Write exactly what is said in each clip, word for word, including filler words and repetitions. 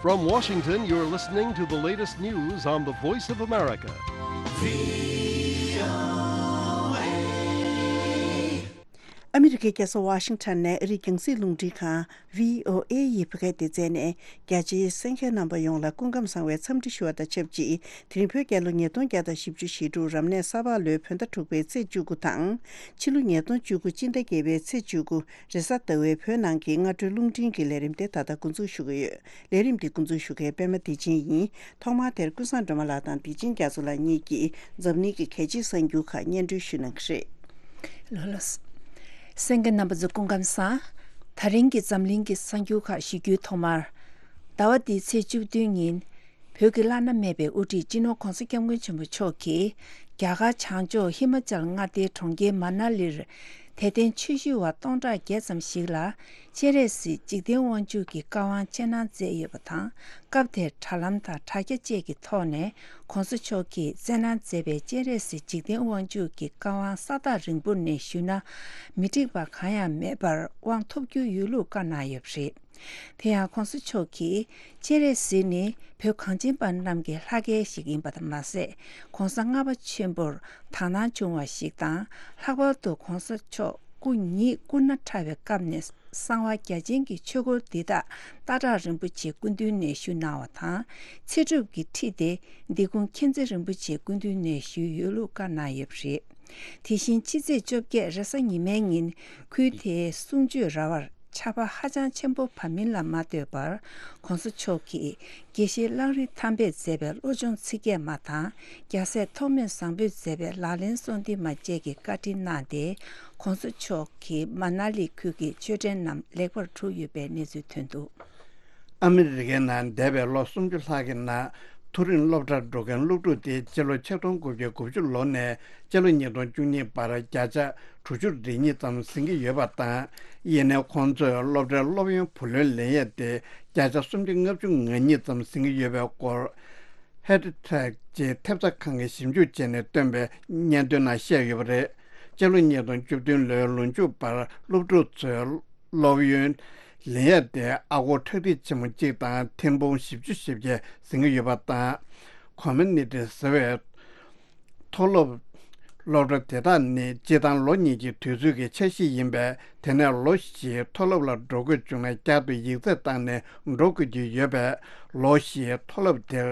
From Washington, you're listening to the latest news on the Voice of America. ཨ་མི་རི་ཀའི་རྒྱལ་ས་ཝ་ཤིང་ཊོན་ནས་ཨ་རིའི་རྒྱང་སྲིང་རླུང་འཕྲིན་ཁང་བྷི་ཨོ་ཨེ་ཡི་བོད་སྐད་སྡེ་ཚན་ནས་རྒྱ་ཆེའི་གསན་མཁན་རྣམ་པ་ཡོངས་ལ་སྐུ་ཁམས་བཟང་བའི་འཚམས་འདྲི་ཞུ་བ་དང་ཆབས་ཅིག་དེ་རིང་བོད་རྒྱལ་ལོ་ཉིས་སྟོང་བརྒྱ་དང་བཞི་བཅུ་ཞེ་དྲུག་རབ་གནས་ས་ཕག་ལོའི་བོད་ཟླ་དྲུག་པའི་ཚེས་བཅུ་དགུ་དང་། ཕྱི་ལོ་ཉིས་སྟོང་བཅུ་དགུ་སྤྱི་ཟླ་བརྒྱད་པའི་ཚེས་བཅུ་དགུ་རེས་གཟའ་ཟླ་བའི་བོད་ནང་གི་སྔ་དྲོའི་རླུང་འཕྲིན་གྱི་ལས་རིམ་དེ་ད་ལྟ་འགོ་འཛུགས་ཞུ་གི་ཡོད། ལས་རིམ་འདི་འགོ་འཛུགས་ཞུ་མཁན་པད་མ་བདེ་ཆེན་ཡིན། ཐོག་མར་དེར་ཀུན་བཟང་སྒྲོལ་མ་ལགས་དང་བདེ་ཆེན་རྒྱ་མཚོ་ལགས་གཉིས་ཀྱིས་འཛམ་གླིང་གི་གལ་ཆེའི་གསར་འགྱུར་ཁག་སྙན་སྒྲོན་ཞུ་གནང་གི་རེད། ལགས་ལགས། གསན་མཁན་རྣམ་པ་ཚོ་སྐུ་ཁམས་བཟང་། ད་རིང་གི་འཛམ་གླིང་གི་གསར་འགྱུར་ཁག་ཞུ་རྒྱུའི་ཐོག་མར། ཟླ་བ་འདིའི་ཚེས་བཅུ་བདུན་ཉིན། བོད་ཀྱི་བླ་ན་མེད་པའི་དབུ་ཁྲིད་སྤྱི་ནོར་༧གོང་ས་༧སྐྱབས་མགོན་ཆེན་པོ་མཆོག་གིས་རྒྱ་གར་བྱང་ཕྱོགས་ཧི་མ་ཅལ་མངའ་སྡེའི་གྲོང་ཁྱེར་མ་ན་ལིར་དད་ལྡན་ཆོས་ཞུ་བ་སྟོང་ཕྲག་བརྒྱད་ཙམ་ཞིག་ལ་སྤྱན་རས་གཟིགས་འཇིག་རྟེན་དབང་ཕྱུག་གི་བཀའ་དབང་སྤྱན་དྲངས་མཛད་ཡོད་པ་དང་། སྐབས་དེར་དྲ་ལམ་དང་དྲ་རྒྱ་བཅས་ཀྱི་ཐོག་ནས་༧གོང་ས་མཆོག་གིས་སྤྱན་དྲངས་མཛད་པའི་སྤྱན་རས་གཟིགས་འཇིག་རྟེན་དབང་ཕྱུག་གི་བཀའ་དབང་ས་ཐག་རིང་པོ་ནས་ཞུས་ན་མི་འགྲིག་པ་གང་ཡང་མེད་པར་དབང་ཐོབ་རྒྱུ་ཡོད་ལུགས་བཀའ་གནང་ཡོད་པ་རེད། དེ་ཡང་༧གོང་ས་མཆོག་གིས་སྤྱན་རས་གཟིགས་ནི་བོད་གངས་ཅན་པ་རྣམས་ཀྱི་ལྷ་སྐལ་ཞིག་ཡིན་པ་དང་མ་ཟད། ༧གོང་ས་ལྔ་པ་ཆེན་པོར་དག་སྣང་བྱུང་བ་ཞིག་དང་། ལྷག་པར་དུ་༧གོང་ས་མཆོག་སྐུ་ཉིད་སྐུ་ན་ཕྲ་བའི་སྐབས་ནས་གསང་བ་རྒྱ་ཆེན་གྱི་ཆོས་སྐོར་འདི་དག་སྟག་བྲག་རིན་པོ་ཆེའི་སྐུ་མདུན་ནས་ཞུས་གནང་བ་དང་། ཚེ་སྒྲུབ་ཀྱི་ཁྲིད་དེ་འདི་ཁུངས་མཁྱེན་བརྩེ་རིན་པོ་ཆེའི་སྐུ་མདུན་ནས་ཞུས་ཡོད་ལུགས་བཀའ་གནང་ཡོད་པ་རེད། དེ་བཞིན་ཕྱི་ཚེས་བཅོ་བརྒྱད་རེས་གཟའ་ཉི་མའི་ཉིན་ཁུལ་དེའི་གསུང་ཆོས་ར་བར་ཆར་པ་ཧ་ཅང་ཆེན་པོ་བབས་མིན་ལ་མ་ལྟོས་པར། ༧གོང་ས་མཆོག་གིས་དགེ་བཤེས་གླང་རི་ཐར་པས་མཛད་པའི་བློ་སྦྱོང་ཚིག་བརྒྱད་མ་དང་རྒྱལ་སྲས་ཐོགས་མེད་བཟང་པོས་མཛད་པའི་ལག་ལེན་གསུམ་ལྡན་མ་བཅས་ཀྱི་བཀའ་དྲིན་གནང་སྟེ། ༧གོང་ས་མཆོག་གིས་མ་ན་ལི་ཁུལ་གྱི་ཆོས་ཁྲལ་རྣམས་ལེགས་པར་གྲུབ་ཡོད་པའི་གནས་ཚུལ་ཐོན་འདུག་ཨ་མི་རི་ཀའི་ནང་འདས་པའི་ལོ་སུམ་ཅུ་ལྷག་གི་ནང་མཐོ་རིམ་སློབ་གྲྭར་འགྲོ་མཁན་སློབ་ཕྲུག་དེ་སྤྱི་ལོ་ཆིག་སྟོང་དགུ་བརྒྱ་དགུ་བཅུ་ལོ་ནས་སྤྱི་ལོ་ཉིས་སྟོང་བཅུ་གཉིས་བར་བརྒྱ་ཆ་དྲུག་ཅུ་རེ་གཉིས་ཙམ་ཟིན་གྱི་ཡོད་པ་དང་། ཡིན་ནའི་ཁོང་ཚོས་སློབ་གྲྭའི་སློབ་ཡོན་བུ་ལོན་ལེན་ཡས་དེ་བརྒྱ་ཆ་སུམ་ཅུ་ལྔ་བཅུ་ང་གཉིས་ཙམ་ཟིན་གྱི་ཡོད་པའི་སྐོར། ཧེ་ཏྲི་ཊེག་ཅེས་ཐེབས་རྩ་ཁང་གིས་ཞིབ་འཇུག་བྱས་ནས་བཏོན་པའི་སྙན་ཐོའི་ནང་བཤད་ཡོད་པ་རེད། སྤྱི་ལོ་ཉིས་སྟོང་བཅུ་བདུན་ལོའི་ལོ་མཇུག་བར་སློབ་ཕྲུག་ཚོའི་སློབ་ཡོན་ལེན་ཡས་དེ་ཨ་སྒོར་ཁྲག་ཁྲིག་ཆེན་མོ་གཅིག་དང་ཐེར་འབུམ་བཞི་བཅུ་ཞེ་བརྒྱད་ཟིན་གྱི་ཡོད་པ་དང་། ཀོ་མུ་ནི་ཊི་ཟེར་བའི་མཐོ་སློབ་སློབ་གྲྭ་དེ་དག་ནི་སྤྱིར་བཏང་ལོ་གཉིས་ཀྱི་དུས་ཚོད་ཀྱི་འཆར་གཞི་ཡིན་པས། དེ་ནས་ལོ་བཞིའི་མཐོ་སློབ་ལ་འགྲོ་དགོས་བྱུང་ན་བསྐྱར་དུ་ཡིག་ཚད་བཏང་ནས་འགྲོ་དགོས་ཀྱི་ཡོད་པས། ལོ་བཞིའི་མཐོ་སློབ་དེར་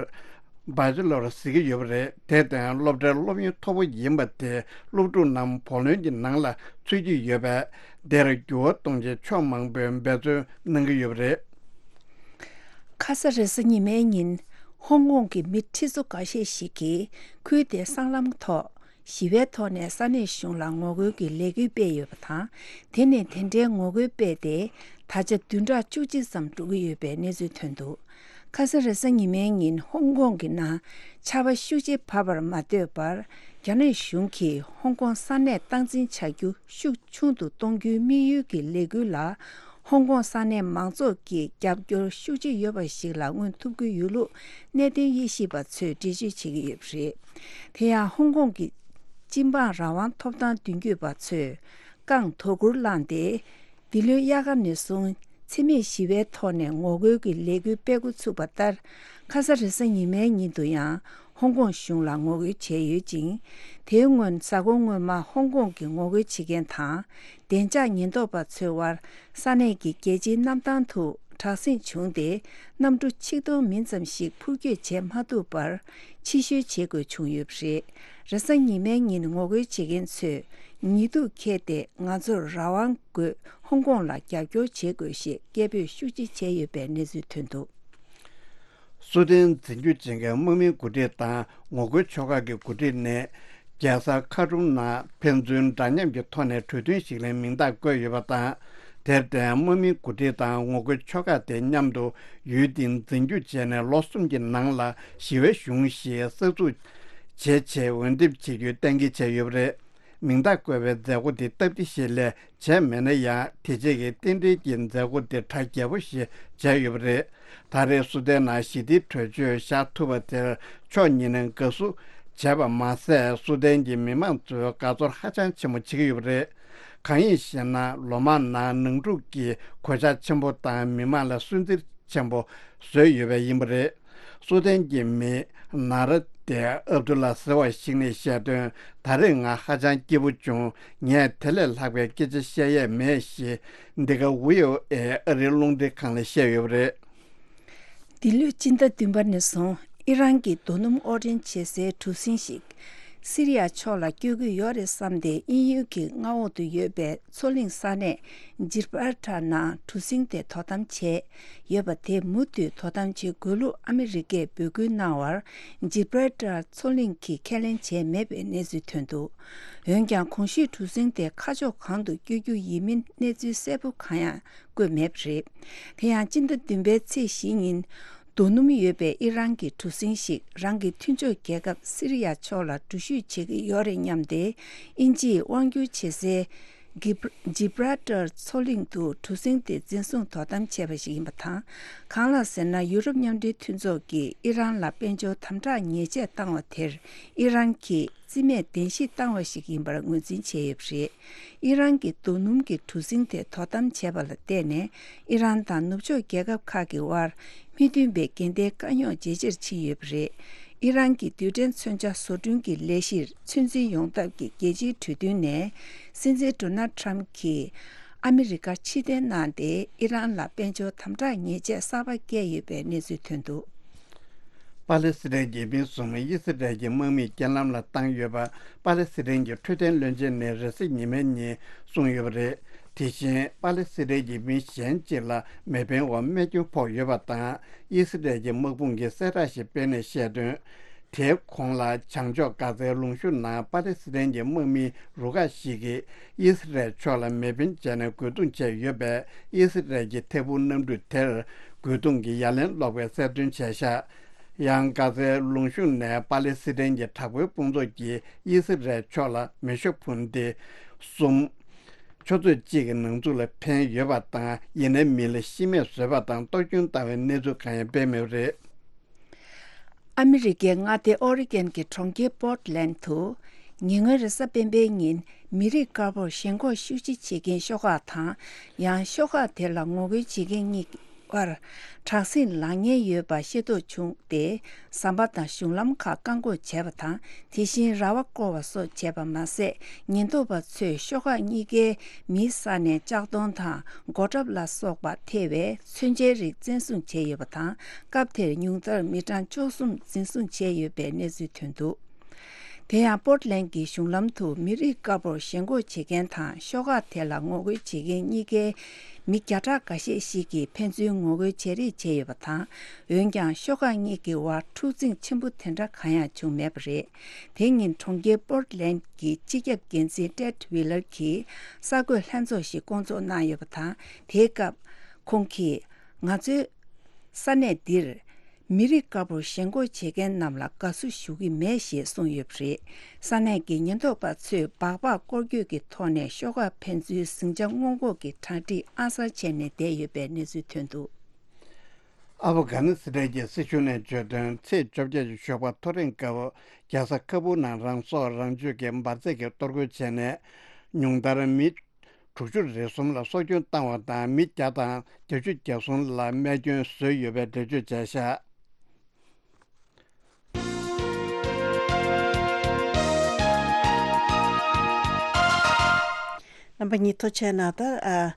བ་ཅི་ལོར་ཟེར་གྱི་ཡོད་པ་རེད། དེར་བརྟེན་སློབ་གྲྭའི་སློབ་ཡོན་མཐོ་པོ་ཡིན་པ་དེ་སློབ་ཕྲུག་རྣམས་བུ་ལོན་གྱི་ནང་ལ་ཚུད་ཀྱི་ཡོད་པས། དེར་འགྱུར་བ་གཏོང་ཆེད་ཕྱོགས་མང་པོས་འབད་བརྩོན་གནང་གི་ཡོད་པ་རེད། ཁ་ས་རེས་གཟའ་ཉི་མའི་ཉིན་ཧོང་ཀོང་གི་མི་ཁྲི་ཚོ་འགའ་ཤས་ཤིག་གིས་ཁུལ་དེའི་སྲང་ལམ་ཐོག་ཞི་བའི་ཐོག་ནས་ས་གནས་གཞུང་ལ་ངོ་རྒོལ་གྱི་ལས་འགུལ་སྤེལ་ཡོད་པ་དང་། དེ་ནས་དེ་འདྲའི་ངོ་རྒོལ་སྤེལ་ཏེ་ད་ཆ་བདུན་ཕྲག་བཅུ་གཅིག་ཙམ་འགྲོ་གི་ཡོད་པའི་གནས་ཚུལ་ཐོན་འདུག་ཁ་ས་རེས་གཟའ་ཉི་མའི་ཉིན་ཧོང་ཀོང་གི་ནང་ཆར་པ་ཤུགས་ཆེ་བབས་པར་མ་ལྟོས་པར། རྒྱ་ནག་གཞུང་གིས་ཧོང་ཀོང་ས་གནས་སྟངས་འཛིན་བྱ་རྒྱུ་ཤུགས་ཆུང་དུ་གཏོང་རྒྱུའི་དམིགས་ཡུལ་གྱི་ལས་འགུལ་ལ། ཧོང་ཀོང་ས་གནས་མང་ཚོགས་ཀྱི་རྒྱབ་སྐྱོར་ཤུགས་ཆེ་ཡོད་པ་ཞིག་ལ་མངོན་ཐུབ་ཀྱི་ཡོད་ལུགས་གནད་དོན་དབྱེ་ཞིབ་པ་ཚོས་འགྲེལ་བརྗོད་བྱེད་ཀྱི་ཡོད་པ་རེད། དེ་ཡང་ཧོང་ཀོང་གི་སྤྱི་འབངས་རང་དབང་ཐོབ་ཐང་མདུན་སྐྱོད་པ་ཚོས་རྐང་དོ་ཁུར་བླངས་ཏེ། འདི་ལོའི་དབྱར་ཁ་ནས་བཟུང་འཚེ་མེད་ཞི་བའི་ཐོག་ནས་ངོ་རྒོལ་གྱི་ལས་འགུལ་སྤེལ་འགོ་ཚུགས་པ་ལྟར། ཁ་ས་རེས་གཟའ་ཉི་མའི་ཉིན་དུ་ཡང་ཧོང་ཀོང་གཞུང་ལ་ངོ་རྒོལ་བྱས་ཡོད་ཅིང་། དེའི་སྔོན་གཟའ་འཁོར་སྔོན་མ་ཧོང་ཀོང་གི་ངོ་རྒོལ་བྱེད་མཁན་དང་བདེ་འཇགས་ཉེན་རྟོག་པ་ཚོའི་དབར་ས་གནས་ཀྱི་རྒྱལ་སྤྱིའི་གནམ་ཐང་དུ་དྲག་ཟིང་བྱུང་སྟེ། གནམ་གྲུ་ཆིག་སྟོང་མིན་ཙམ་ཞིག་འཕུར་སྐྱོད་བྱེད་མ་ཐུབ་པར་ཕྱིར་བཤོལ་བྱེད་དགོས་བྱུང་ཡོད་པ་རེད། རེས་གཟའ་ཉི་མའི་ཉིན་ངོ་རྒོལ་བྱེད་མཁན་ཚོས་ཉིས་གཏུག་འཁྱེར་ཏེ་ང་ཚོར་རང་དབང་དགོས། ཧོང་ཀོང་ལ་རྒྱབ་སྐྱོར་བྱེད་དགོས་ཞེས་སྐད་འབོད་ཤུགས་ཆེ་བྱས་ཡོད་པའི་གནས་ཚུལ་ཐོན་འདུག་སུ་ཏན་འཛིན་སྐྱོང་བྱེད་མཁན་དམག་མིའི་འགོ་ཁྲིད་དང་ངོ་རྒོལ་ཆོལ་ཁ་གི་འགོ་ཁྲིད་ནས་རྒྱལ་ས་ཁ་ཁྲུམ་ནང་ཕན་ཚུན་འདྲ་མཉམ་གྱི་ཐོག་ནས་གྲོས་མཐུན་ཞིག་ལ་མིང་རྟགས་བཀོད་ཡོད་པ་དང་། དེར་བརྟེན་དམག་མིའི་འགོ་ཁྲིད་དང་ངོ་རྒོལ་ཆོལ་ཁ་དེ་མཉམ་དུ་ཡུལ་དེའི་འཛིན་སྐྱོང་བྱས་ནས་ལོ་གསུམ་གྱི་ནང་ལ་ཞི་བའི་གཞུང་ཞིག་གསར་འཛུགས་བྱེད་ཆེད་འོས་འདེམས་བྱེད་རྒྱུའི་གཏན་འཁེལ་བྱས་ཡོད་པ་རེད། མིང་རྟགས་བཀོད་པའི་མཛད་སྒོ་འདི་སྟབས་བདེ་ཞིག་ལས་བྱས་མེད་ན་ཡང་། དེ་རྗེས་ཀྱི་རྟེན་འབྲེལ་གྱི་མཛད་སྒོ་འདི་གྲ་རྒྱས་པོ་ཞིག་བྱས་ཡོད་པ་རེད། ད་རེས་སུ་ཏན་ནང་ཞི་བདེའི་གྲོས་ཆོད་བཞག་ཐུབ་པ་དེར་ཕྱོགས་གཉིས་ནས་དགའ་བསུ་བྱས་པ་མ་ཟད། སུ་ཏན་གྱི་མི་མང་ཚོས་དགའ་ཚོར་ཧ་ཅང་ཆེན་པོ་བྱེད་ཀྱི་ཡོད་པ་རེད། གང་ཡིན་ཞེ་ན། ལོ་མང་ནང་ནང་འཁྲུག་གིས་གོད་ཆག་ཆེན་པོ་དང་མི་མང་ལ་སུན་གཙེར་ ཆེན་པོ་བཟོས་ཡོད་པ་ཡིན་པ་རེད། སུ་དན་གྱི་མི་ནཱ་ར་དེ་ཨབ་དུ་ལ་ཟེར་བ་ཞིག་ནས་བཤད་དོན། ད་རེས་ང་ཧ་ཅང་སྐྱིད་པོ་བྱུང་། ངས་དེ་ལས་ལྷག་པའི་སྐད་ཆ་བཤད་ཡས་མེད་ཞེས་འདི་ག་ཝི་ཨོ་ཨེ་ཨ་རིའི་རླུང་འཕྲིན་ཁང་ལ་བཤད་ཡོད་པ་རེད། འདི་ལོའི་སྤྱི་ཟླ་བདུན་པ་ནས་བཟུང་ཨི་རན་གྱི་རྡོ་སྣུམ་དབོར་འདྲེན་བྱེད་སའི་གྲུ་གཟིངས་ཤིག་སི་རི་ཡ་ཕྱོགས་ལ་བསྐྱོད་ཀྱི་ཡོད་རེད་བསམ་སྟེ། དབྱིན་ཡུལ་གྱི་མངའ་འོག་ཏུ་ཡོད་པའི་མཚོ་གླིང་ས་གནས་ཇིབ་རལ་ཊར་ནང་གྲུ་གཟིངས་དེ་དོ་དམ་བྱས་ཡོད་པ་དེ་མུ་མཐུད་དོ་དམ་བྱེད་དགོས་ལུགས་ཨ་མི་རི་ཀས་འབོད་སྐུལ་གནང་བར། ཇིབ་རལ་ཊར་མཚོ་གླིང་གིས་ཁས་ལེན་བྱས་མེད་པའི་གནས་ཚུལ་ཐོན་འདུག་འོན་ཀྱང་གོང་ཞུས་གྲུ་གཟིངས་དེ་ཁ་ཕྱོགས་གང་དུ་བསྐྱོད་རྒྱུ་ཡིན་མིན་གནས་ཚུལ་གསལ་པོ་གང་ཡང་བཀོད་མེད་པ་རེད། དེ་ཡང་སྤྱི་ཟླ་བདུན་པའི་ཚེས་བཞི་ཉིན། རྡོ་སྣུམ་ཡོད་པའི་ཨི་རན་གྱི་གྲུ་གཟིངས་ཤིག་རང་གི་མཐུན་ཕྱོགས་རྒྱལ་ཁབ་སི་རི་ཡ་ཕྱོགས་ལ་འགྲུལ་བཞུད་བྱེད་ཀྱི་ཡོད་རེད་སྙམ་སྟེ། དབྱིན་ཇིས་དབང་སྒྱུར་བྱེད་སའི་གིབ་ཇིབ་རལ་ཊར་མཚོ་གླིང་དུ་གྲུ་གཟིངས་དེ་འཛིན་བཟུང་དོ་དམ་བྱས་པ་ཞིག་ཡིན་པ་དང་། གང་ལགས་ཟེར་ན། ཡུ་རོབ་མཉམ་འབྲེལ་མཐུན་ཚོགས་ཀྱིས་ཨི་རན་ལ་དཔལ་འབྱོར་དམ་དྲག་ཉེས་ཆད་བཏང་བ་དེར་ཨི་རན་གྱིས་རྩིས་མེད་གདན་ཞུ་བཏང་བ་ཞིག་ཡིན་པར་ངོས་འཛིན་བྱས་ཡོད་པ་རེད། ཨི་རན་གྱི་རྡོ་སྣུམ་གྱི་གྲུ་གཟིངས་དེ་དོ་དམ་བྱས་པ་ལ་བརྟེན་ནས། ཨི་རན་དང་ནུབ་ཕྱོགས་རྒྱལ་ཁབ་ཁག་གི་དབར་མི་མཐུན་པའི་འགལ་ཟླའི་དཀའ་རྙོག་ཇེ་ཆེར་ཕྱིན་ཡོད་པ་རེད། ཨི་རན་གྱི་རྡུལ་ཕྲན་མཚོན་ཆ་བཟོ་སྐྲུན་གྱི་ལས་གཞིར་ཚོད་འཛིན་ཡོང་ཐབས་ཀྱི་རྒྱལ་སྤྱིའི་གྲོས་མཐུན་ནས། སྲིད་འཛིན་ཌོ་ནལ་ཊམ་གྱིས་ཨ་མི་རི་ཀར་ཕྱིར་འཐེན་གནང་སྟེ། ཨི་རན་ལ་དཔལ་འབྱོར་དམ་དྲག་ཉེས་ཆད་གསར་པ་བཀལ་ཡོད་པའི་གནས་ཚུལ་ཐོན་འདུག་པ་ལེ་སི་ཐན་གྱི་མི་གསུམ་དབྱི་སི་རལ་གྱི་དམག་མིས་རྐྱེན་ལམ་ལ་བཏང་ཡོད་པ། པ་ལེ་སི་ཐན་གྱི་འཕྲོད་བསྟེན་བློན་ཆེན་ནས་རེས་གཟའ་ཉི་མའི་ཉིན་གསུངས་ཡོད་པ་རེད། དེ་བཞིན་པ་ལེ་སི་ཐན་གྱི་མི་གཞན་གཅིག་ལ་མེ་འཕེན་འོག་རྨས་སྐྱོན་ཕོག་ཡོད་པ་དང་། དབྱི་སི་རལ་གྱི་དམག་དཔུང་གིས་གསལ་བསྒྲགས་ཤིག་སྤེལ་ནས་བཤད་དོན། དེའི་གོང་ལ་བྱང་ཕྱོགས་གྷ་ཛའི་ལུང་གཤོང་ནང་པ་ལེ་སི་ཐན་གྱི་དམག་མིའི་རུ་ཁག་ཞིག་གིས་དབྱི་སི་རལ་ཕྱོགས་ལ་མེ་འཕེན་བྱས་ནས་རྒོལ་རྡུང་བྱས་ཡོད་པས། དབྱི་སི་རལ་གྱི་ཐད་འཕུར་གནམ་གྲུ་དེར་རྒོལ་རྡུང་གི་ཡ་ལན་སློག་པའི་གསལ་སྟོན་བྱས་ཤག་ཡང་གྷ་ཛའི་ལུང་གཤོང་ནས་པ་ལེ་སི་ཐན་གྱི་དྲག་པོའི་དཔུང་ཚོགས་ཀྱིས་དབྱི་སི་རལ་ཕྱོགས་ལ་མེ་ཤོག་འཕུར་མདེལ་གསུམ། ཆུ་ཚོད་གཅིག་གི་ནང་ཚུད་ལ་འཕེན་ཡོད་པ་དང་། ཡིན་ནའི་མི་ལ་ཤི་རྨས་བཟོས་པ་དང་གཏོར་སྐྱོན་བཏང་བའི་གནས་ཚུལ་གང་ཡང་སྤེལ་མེད་པ་རེད། ཨ་མི་རི་ཀའི་མངའ་སྡེ་ཨོ་རི་གན་གྱི་གྲོང་ཁྱེར་པོར་ཊི་ལན་དུ། ཉེ་སྔོན་རེས་གཟའ་སྤེན་པའི་ཉིན། མི་རིགས་དཀར་པོར་ཞེན་ཁོག་ཤུགས་ཆེ་བྱེད་མཁན་ཤོག་ཁག་དང་། ཡང་ཤོག་ཁག་དེ་ལ་ངོ་རྒོལ་བྱེད་མཁན་གཉིས་བར། དྲག་ཟིང་ལངས་ཉེན་ཡོད་པ་ཤེས་རྟོགས་བྱུང་སྟེ། ཟམ་པ་དང་གཞུང་ལམ་ཁག་བཀག་འགོག་བྱས་པ་དང་། དེ་བཞིན་ར་བ་བསྐོར་བ་སོགས་བྱས་པ་མ་ཟད། ཉེན་རྟོག་པ་ཚོས་ཤོག་ཁག་གཉིས་ཀའི་མིའི་ས་ནས་ལྕགས་སྡོང་དང་། མགོ་ཁྲབ་ལ་སོགས་པ་ཐེ་བའི་མཚོན་ཆའི་རིགས་བཙན་བཟུང་བྱས་ཡོད་པ་དང་། སྐབས་དེར་ཉུང་མཐར་མི་གྲངས་བཅུ་གསུམ་འཛིན་བཟུང་བྱས་ཡོད་པའི་གནས་ཚུལ་ཐོན་འདུག་དེ་ཡང་པོར་ཊི་ལན་གྱི་གཞུང་ལམ་དུ་མི་རིགས་དཀར་པོར་ཞེན་ཁོག་བྱེད་མཁན་དང་ཤོག་ཁག་དེ་ལ་ངོ་རྒོལ་བྱེད་མཁན་གཉིས་ཀའི་མི་བརྒྱ་ཕྲག་འགའ་ཤས་ཤིག་གིས་ཕན་ཚུན་ངོ་རྒོལ་བྱེད་རེས་བྱས་ཡོད་པ་དང་། འོན་ཀྱང་ཤོག་ཁག་གཉིས་ཀྱི་དབར་འཁྲུག་འཛིང་ཆེན་པོ་དེ་འདྲ་གང་ཡང་བྱུང་མེད་པ་རེད། དེ་ཉིན་གྲོང་ཁྱེར་པོར་ཊི་ལན་གྱི་སྤྱི་ཁྱབ་འགན་འཛིན་ཊེཌ་ཝི་ལར་གྱིས་གསར་འགོད་ལྷན་ཚོགས་ཤིག་བསྐོང་ཚོགས་གནང་ཡོད་པ་དང་། དེའི་སྐབས་ཁོང་གིས། ང་ཚོའི་ས་གནས་འདིར་མི་རིགས་དཀར་པོར་ཞེན་ཁོག་བྱེད་མཁན་རྣམས་ལ་དགའ་བསུ་ཞུ་གི་མེད་ཞེས་གསུངས་ཡོད་པ་རེད། ས་གནས་ཀྱི་ཉེན་རྟོག་པ་ཚོས་སྦག་སྦག་སྐོར་སྐྱོད་ཀྱི་ཐོག་ནས་ཤོག་ཁག་ཕན་ཚུན་ཟིང་ཆ་སྔོན་འགོག་གི་གྲ་སྒྲིག་ཨང་གསར་བྱས་ནས་བསྡད་ཡོད་པའི་གནས་ཚུལ་ཐོན་འདུག་ཨབ་གྷ་ནི་སི་ཐན་གྱི་སྲིད་གཞུང་ནས་བརྗོད་དོན། ཚེས་བཅོ་བརྒྱད་ཀྱི་ཞོགས་པ་ཐོ་རེངས་སྐབས་རྒྱལ་ས་ཁ་བུར་ནང་རང་སྲོག་རང་གཅོད་ཀྱི་འབར་རྫས་ཀྱིས་གཏོར་རྒོལ་བྱས་ནས། ཉུང་མཐར་མི་དྲུག་ཅུ་རེ་གསུམ་ལ་སྲོག་སྐྱོན་བཏང་བ་དང་། མི་བརྒྱ་དང་བརྒྱད་ཅུ་གྱ་གསུམ་ལ་རྨས་སྐྱོན་བཟོས་ཡོད་པའི་འགྲེལ་བརྗོད་བྱས་ཤག་རྣམ་པ་གཉིས་ཐུགས་རྗེ་གནང་། ད་ཨ།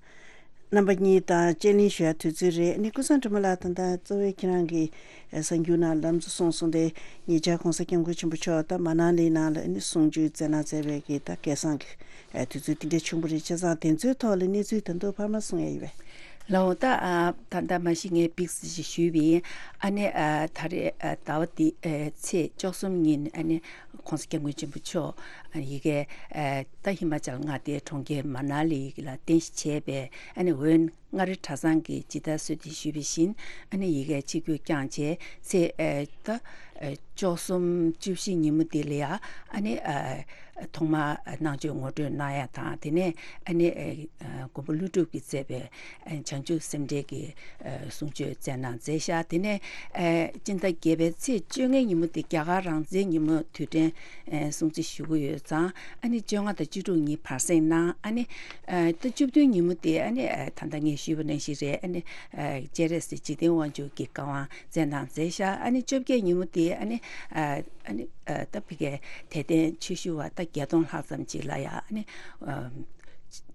རྣམ་པ་གཉིས་དང་དཔྱད་གླེང་ཞུ་ཡ་དུས་ཚོད་རེད། ནི་ཀུན་བཟང་སྒྲོལ་མ་ལགས། ད་ལྟ་གཙོ་བོའི་ཁྱེད་རང་གི་གསར་འགྱུར་ནང་ལམ་གཙོ་གསུངས་སོང་སྟེ། ཉེ་ཆར་༸གོང་ས་༸སྐྱབས་མགོན་ཆེན་པོ་མཆོག་ད་མ་ན་ལི་ནང་ལ་ནི་གསུང་ཆོས་སྩལ་གནང་མཛད་པའི་གི་ད་སྐལ་བཟང་གི་དུས་ཚོད་དེ་འདྲའི་བྱུང་བ་རེད། བྱས་ཙང་དེ་ཚོའི་ཐོག་ལ་གནས་ཚུལ་ད་དུང་འཕར་མ་གསུང་ཡ་ཡོད་པས། ལའོ། ད་ཨ་ད་ལྟ་མ་གཞི་ངས་པིག་སི་ཞིག་ཞུས་པ་ཡིན། ཨ་ནི་ཨ་ད་རེས་ཨ་ཟླ་བ་འདི་ཨ་ཚེས་བཅུ་གསུམ་ཉིན་ཨ་ནི་༸གོང་ས་༸སྐྱབས་མགོན་ཆེན་པོ་མཆོག་ཨ་ཡི་གེ་ཨ་ད་ཧི་མ་ཅལ་མངའ་སྡེའི་གྲོང་ཁྱེར་མ་ན་ལི་ལ་རྟེན་གཞི་བྱས་པའི་ཨ་ནི་འོན་མངའ་རིས་གྲྭ་ཚང་གི་ཇི་ལྟར་གསོལ་འདེབས་ཞུས་པ་བཞིན་ཨ་ནི་ཡི་གེ་ཆིབས་བསྒྱུར་བསྐྱངས་བྱས། ཚེས་ཨ་ད་ཨ་བཅུ་གསུམ་བཅུ་བཞི་ཉིན་མོ་འདི་ལ་ཡ་ཨ་ནི་ཨ་ ཐོག་མར་གནང་ཆོས་ངོ་སྤྲོད་གནང་ཡ་དང་། དེ་ནས་ཨ་ནི་ཨ་མགོན་པོ་ཀླུ་སྒྲུབ་ཀྱིས་མཛད་པའི་ཨ་བྱང་ཆུབ་སེམས་འགྲེལ་གྱི་ཨ་གསུང་ཆོས་སྩལ་གནང་མཛད་ཤག་དེ་ནས་ཨ་སྤྱི་ཟླ་བརྒྱད་པའི་ཚེས་བཅོ་ལྔའི་ཉིན་མོ་དེ་རྒྱ་གར་རང་བཙན་ཉིན་མོ་དུས་དྲན་ཨ་སྲུང་བརྩི་ཞུ་གི་ཡོད་ཙང་། ཨ་ནི་བཅོ་ལྔ་དང་བཅུ་དྲུག་ཉིན་བར་གསེང་གནང་། ཨ་ནི་ཨ་ཟླ་བཅུ་བདུན་ཉིན་མོ་དེ་ཨ་ནི་ཨ་ད་ལྟ་ངས་ཞུས་པ་ནང་བཞིན་རེད། ཨ་ནི་ཨ་སྤྱན་རས་གཟིགས་འཇིག་རྟེན་དབང་ཕྱུག་གི་བཀའ་དབང་སྩལ་གནང་མཛད་ཤག་ཨ་ནི་བཅོ་བརྒྱད་ཉིན་མོ་དེ་ཨ་ནི་ཨ་ཨ་ནི་ཨ་ད་ཕ་གིའི་དད་ལྡན་ཆོས་ཞུ་བ་ད་བརྒྱད་སྟོང་ལྷག་ཙམ་ཅིག་ལ་ཡ་ཨ་ནི་ཨ་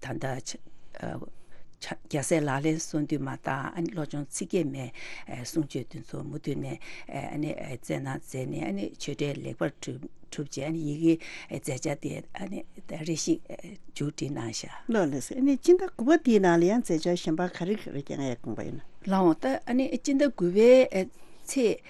ད་ལྟ་ཆ་ཨ་ཆ་རྒྱལ་སྲས་ལག་ལེན་སོ་བདུན་མ་དང་། ཨ་ནི་བློ་སྦྱོང་ཚིག་བརྒྱད་མའི་ཨ་གསུང་ཆོས་འདི་ཚོ་མུ་མཐུད་ནས་ཨ་ནི་ཨ་སྩལ་གནང་མཛད་ནས། ཨ་ནི་ཆོས་འབྲེལ་ལེགས་པར་གྲུབ་གྲུབ་རྗེས་ཨ་ནི་ཡི་གེ་མཛད་འཆར་དེ་ཨ་ནི་རེ་ཞིག་མཇུག་སྒྲིལ་གནང་ཤག་ལགས་ལགས་སོ། ཨ་ནི་སྤྱི་ཟླ་དགུ་པ་དེའི་ནང་ལ་ཡང་མཛད་འཆར་གཞན་པ་ག་རེ་ག་རེ་བསྐྱངས་ཡས་དགོངས་པ་ཡོད་ན། ལགས་འོང་། ད་ཨ་ནི་སྤྱི་ཟླ་དགུ་པའི་ཨ་ཚེས་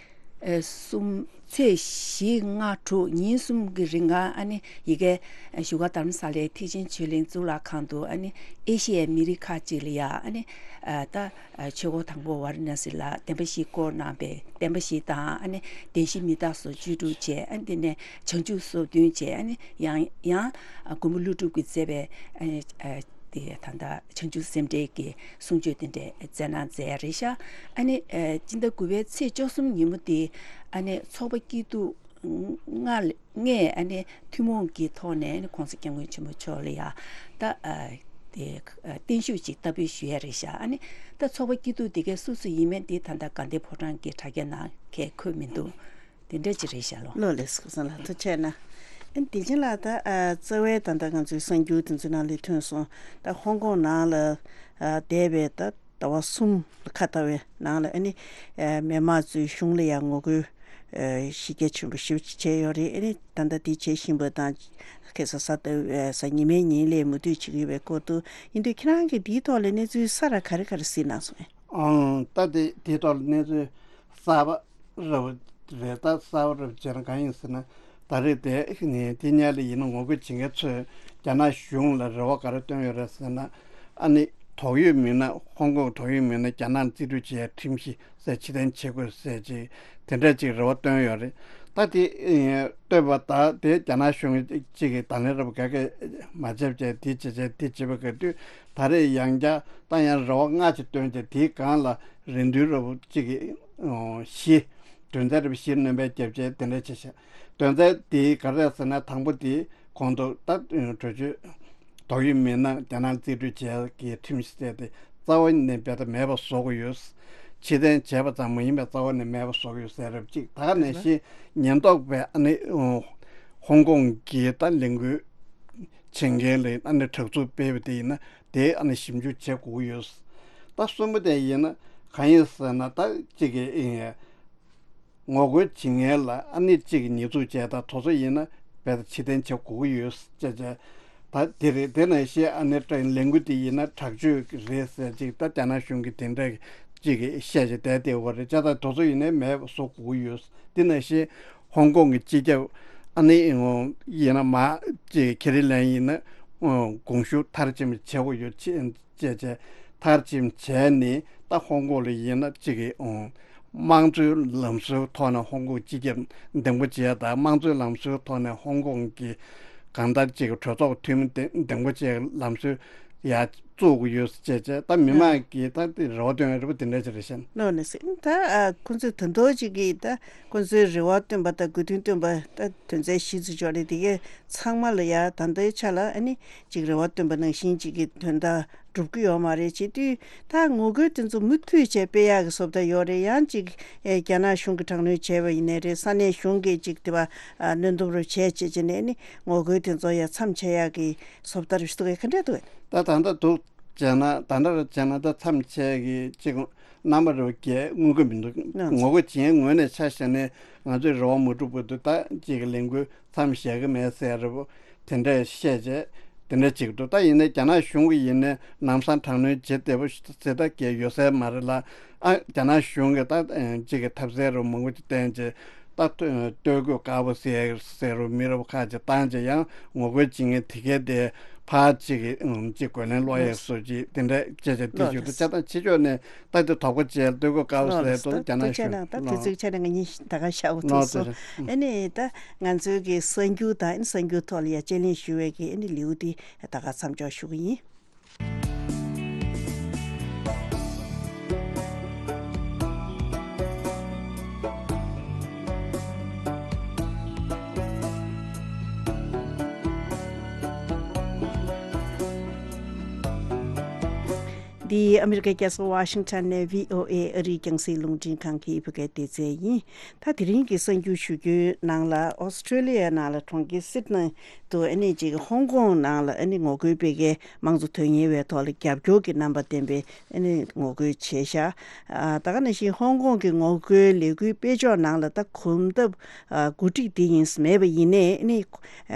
ཨ་གསུམ། ཚེས་བཞི་ལྔ་དྲུག་ཉིན་གསུམ་གྱི་རིང་ལ་ཨ་ནི་ཡི་གེ་བཞུགས་སྒར་རྡ་རམ་ས་ལའི་ཐེག་ཆེན་ཆོས་གླིང་གཙུག་ལག་ཁང་དུ་ཨ་ནི་ཨེ་ཤི་ཡའི་མི་རིགས་ཁག་ཅིག་ལ་ཡ་ཨ་ནི་ཨ་ད་ཨ་ཆོས་འཁོར་དང་པོ་ཝཱ་ར་ཎ་སི་ལ་བསྟན་པ་བཞི་བསྐོར་གནང་བའི་བསྟན་པ་བཞི་དང་། ཨ་ནི་བདེན་བཞི་མི་རྟག་སོགས་བཅུ་དྲུག་བྱས། ཨ་ནི་དེ་ནས་བྱང་ཆུབ་སོ་བདུན་བྱས། ཨ་ནི་ཡང་ཡང་ཨ་མགོན་པོ་ཀླུ་སྒྲུབ་ཀྱིས་མཛད་པའི་ཨ་ནི་ཨ་དེ་ད་ལྟ་བྱང་ཆུབ་སེམས་འགྲེལ་གྱི་གསུང་ཆོས་དེ་འདྲ་སྩལ་གནང་མཛད་ཡ་རེད་ཤག་ཨ་ནི་ཨ་སྤྱི་ཟླ་དགུ་པའི་ཚེས་བཅུ་གསུམ་ཉིན་མོ་དེ་ཨ་ནི་ཚོགས་པ་སྐྱིད་སྡུག་ལྔ་ལྔས་ཨ་ནི་ཐུན་མོང་གི་ཐོག་ནས་ཨ་ནི་༸གོང་ས་༸སྐྱབས་མགོན་ཆེན་པོ་མཆོག་ལ་ཡ་ད་ཨ་དེ་ཨ་བརྟན་བཞུགས་ཅིག་བསྟར་འབུལ་ཞུ་ཡ་རེད་ཤག་ཨ་ནི་ད་ཚོགས་པ་སྐྱིད་སྡུག་དེ་གའི་སུ་སུ་ཡིན་མིན་དེ་ད་ལྟ་དགའ་ལྡན་ཕོ་བྲང་གི་དྲ་རྒྱ་ནང་གས་འཁོད་མི་འདུག་དེ་འདྲ་ཅིག་རེད་ཤག་ལགས། ལགས་ལགས་སོ། བཀའ་དྲིན་ཆེ་གནང་། ཨ་ནི་དེ་བཞིན་ལ་ད་ཨ་རྩ་བའི་ད་ལྟ་ང་ཚོའི་གསར་འགྱུར་དེ་ཚོའི་ནང་ལ་ཐོན་སོང་། ད་ཧོང་ཀོང་ནང་ལ་ཨ་འདས་པའི་ད་ཟླ་བ་གསུམ་ལ་ཁ་ཐག་པའི་ནང་ལ་ཨ་ནི་ཨ་མི་མང་ཚོའི་གཞུང་ལ་ཡང་ངོ་རྒོལ་ཨ་གཞི་རྒྱ་ཆེན་པོ་ཞེ་པོ་ཅིག་བྱས་ཡོད་རེད། ཨ་ནི་ད་ལྟ་དེ་བྱེད་བཞིན་པ་དང་། ཁ་སང་གཟའ་ཟླ་བའི་གཟའ་ཉི་མའི་ཉིན་ལ་མུ་མཐུད་བྱེད་ཀྱི་ཡོད་པའི་སྐོར་དུ་ཡིན་དུས། ཁྱེད་རང་གིས་དེའི་ཐོག་ལ་གནས་ཚུལ་གསར་པ་ག་རེ་ག་རེ་གཟིགས་གནང་སོང་ངས། ཨང་། ད་དེ་དེའི་ཐོག་ལ་གནས་ཚུལ་གསར་པ་རབ་རེད། ད་གསར་པ་རབ་བྱས་ན་གང་ཡིན་ཟེར་ན། ད་རེས་དེ་ནི་དེ་སྔོན་ལ་ཡིན་ན་ངོ་རྒོལ་བྱེད་མཁན་ཚོས་རྒྱ་ནག་གཞུང་ལ་རེ་བ་ག་རེ་བཏོན་ཡོད་རེད་ཟེར་ན། ཨ་ནི་དོགས་ཡོད་མིན་ན། ཧོང་ཀོང་དོགས་ཡོད་མིན་ན་རྒྱ་ནག་རྩིས་སྤྲོད་བྱེད་ཡ་ཁྲིམས་གཞི་ཟེར་ཕྱིར་འཐེན་བྱེད་དགོས་ཟེར་ཅིག་དེ་འདྲ་ཅིག་རེ་བ་བཏོན་ཡོད་རེད། ད་དེ་ཨེ་བཏོན་པ་ད་དེ་རྒྱ་ནག་གཞུང་གཅིག་གིས་ད་ལན་རབ་ག་གེ་མ་བྱས་བྱས་དེ་བྱས་བྱས་དེ་བྱས་པ་ག་དུས། ད་རེས་ཡང་བསྐྱར་ད་ཡང་རེ་བ་སྔ་ཕྱི་བཏོན་བྱས། དེའི་སྒང་ལ་རེ་འདུན་རབ་གཅིག་གིས་ཨོ་བཞི། དོན་ཚན་རབ་བཞི་སྣོན་པ་བརྒྱབ་བྱས་དེ་འདྲ་བྱས་ཤག་དོན་ཚན་དེ་ག་རེ་རེད་ཟེར་ན། དང་པོ་དེ་གོང་དུ་ད་གྲོས་ཆོད་དོགས་ཡོད་མིན་ན་རྒྱ་ནག་རྩིས་སྤྲོད་བྱས་ཀྱི་ཁྲིམས་ཞིག་བཙལ་ཏེ་རྩ་བ་ནས་རྦད་དེ་མེད་པ་བཟོ་དགོས་ཡོད། ཕྱིར་འཐེན་བྱས་པ་ཙམ་མ་ཡིན་པར་རྩ་བ་ནས་མེད་པ་བཟོ་དགོས་ཡོད་ཟེར་རབ་གཅིག་ད་ག་ནང་བཞིན་ཉེན་རྟོག་པས་ཨ་ནི་ཧོང་ཀོང་གི་ད་ལས་འགུལ་བྱེད་མཁན་ལ་ཨ་ནི་དྲག་རྩུབ་སྤེལ་བ་དེ་ཡིན་ན་དེ་ཨ་ནི་ཞིབ་འཇུག་བྱེད་དགོས་ཀྱི་ཡོད། ད་གསུམ་པ་དེ་ཡིན་ན་གང་ཡིན་ཟེར་ན། ད་གཅིག་གི་ངོ་རྒོལ་བྱེད་མཁན་ལ་ཨ་ནི་གཅིག་གི་ཉེས་འཛུགས་བྱས། ད་དེ་ཚོ་ཡིན་ན་རྦད་དེ་ཕྱིར་འཐེན་བྱེད་དགོས་ཀྱི་ཡོད་ཅེས་བྱས། ད་དེ་རེད། དེ་ནང་བཞིན་ཨ་ནི་ལས་འགུལ་དེ་ཡིན་ན་དྲག་སྤྱོད་རེད་ཟེར་ཅིག་ད་རྒྱ་ནག་གཞུང་གིས་དེ་འདྲ་ཅིག་བཤད་བྱས་བསྡད་བསྡད་ཡོད་རེད་ཅེས། ད་དེ་ཚོ་ཡིན་ནའི་མེད་པ་བཟོ་དགོས་ཀྱི་ཡོད། དེ་ནང་བཞིན་ཧོང་ཀོང་གི་སྤྱི་ཁྱབ་ཨ་ནི་ཡིན་ན་མ་ཅིག་ཁེ་རི་ལེམ་ཡིན་ན་དགོངས་ཞུ་མཐར་ཕྱིན་པ་བྱེད་དགོས་ཡོད་ཅེས། བྱས་བྱས་མཐར་ཕྱིན་བྱས་ནས། ད་ཧོང་ཀོང་ལ་ཡིན་ན་གཅིག་གི་ཨོ་དམངས་གཙོའི་ལམ་སྲོལ་ཐོག་ནས་ཧོང་ཀོང་སྤྱི་ཁྱབ་འདེམས་བསྐོ་བྱས། ད་དམངས་གཙོའི་ལམ་སྲོལ་ཐོག་ནས་ཧོང་ཀོང་གི་གང་ལྟར་གཅིག་གི་གྲོས་ཚོགས་འཐུས་མི་འདེམས་བསྐོ་བྱས་ལམ་སྲོལ་ཡར་བཙུགས་དགོས་ཡོད་ཅེས་བྱས། ད་མི་མང་གིས་ད་དེ་རེ་བ་བཏོན་ཡོད་རེད་པ། དེ་འདྲ་ཅིག་རེད་ཤག་ལགས་ནས་ཟེར། ད་ཨ་ཁོང་ཚོས་ད་དུང་གཅིག་གིས་ད་ཁོང་ཚོའི་རེ་བ་བཏོན་པ་དང་དགོས་འདུན་བཏོན་པ་ད་དོན་ཚན་བཞི་ཙམ་ཅིག་ཡོད་རེད། དེ་གའི་ཚང་མ་ལ་ཡ་ད་ལྟའི་ཆ་ལ་ཨ་ནི་གཅིག་རེ་བ་བཏོན་པ་ནང་བཞིན་གཅིག་གི་དོན་དག་སྒྲུབ་ཀྱི་ཡོད་མ་རེད། བྱེད་དུས་ད་ངོ་རྒོལ་དེ་ཚོ་མུ་མཐུད་བྱས་སྤེལ་ཡག་གི་བཟོ་ལྟ་ཡོད་རེད། ཡང་ཅིག་ཨེ་རྒྱ་ནག་གཞུང་གིས་དྲག་གནོན་བྱས་པ་ཡིན་ནའི་རེད། ས་གནས་གཞུང་གིས་ཅིག་དེ་བ་ཨ་གནོན་སྡོམ་རུ་བྱས་བྱས་བྱས་ནས་ནི་ངོ་རྒོལ་དེ་ཚོ་ཡང་མཚམས་ཆད་ཡག་གི་བཟོ་ལྟ་རུ་ཞུ་གི་ག་འདྲ་འདུག་ད་ད་ལྟ་འདུག་བྱས་ན། ད་ལྟ་རུ་བྱས་ན་ད་མཚམས་ཆད་ཀྱི་ཅིག་རྣམ་པ་རུ་རྒྱས་མངོན་གྱི་མི་འདུག་ངོ་རྒོལ་བྱེད་མཁན་ངོས་ནས་ཆ་བཞག་ནས་ང་ཚོས་རེ་བ་མ་སྒྲུབ་པ་འདུག་ད་ཅིག་གི་ལས་འགུལ་མཚམས་བཞག་གི་མེད་ཟེར་རེད་པོ། དེ་འདྲས་བཤད་བྱས་དེ་འདྲས་ཅིག་འདུག་ད་ཡིན་ནའི་རྒྱ་ནག་གཞུང་གིས་ཡིན་ནའི་ལམ་སང་དྲག་གནོན་བྱེད་བདེ་པོ་ཟེར་ད་གས་ཡོད་ས་མ་རེད་ལ། ཨ་རྒྱ་ནག་གཞུང་གིས་ད་ཅིག་གི་ཐབས་ཟད་རུ་མང་པོ་ཅིག་བསྟན་བྱས་ད་སྟོད་གོས་དཀར་པོ་ཟེར་ཟེར་རུ་མི་རབས་ཁག་ཅིག་བཏང་བྱས་ཡང་ངོ་རྒོལ་བྱེད་མཁན་དེ་གས་དེ་ ཕར་གཅིག་གིས་ཨང་གཅིག་རྒོལ་ལན་སློག་ཡས་བཟོ་ཅིག་དེ་འདྲ་བྱས་བྱས་དེ་ལོག་ཞུ་འདུག་རེད། བྱས་ཙང་ཕྱི་ཕྱོགས་ནས་ད་དེ་དོགས་པ་བྱས་སྡོད་དགོས་དཀའ་བ་ལོག་ཟེར་རེད། འདུག་རྒྱ་ད་ནག་དེ་བྱས་གཞུང་ན་ད་དུས་ལོག་ཚོད་ཆ་ནས་ང་གཉིས་ད་ག་ཤག་འོ་ལོག་ཚོད་སོང་། ཚོད་ཨ་ནི་ད་ང་ཚོའི་གི་གསར་འགྱུར་དང་ཨ་ནི་གསར་འགྱུར་ཐོག་ལ་ཡ་དཔྱད་གླེང་ཞུ་བའི་གི་ཨ་ནི་ལེའུ་དེ་ད་ག་མཚམས་འཇོག་ཞུ་གི་ཡིན། འདི་ཨ་མི་རི་ཀའི་རྒྱལ་ས་ཝ་ཤིང་ཊོན་ནས་བྷི་ཨོ་ཨེ་ཨ་རིའི་རྒྱང་སྲིང་རླུང་འཕྲིན་ཁང་གི་བོད་སྐད་སྡེ་ཚན་ཡིན། ད་དེ་རིང་གི་གསར་འགྱུར་ཞུ་རྒྱུའི་ནང་ལ་ཨོ་སི་ཁྲུ་ལི་ཡའི་ནང་ལ་གྲོང་ཁྱེར་སིད་ནི་དུ་ཨ་ནི་ཅིག་ཧོང་ཀོང་ནང་ལ་ཨ་ནི་ངོ་རྒོལ་སྤེལ་མཁན་དམངས་གཙོ་དོན་གཉེར་བའི་ཐོག་ལ་རྒྱབ་སྐྱོར་གྱི་རྣམ་པ་བསྟན་པའི་ཨ་ནི་ངོ་རྒོལ་བྱས་ཤག་ཨ་ད་ག་ནང་བཞིན་ཧོང་ཀོང་གི་ངོ་རྒོལ་ལས་འགུལ་སྤེལ་ཕྱོགས་ནང་ལ་ད་གོམ་སྟབས་ཨ་འགོ་ཁྲིད་དེ་ཡིན་མེད་པ་ཡིན་ནའི་ཨ་ནི་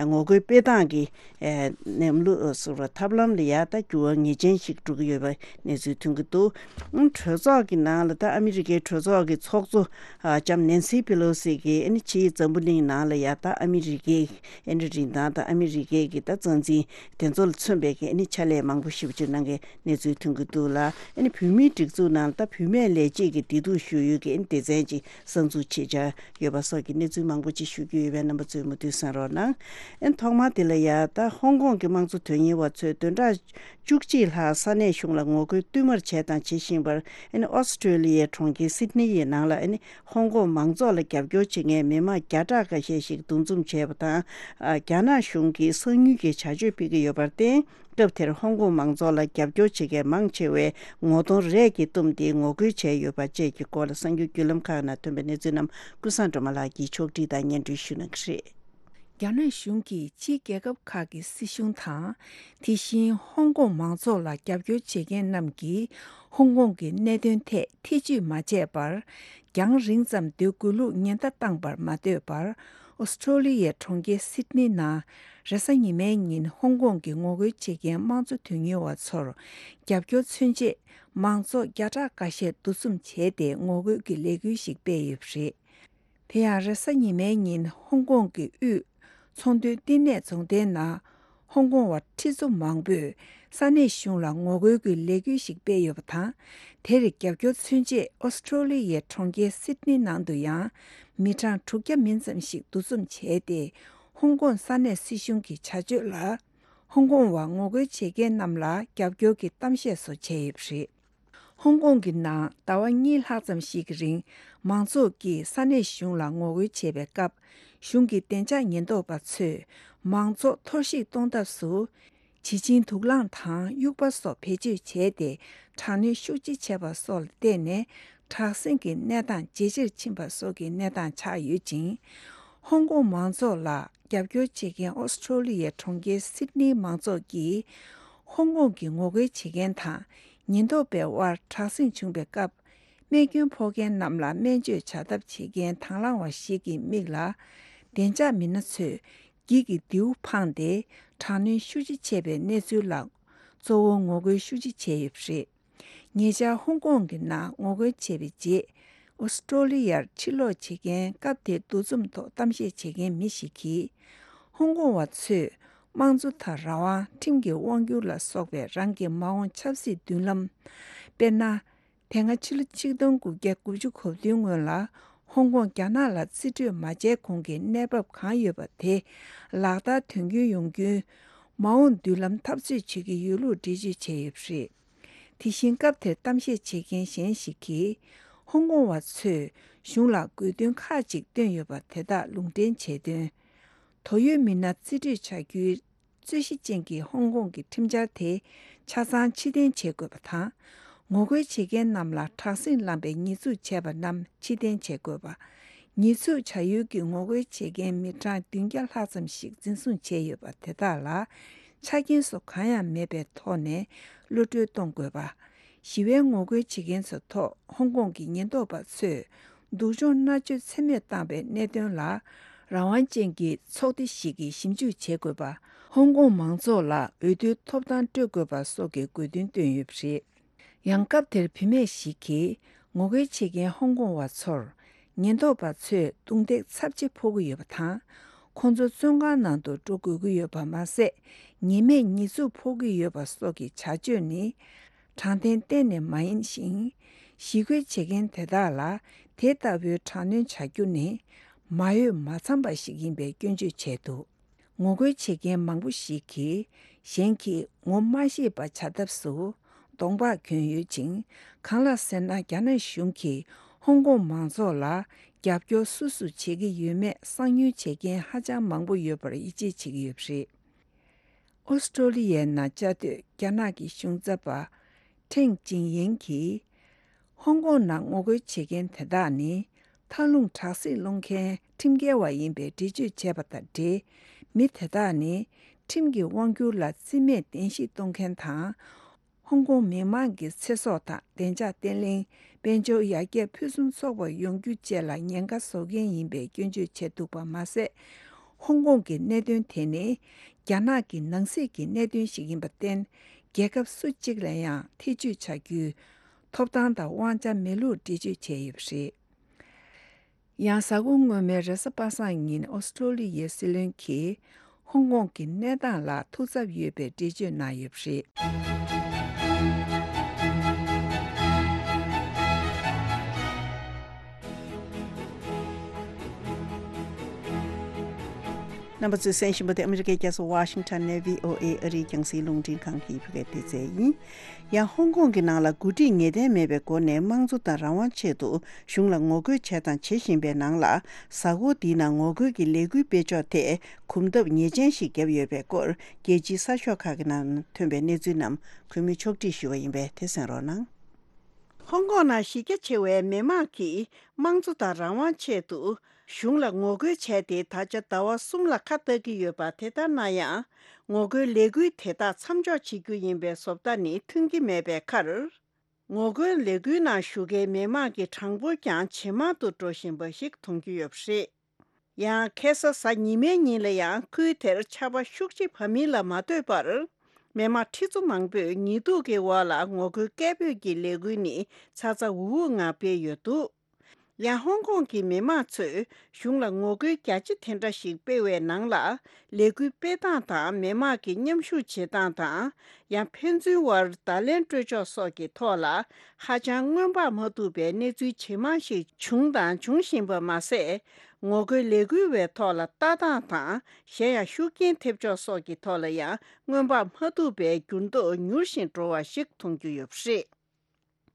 ངོ་རྒོལ་སྤེལ་སྟངས་ཀྱི་ཨ་གནས་ལུགས་སོགས་ཐབས་ལམ་ལ་ཡ་ད་འགྱུར་བ་ངེས་ཅན་ཞིག་འགྲོ་གི་ཡོད་པ་གནས་ཚུལ་ཐོན་གྱི་འདུག་ཨང་གྲོས་ཚོགས་ཀྱི་ནང་ལ་ད་ཨ་མི་རི་ཀའི་གྲོས་ཚོགས་ཀྱི་ཚོགས་གཙོ་ཨ་ལྕམ་ནན་སི་པེ་ལོ་སི་གིས་ཨ་ནི་ཕྱིའི་འཛམ་བུ་གླིང་ནང་ལ་ཡ་ད་ཨ་མི་རི་ཀའི་ཨ་ནི་རིན་ཐང་དང་ཨ་མི་རི་ཀའི་གི་ད་རྩ་འཛིན་དེ་ཚོ་ལ་མཚོན་པའི་གི་ཨ་ནི་ཕྱག་ལས་མང་པོ་ཞེ་པོ་ཅིག་གནང་མཁན་གནས་ཚུལ་ཐོན་གྱི་འདུག་ལ། ཨ་ནི་བོད་མིའི་སྒྲིག་འཛུགས་ནང་ལ་ད་བུད་མེད་ལས་བྱེད་ཀྱི་བདེ་སྡུག་ཞུ་ཡུལ་གྱི་ཨ་ནི་སྡེ་ཚན་ཅིག་གསར་འཛུགས་བྱེད་འཆར་ཡོད་པ་སོགས་ཀྱི་གནས་ཚུལ་མང་པོ་ཅིག་ཞུ་རྒྱུ་ཡོད་པས་རྣམ་པ་ཚོས་མུ་མཐུད་གསན་རོགས་གནང་། ཨ་ནི་ཐོག་མར་དེ་ལ་ཡ་ད་ཧོང་ཀོང་གི་དམངས་གཙོ་དོན་གཉེར་བ་ཚོས་བདུན་ཕྲག་བཅུ་གཅིག་ལྷག་ས་གནས་གཞུང་ལ་ངོ་རྒོལ་བསྟུད་མར་བྱས་དང་བྱེད་བཞིན་པར་ཨ་ནི་ཨོ་སི་ཁྲུ་ལི་ཡའི་གྲོང་ཁྱེར་སིད་ནི་ཡི་ནང་ལ་ཨ་ནི་ཧོང་ཀོང་མང་ཚོགས་ལ་རྒྱབ་སྐྱོར་བྱེད་མཁན་མི་མང་བརྒྱ་ཕྲག་འགའ་ཤས་ཤིག་འདུ་འཛོམས་བྱས་པ་དང་། ཨ་རྒྱ་ནག་གཞུང་གིས་གསང་མྱུལ་གྱི་བྱ་སྤྱོད་སྤེལ་གྱི་ཡོད་པར་བརྟེན། སྐབས་དེར་ཧོང་ཀོང་མང་ཚོགས་ལ་རྒྱབ་སྐྱོར་བྱེད་མཁན་མང་ཆེ་བས་ངོ་གདོང་རས་ཀྱིས་བཏུམས་ཏེ་ངོ་རྒོལ་བྱས་ཡོད་པ་བཅས་ཀྱི་སྐོར་ལ་གསར་འགྱུར་བརྒྱུད་ལམ་ཁག་ནང་ཐོན་པའི་གནས་ཚུལ་རྣམས་ཀུན་བཟང་སྒྲོལ་མ་ལགས་ཀྱིས་ཕྱོགས་སྒྲིག་དང་སྙན་སྒྲོན་ཞུ་གནང་གི་རེད། རྒྱ་ནག་གཞུང་གིས་ཕྱིའི་རྒྱལ་ཁབ་ཁག་གི་སྲིད་གཞུང་དང་། དེ་བཞིན་ཧོང་ཀོང་མང་ཚོགས་ལ་རྒྱབ་སྐྱོར་བྱེད་མཁན་རྣམས་ཀྱིས་ཧོང་ཀོང་གི་གནད་དོན་ཐད་ཐེ་བྱུས་མ་བྱས་པར། རྒྱང་རིང་ཙམ་སྡོད་དགོས་ལུགས་ཉེན་བརྡ་བཏང་པར་མ་ལྟོས་པར། ཨོ་སི་ཁྲུ་ལི་ཡའི་གྲོང་ཁྱེར་སིད་ནི་ནང་རེས་གཟའ་ཉི་མའི་ཉིན་ཧོང་ཀོང་གི་ངོ་རྒོལ་བྱེད་མཁན་དམངས་གཙོ་དོན་གཉེར་བ་ཚོར་རྒྱབ་སྐྱོར་མཚོན་ཆེད་མང་ཚོགས་བརྒྱ་ཕྲག་འགའ་ཤས་འདུ་འཛོམས་བྱས་ཏེ་ངོ་རྒོལ་གྱི་ལས་འགུལ་ཞིག་སྤེལ་ཡོད་པ་རེད། དེ་ཡང་རེས་གཟའ་ཉི་མའི་ཉིན་ཧོང་ཀོང་གི་དབུས་ཚོང་དོན་བསྟི་གནས་རྫོང་སྡེའི་ནང་ཧོང་ཀོང་བ་ཁྲི་ཚོ་མང་པོས་ས་གནས་གཞུང་ལ་ངོ་རྒོལ་གྱི་ལས་འགུལ་ཞིག་སྤེལ་ཡོད་པ་དང་། དེར་རྒྱབ་སྐྱོར་མཚོན་ཆེད་ཨོ་སི་ཁྲུ་ལི་ཡའི་གྲོང་ཁྱེར་སིད་ནི་ནང་དུ་ཡང་མི་གྲངས་དྲུག་བརྒྱ་མིན་ཙམ་ཞིག་འདུ་འཛོམས་བྱས་ཏེ། ཧོང་ཀོང་ས་གནས་སྲིད་གཞུང་གི་བྱ་སྤྱོད་ལ་ཧོང་ཀོང་བ་ངོ་རྒོལ་བྱེད་མཁན་རྣམས་ལ་རྒྱབ་སྐྱོར་གྱི་གཏམ་བཤད་སོགས་བྱས་ཡོད་པ་རེད། ཧོང་ཀོང་གི་ནང་ཟླ་བ་གཉིས་ལྷག་ཙམ་ཞིག་གི་རིང་མང་ཚོགས་ཀྱིས་ས་གནས་གཞུང་ལ་ངོ་རྒོལ་བྱེད་པའི་སྐབས། གཞུང་གི་བདེ་འཇགས་ཉེན་རྟོག་པ་ཚོས་མང་ཚོགས་འཐོར་བཤིག་གཏོང་ཐབས་སུ། བྱི་ཆིང་དུག་རླངས་དང་དབྱུག་པ་སོགས་བེད་སྤྱོད་བྱས་ཏེ། དྲག་གནོན་ཤུགས་ཆེ་བྱས་པ་སོགས་ལ་བརྟེན་ནས། དྲག་ཟིང་གི་གནས་སྟངས་ཇེ་ཆེར་ཕྱིན་པ་སོགས་ཀྱི་གནས་སྟངས་ཆགས་ཡོད་ཅིང་། ཧོང་ཀོང་མང་ཚོགས་ལ་རྒྱབ་སྐྱོར་བྱེད་མཁན་ཨོ་སི་ཁྲུ་ལི་ཡའི་གྲོང་ཁྱེར་སིད་ནིའི་མང་ཚོགས་ཀྱིས། ཧོང་ཀོང་གི་ངོ་རྒོལ་བྱེད་མཁན་དང་ཉེན་རྟོག་པའི་དབར་དྲག་ཟིང་བྱུང་བའི་སྐབས། རྨས་སྐྱོན་ཕོག་མཁན་རྣམས་ལ་སྨན་བཅོས་བྱ་ཐབས་བྱེད་མཁན་དང་བླངས་པ་ཞིག་གི་མིག་ལ། བདེ་འཇགས་མི་སྣ་ཚོས་འགྱིག་གི་མདེའུ་འཕངས་ཏེ། དྲག་གནོན་ཤུགས་ཆེ་བྱས་པའི་གནས་ཚུལ་ལ། གཙོ་བོ་ངོ་རྒོལ་ཤུགས་ཆེ་བྱས་ཡོད་པ་རེད། ཉེ་ཆར་ཧོང་ཀོང་གི་ནང་ངོ་རྒོལ་བྱས་པའི་རྗེས། ཨོ་སི་ཀྲོ་ལི་ཡར་ཕྱིར་ལོག་བྱེད་མཁན་སྐབས་དེའི་འདུ་འཛོམས་ཐོག་གཏམ་བཤད་བྱེད་མཁན་མི་ཞིག་གིས། ཧོང་ཀོང་བ་ཚོས་དམངས་གཙོ་དང་རང་དབང་། ཁྲིམས་ཀྱི་དབང་སྒྱུར་ལ་སོགས་པའི་རང་གི་མ་འོངས་ཆབ་སྲིད་མདུན་ལམ། དཔེར་ན། དེ་སྔ་ཕྱི་ལོ་ཆིག་སྟོང་དགུ་བརྒྱ་དགུ་བཅུ་གོ་བདུན་སྔོན་ལ་ཧོང་ཀོང་རྒྱ་ནག་ལ་རྩིས་སྤྲོད་མ་བྱས་གོང་གི་གནས་བབ་གང་ཡོད་པ་དེ་ལག་བསྟར་དོན་འཁྱོལ་ཡོང་རྒྱུའི་མ་འོངས་མདུན་ལམ་འཐབ་རྩོད་བྱེད་ཀྱི་ཡོད་ལུགས་འགྲེལ་བརྗོད་བྱས་ཡོད་པ་རེད། དེ་བཞིན་སྐབས་དེར་གཏམ་བཤད་བྱེད་མཁན་གཞན་ཞིག་གིས། ཧོང་ཀོང་བ་ཚོས་གཞུང་ལ་དགོས་འདུན་ཁག་ཅིག་བཏོན་ཡོད་པ་དེ་དག་ལུང་འདྲེན་བྱས་དོན། དོ་ཡོད་མི་སྣ་རྩིས་སྤྲོད་བྱ་རྒྱུའི་རྩོད་གཞི་ཅན་གྱི་ཧོང་ཀོང་གི་ཁྲིམས་འཆར་དེ་ཆ་ཚང་ཕྱིར་འཐེན་བྱེད་དགོས་པ་དང་། ངོ་རྒོལ་བྱེད་མཁན་རྣམས་ལ་དྲག་ཟིང་ལངས་པའི་ཉེས་འཛུགས་བྱས་པ་རྣམས་ཕྱིར་འཐེན་བྱེད་དགོས་པ། ཉེས་འཛུགས་བྱ་ཡུལ་གྱི་ངོ་རྒོལ་བྱེད་མཁན་མི་གྲངས་བདུན་བརྒྱ་ལྷག་ཙམ་ཞིག་འཛིན་བཟུང་བྱས་ཡོད་པ་དེ་དག་ལ་ཆ་རྐྱེན་སོགས་གང་ཡང་མེད་པའི་ཐོག་ནས་གློད་གྲོལ་གཏོང་དགོས་པ། ཞི་བའི་ངོ་རྒོལ་བྱེད་མཁན་ཚོའི་ཐོག་ཧོང་ཀོང་གི་ཉེན་རྟོག་པ་ཚོས་སྡུག་སྦྱོང་མནར་གཅོད་ཚད་མེད་བཏང་བའི་གནད་དོན་ལ་རང་དབང་ཅན་གྱི་ཚོགས་སྡེ་ཞིག་གིས་ཞིབ་འཇུག་བྱེད་དགོས་པ། ཧོང་ཀོང་མང་ཚོགས་ལ་འོས་བསྡུའི་ཐོབ་ཐང་སྤྲོད་དགོས་པ་སོགས་ཀྱི་དགོས་འདུན་བཏོན་ཡོད་པ་རེད། ཡང་སྐབས་དེར་བུད་མེད་ཞིག་གིས་ངོ་རྒོལ་བྱེད་མཁན་ཧོང་ཀོང་བ་ཚོར་ཉེན་རྟོག་པ་ཚོས་རྡུང་རྡེག་ཚབས་ཆེ་ཕོག་གི་ཡོད་པ་དང་། ཁོང་ཚོ་བཙོན་ཁང་ནང་དུ་འགྲོ་དགོས་ཀྱི་ཡོད་པ་མ་ཟད། ཉེས་མེད་ཉེས་འཛུགས་ཕོག་གི་ཡོད་པ་སོགས་ཀྱི་བྱ་སྤྱོད་ནི། དྲང་བདེན་གཏན་ནས་མ་ཡིན་ཞིང་། ཞི་རྒོལ་བྱེད་མཁན་དེ་དག་ལ་དེ་ལྟ་བུའི་དྲག་གནོན་བྱ་རྒྱུ་ནི། མ་འོས་མ་འཚམས་པ་ཞིག་ཡིན་པའི་སྐྱོན་བརྗོད་བྱས་འདུག་ངོ་རྒོལ་བྱེད་མཁན་མང་པོ་ཞིག་གིས་གཞན་གྱིས་ངོ་མ་ཤེས་པ་བྱ་ཐབས་སུ་གདོང་པགས་གྱོན་ཡོད་ཅིང་། གང་ལགས་ཟེར་ན། རྒྱ་ནག་གཞུང་གིས་ཧོང་ཀོང་མང་ཚོགས་ལ་རྒྱབ་སྐྱོར་སུ་སུ་བྱེད་ཀྱི་ཡོད་མེད་གསང་ཉུལ་བྱེད་མཁན་ཧ་ཅང་མང་པོ་ཡོད་པར་ཡིད་ཆེས་བྱེད་ཀྱི་ཡོད་པ་རེད། ཨོ་སི་ཀྲོ་ལི་ཡའི་ནང་བཅའ་སྡོད་རྒྱ་ནག་གི་གཞུང་ཚབ་པ་ཁྲེང་ཅིང་ཡེང་གིས། ཧོང་ཀོང་ནང་ངོ་རྒོལ་བྱེད་མཁན་དེ་དག་ནི། མཐའ་ལྷུང་དྲག་སྲེད་སློང་མཁན་ཁྲིམས་འགལ་བ་ཡིན་པའི་འགྲེལ་བརྗོད་བྱས་པ་དང་འབྲེལ། མི་དེ་དག་ནི། ཁྲིམས་ཀྱི་དབང་སྒྱུར་ལ་བརྩི་མེད་གདན་ཞུ་གཏོང་མཁན་དང་། ཧོང་ཀོང་མི་མང་གི་ཚེ་སྲོག་དང་བདེ་འཇགས་བརྟན་ལྷིང་། དཔལ་འབྱོར་ཡར་རྒྱས་ཕུན་སུམ་ཚོགས་པ་ཡོང་རྒྱུ་བཅས་ལ་ཉེན་ཁ་བཟོ་མཁན་ཡིན་པའི་སྐྱོན་བརྗོད་བྱས་འདུག་པ་མ་ཟད། ཧོང་ཀོང་གི་གནད་དོན་དེ་ནི། རྒྱ་ནག་གི་ནང་སྲིད་ཀྱི་གནད་དོན་ཞིག་ཡིན་པར་བརྟེན། རྒྱལ་ཁབ་སུ་གཅིག་ལ་ཡང་ཐེ་ཇུས་བྱ་རྒྱུའི་ཐོབ་ཐང་དང་དབང་ཆ་མེད་ལུགས་འགྲེལ་བརྗོད་བྱས་ཡོད་པ་རེད། ཡང་། གཟའ་འཁོར་སྔོན་མའི་རེས་གཟའ་པ་སངས་ཉིན་ཨོ་སི་ཀྲོ་ལི་ཡའི་སྲིད་བློན་གྱིས་ཧོང་ཀོང་གི་གནས་སྟངས་ལ་ཐུགས་འཚབ་ཡོད་པའི་འགྲེལ་བརྗོད་གནང་ཡོད་པ་རེད། རྣམ་པ་ཚོས་གསན་བཞིན་པ་དེ་ཨ་མི་རི་ཀའི་རྒྱལ་ས་ཝ་ཤིང་ཊོན་ནས་བྷི་ཨོ་ཨེ་ཨ་རིའི་རྒྱང་སྲིང་རླུང་འཕྲིན་ཁང་གི་བོད་སྐད་སྡེ་ཚན་ཡིན། ཡང་ཧོང་ཀོང་གི་ནང་ལ་འགོ་ཁྲིད་ངེས་གཏན་མེད་པའི་སྒོ་ནས་དམངས་གཙོ་དང་རང་དབང་ཆེད་དུ་གཞུང་ལ་ངོ་རྒོལ་བྱས་དང་བྱེད་བཞིན་པའི་ནང་ལ། གཟའ་འཁོར་འདིའི་ནང་ངོ་རྒོལ་གྱི་ལས་འགུལ་སྤེལ་ཕྱོགས་ཐད་གོམ་སྟབས་ངེས་ཅན་ཞིག་བརྒྱབ་ཡོད་པའི་སྐོར། རྒྱལ་སྤྱིའི་གསར་ཤོག་ཁག་གི་ནང་ཐོན་པའི་གནས་ཚུལ་རྣམས་གུས་མོས་ཕྱོགས་སྒྲིག་ཞུས་པ་ཡིན་པས་དེ་གསན་རོགས་གནང་། ཧོང་ཀོང་ནང་གཞི་རྒྱ་ཆེ་བའི་མི་མང་གིས་དམངས་གཙོ་དང་རང་དབང་ཆེད་དུ་གཞུང་ལ་ངོ་རྒོལ་བྱས་ཏེ། ད་ཆ་ཟླ་བ་གསུམ་ལ་ཁ་གཏད་ཀྱི་ཡོད་པ། དེ་ལྟར་ན་ཡང་། ངོ་རྒོལ་ལས་འགུལ་དེ་དག་མཚམས་འཇོག་བྱེད་རྒྱུ་ཡིན་པའི་བཟོ་ལྟ་ནི་ཐོན་གྱི་མེད་པའི་ཁར། ངོ་རྒོལ་ལས་འགུལ་ནང་ཞུགས་མཁན་མི་མང་གི་གྲངས་འབོར་ཀྱང་ཇེ་མང་དུ་འགྲོ་བཞིན་པ་ཞིག་མཐོང་རྒྱུ་ཡོད་པ་རེད། ཡང་ཁ་སང་གཟའ་ཉི་མའི་ཉིན་ལ་ཡང་ཁུལ་དེར་ཆར་པ་ཤུགས་ཆེ་བབས་མིན་ལ་མ་ལྟོས་པར། མི་མང་ཁྲི་ཚོ་མང་པོས་ཉི་གདུགས་ཀྱི་འོག་ལ་ངོ་རྒོལ་སྐད་འབོད་ཀྱི་ལས་འགུལ་ནི་ཚ་ཚ་འུར་འུར་ངང་སྤེལ་ཡོད་འདུག་ཡང་ཧོང་ཀོང་གི་མི་མང་ཚོས་གཞུང་ལ་ངོ་རྒོལ་རྒྱ་ཆེ་དེ་འདྲ་ཞིག་སྤེལ་བའི་ནང་ལ། ལས་འགུལ་སྤེལ་སྟངས་དང་མི་མང་གི་མཉམ་ཞུགས་བྱེད་སྟངས་དང་། ཡང་ཕན་ཚུན་དབར་བརྡ་ལན་སྤྲོད་ཕྱོགས་སོགས་ཀྱི་ཐོག་ལ། ཧ་ཅང་སྔོན་དཔག་མ་ཐུབ་པའི་གནས་ཚུལ་ཇེ་མང་ཞིག་བྱུང་དང་འབྱུང་བཞིན་པ་མ་ཟད། ངོ་རྒོལ་ལས་འགུལ་བའི་ཐོག་ལ་ལྟ་སྟངས་དང་། གཞན་ཡང་ཤུགས་རྐྱེན་ཐེབས་ཕྱོགས་སོགས་ཀྱི་ཐོག་ལ་ཡང་སྔོན་དཔག་མ་ཐུབ་པའི་འགྱུར་ལྡོག་མྱུར་ཞིང་འགྲོ་བ་ཞིག་མཐོང་རྒྱུ་ཡོད་པ་རེད།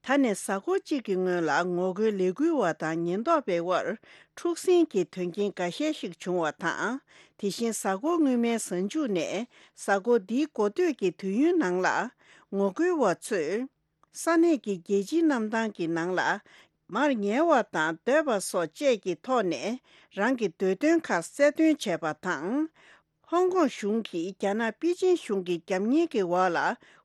ད་ནས་གཟའ་འཁོར་གཅིག་གི་སྔོན་ལ་ངོ་རྒོལ་ལས་འགུལ་བ་དང་ཉེན་རྟོག་པའི་དབར་འཁྲུག་ཟིང་གི་དོན་རྐྱེན་འགའ་ཤས་ཤིག་བྱུང་བ་དང་། དེ་བཞིན་གཟའ་འཁོར་སྔོན་མའི་གཟའ་མཇུག་ནས་གཟའ་འཁོར་འདིའི་འགོ་སྟོད་ཀྱི་དུས་ཡུན་ནང་ལ། ངོ་རྒོལ་བ་ཚོས་ས་གནས་ཀྱི་རྒྱལ་སྤྱིའི་གནམ་ཐང་གི་ནང་ལ་མར་ཉལ་བ་དང་སྡོད་པ་སོགས་བཅས་ཀྱི་ཐོག་ནས་རང་གི་འདོད་དོན་ཁག་གསལ་སྟོན་བྱས་པ་དང་། ཧོང་ཀོང་གཞུང་གིས་རྒྱ་ནག་པེ་ཅིན་གཞུང་གི་རྒྱབ་གཉེར་གྱི་འོག་ལ་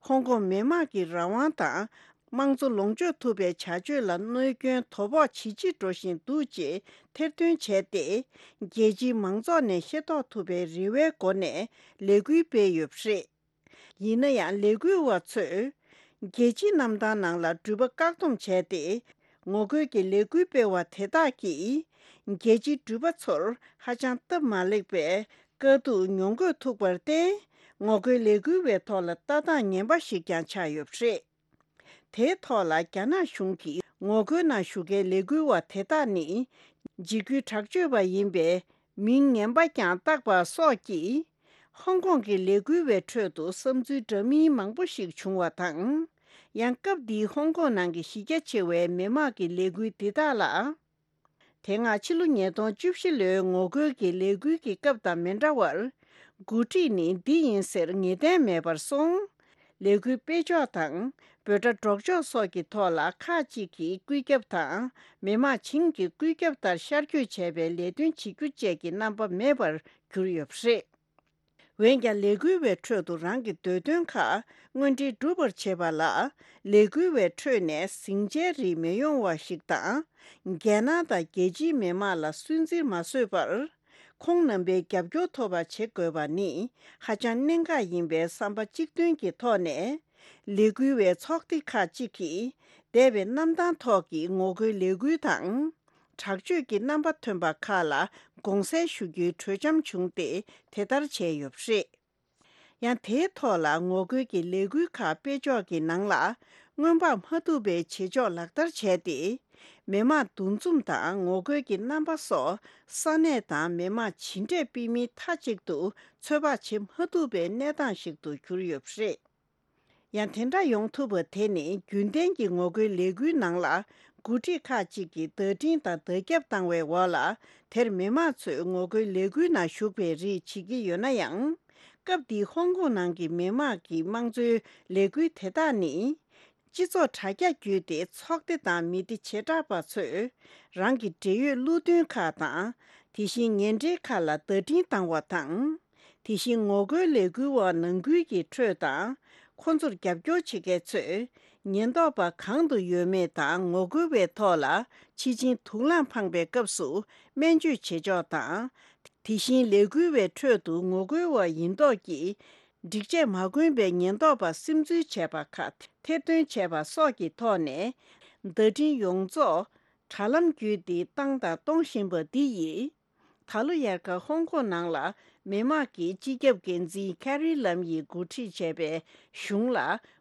ཧོང་ཀོང་མི་དམངས་ཀྱི་རང་དབང་དང་། དམངས་གཙོ་ལོངས་སྤྱོད་ཐུབ་པའི་བྱ་སྤྱོད་ལ་གནོད་སྐྱོན་དོ་ཕོག་ཇེ་ཆེ་འགྲོ་བཞིན་འདུག་ཅེས་ཐེར་འདོན་བྱས་ཏེ། རྒྱལ་སྤྱིའི་མང་ཚོགས་ནས་ཤེས་རྟོགས་ཐུབ་པའི་རེ་བའི་སྒོ་ནས་ལས་འགུལ་སྤེལ་ཡོད་པ་རེད། ཡིན་ན་ཡང་ལས་འགུལ་བ་ཚོས་རྒྱལ་སྤྱིའི་གནམ་ཐང་ནང་ལ་འགྲུལ་པ་བཀག་སྡོམ་བྱས་ཏེ། ངོ་རྒོལ་གྱི་ལས་འགུལ་སྤེལ་བ་དེ་དག་གིས་རྒྱལ་སྤྱིའི་འགྲུལ་པ་ཚོར་ཧ་ཅང་སྟབས་མ་ལེགས་པའི་དཀའ་སྡུག་མྱོང་དགོས་ཐུག་པར་བརྟེན། ངོ་རྒོལ་ལས་འགུལ་བའི་ཐོག་ལ་ལྟ་སྟངས་ངན་པ་ཞིག་ཀྱང་ཆགས་ཡོད་པ་རེད། དེའི་ཐོག་ལ་རྒྱ་ནག་གཞུང་གིས་ངོ་རྒོལ་ནང་ཞུགས་མཁན་ལས་འགུལ་བ་དེ་དག་ནི་འཇིགས་སྐུལ་དྲག་སྤྱོད་པ་ཡིན་པའི་མིང་ངན་པ་ཀྱང་བཏགས་པ་སོགས་ཀྱིས། ཧོང་ཀོང་གི་ལས་འགུལ་བའི་ཁྲོད་དུ་བསམ་ཚུལ་འདྲ་མིན་མང་པོ་ཞིག་བྱུང་བ་དང་། ཡང་སྐབས་འདིའི་ཧོང་ཀོང་ནང་གི་གཞི་རྒྱ་ཆེ་བའི་མི་དམངས་ཀྱི་ལས་འགུལ་འདི་དག་ལ། དེ་སྔ་ཕྱི་ལོ་ཉིས་སྟོང་བཅུ་བཞི་ལོའི་ངོ་རྒོལ་གྱི་ལས་འགུལ་གྱི་སྐབས་དང་མི་འདྲ་བར། འགོ་ཁྲིད་ནི་འདི་ཡིན་ཟེར་ངེས་གཏན་མེད་པར་སོང་། ལས་འགུལ་སྤེལ་ཕྱོགས་དང་འབོད་སྒྲ་སྒྲོག་ཕྱོགས་སོགས་ཀྱི་ཐོག་ལ་ཁག་ཅིག་གིས་བཀོད་ཁྱབ་དང་མི་དམངས་བྱིངས་ཀྱི་བཀོད་ཁྱབ་ལྟར་ཤར་བསྐྱོད་བྱས་པའི་ལས་དོན་བྱེད་རྒྱུ་བཅས་ཀྱི་རྣམ་པ་མེད་པར་གྱུར་ཡོད་པ་རེད། འོན་ཀྱང་ལས་འགུལ་བའི་ཁྲོད་དུ་རང་གི་འདོད་དོན་ཁག་དངོས་འབྲེལ་སྒྲུབ་པར་བྱེད་པ་ལ། ལས་འགུལ་བའི་ཁྲོད་ནས་ཟིང་ཆའི་རིགས་མི་ཡོང་བ་ཞིག་དང་། རྒྱལ་ནང་དང་རྒྱལ་སྤྱིའི་མི་དམངས་ལ་སུན་གཙེར་མ་བཟོས་པར། ཁོང་རྣམ་པའི་རྒྱབ་སྐྱོར་ཐོབ་པ་བྱེད་དགོས་པ་ནི་ཧ་ཅང་གནད་འགག་ཡིན་པའི་བསམ་པ་གཅིག་མཐུན་གྱི་ཐོག་ནས། ལས་འགུལ་བའི་ཚོགས་སྡེ་ཁག་ཅིག་གིས་འདས་པའི་གནམ་ཐང་ཐོག་གི་ངོ་རྒོལ་ལས་འགུལ་དང་། དྲག་སྤྱོད་ཀྱི་རྣམ་པ་ཐོན་པ་ཁག་ལ་དགོངས་སེལ་ཞུ་རྒྱུའི་གྲོས་འཆམ་བྱུང་སྟེ་དེ་ལྟར་བྱས་ཡོད་པ་རེད། ཡང་དེའི་ཐོག་ལ་ངོ་རྒོལ་གྱི་ལས་འགུལ་ཁག་སྤེལ་ཕྱོགས་ཀྱི་ནང་ལ་སྔོན་དཔག་མ་ཐུབ་པའི་བྱེད་ཕྱོགས་ལག་བསྟར་བྱས་ཏེ། མི་དམངས་འདུ་འཛོམས་དང་ངོ་རྒོལ་གྱི་རྣམ་པ་སོགས་ས་གནས་དང་མི་དམངས་ཇི་འདྲས་སྤེལ་མིན་མཐའ་གཅིག་ཏུ་ཚོད་དཔག་བྱེད་མ་ཐུབ་པའི་གནས་སྟངས་ཤིག་ཏུ་གྱུར་ཡོད་པ་རེད། ཡང་དེ་འདྲ་ཡོང་ཐུབ་པ་དེ་ནི་རྒྱུན་ལྡན་གྱི་ངོ་རྒོལ་ལས་འགུལ་ནང་ལ་འགོ་ཁྲིད་ཁག་ཅིག་གིས་བརྡ་འཕྲིན་དང་བརྡ་ཁྱབ་བཏང་བའི་འོག་ལ། དེར་མི་མང་ཚོས་ངོ་རྒོལ་ལས་འགུལ་ནང་ཞུགས་པའི་རིགས་བྱེད་ཀྱི་ཡོད་ན་ཡང་། སྐབས་འདིའི་ཧོང་ཀོང་ནང་གི་མི་མང་གི་དམངས་གཙོའི་ལས་འགུལ་དེ་དག་ནི། སྤྱི་ཚོགས་དྲ་རྒྱ་བརྒྱུད་དེ་ཚོགས་སྡེ་དང་མི་སྡེ་བྱེ་བྲག་པ་ཚོས་རང་གི་འབྲེལ་ཡོད་བློ་མཐུན་ཁག་དང་། དེ་བཞིན་ཉེ་འབྲེལ་ཁག་ལ་བརྡ་འཕྲིན་བཏང་བ་དང་། དེ་བཞིན་ངོ་རྒོལ་ལས་འགུལ་བ་ནང་ཁུལ་གྱི་ཁྲོད་དང་། ཁོ་ཚོར་རྒྱབ་སྐྱོར་བྱེད་མཁན་ཚོས་ཉེན་རྟོག་པ་གང་དུ་ཡོད་མེད་དང་ངོ་རྒོལ་བའི་ཐོག་ལ་ཕྱི་ཆིངས་དུག་རླངས་འཕངས་པའི་སྐབས་སུ་སྨན་བཅོས་བྱེད་ཕྱོགས་དང་། དེ་བཞིན་ལས་འགུལ་བའི་ཁྲོད་དུ་ངོ་རྒོལ་བ་ཡིན་མདོག་གིས་སྒྲིག་ཆས་མ་གོན་པའི་ཉེན་རྟོག་པ་སིམ་འཛུལ་བྱས་པ་ཁག་ཐེར་འདོན་བྱས་པ་སོགས་ཀྱི་ཐོག་ནས། བརྡ་འཕྲིན་ཡོངས་རྫོགས་དྲ་ལམ་བརྒྱུད་དེ་བཏང་དང་གཏོང་བཞིན་པ་འདི་ཡིས། ད་ལོ་དབྱར་ཁ་ཧོང་ཀོང་ནང་ལ་མི་དམངས་ཀྱིས་སྤྱི་ཁྱབ་འགན་འཛིན་ཁེ་རི་ལམ་ཡིས་འགོ་ཁྲིད་བྱས་པའི་གཞུང་ལ་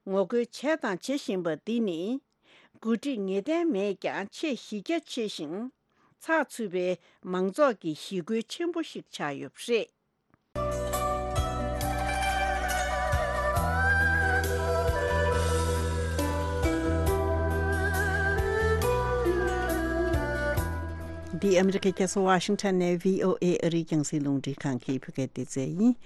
ངོ་རྒོལ་བྱས་དང་བྱེད་བཞིན་པ་འདི་ནི། འགོ་ཁྲིད་ངེས་གཏན་མེད་ཀྱང་ཆེས་གཞི་རྒྱ་ཆེ་ཞིང་། ཚགས་ཚུད་པའི་མང་ཚོགས་ཀྱི་ཞི་རྒོལ་ཆེན་པོ་ཞིག་ཆགས་ཡོད་པ་རེད། འདི་ཨ་མི་རི་ཀའི་རྒྱལ་ས་ཝ་ཤིང་ཊོན་ནས་བྷི་ཨོ་ཨེ་ཨ་རིའི་རྒྱང་སྲིང་རླུང་འཕྲིན་ཁང་གི་བོད་སྐད་སྡེ་ཚན་ཡིན།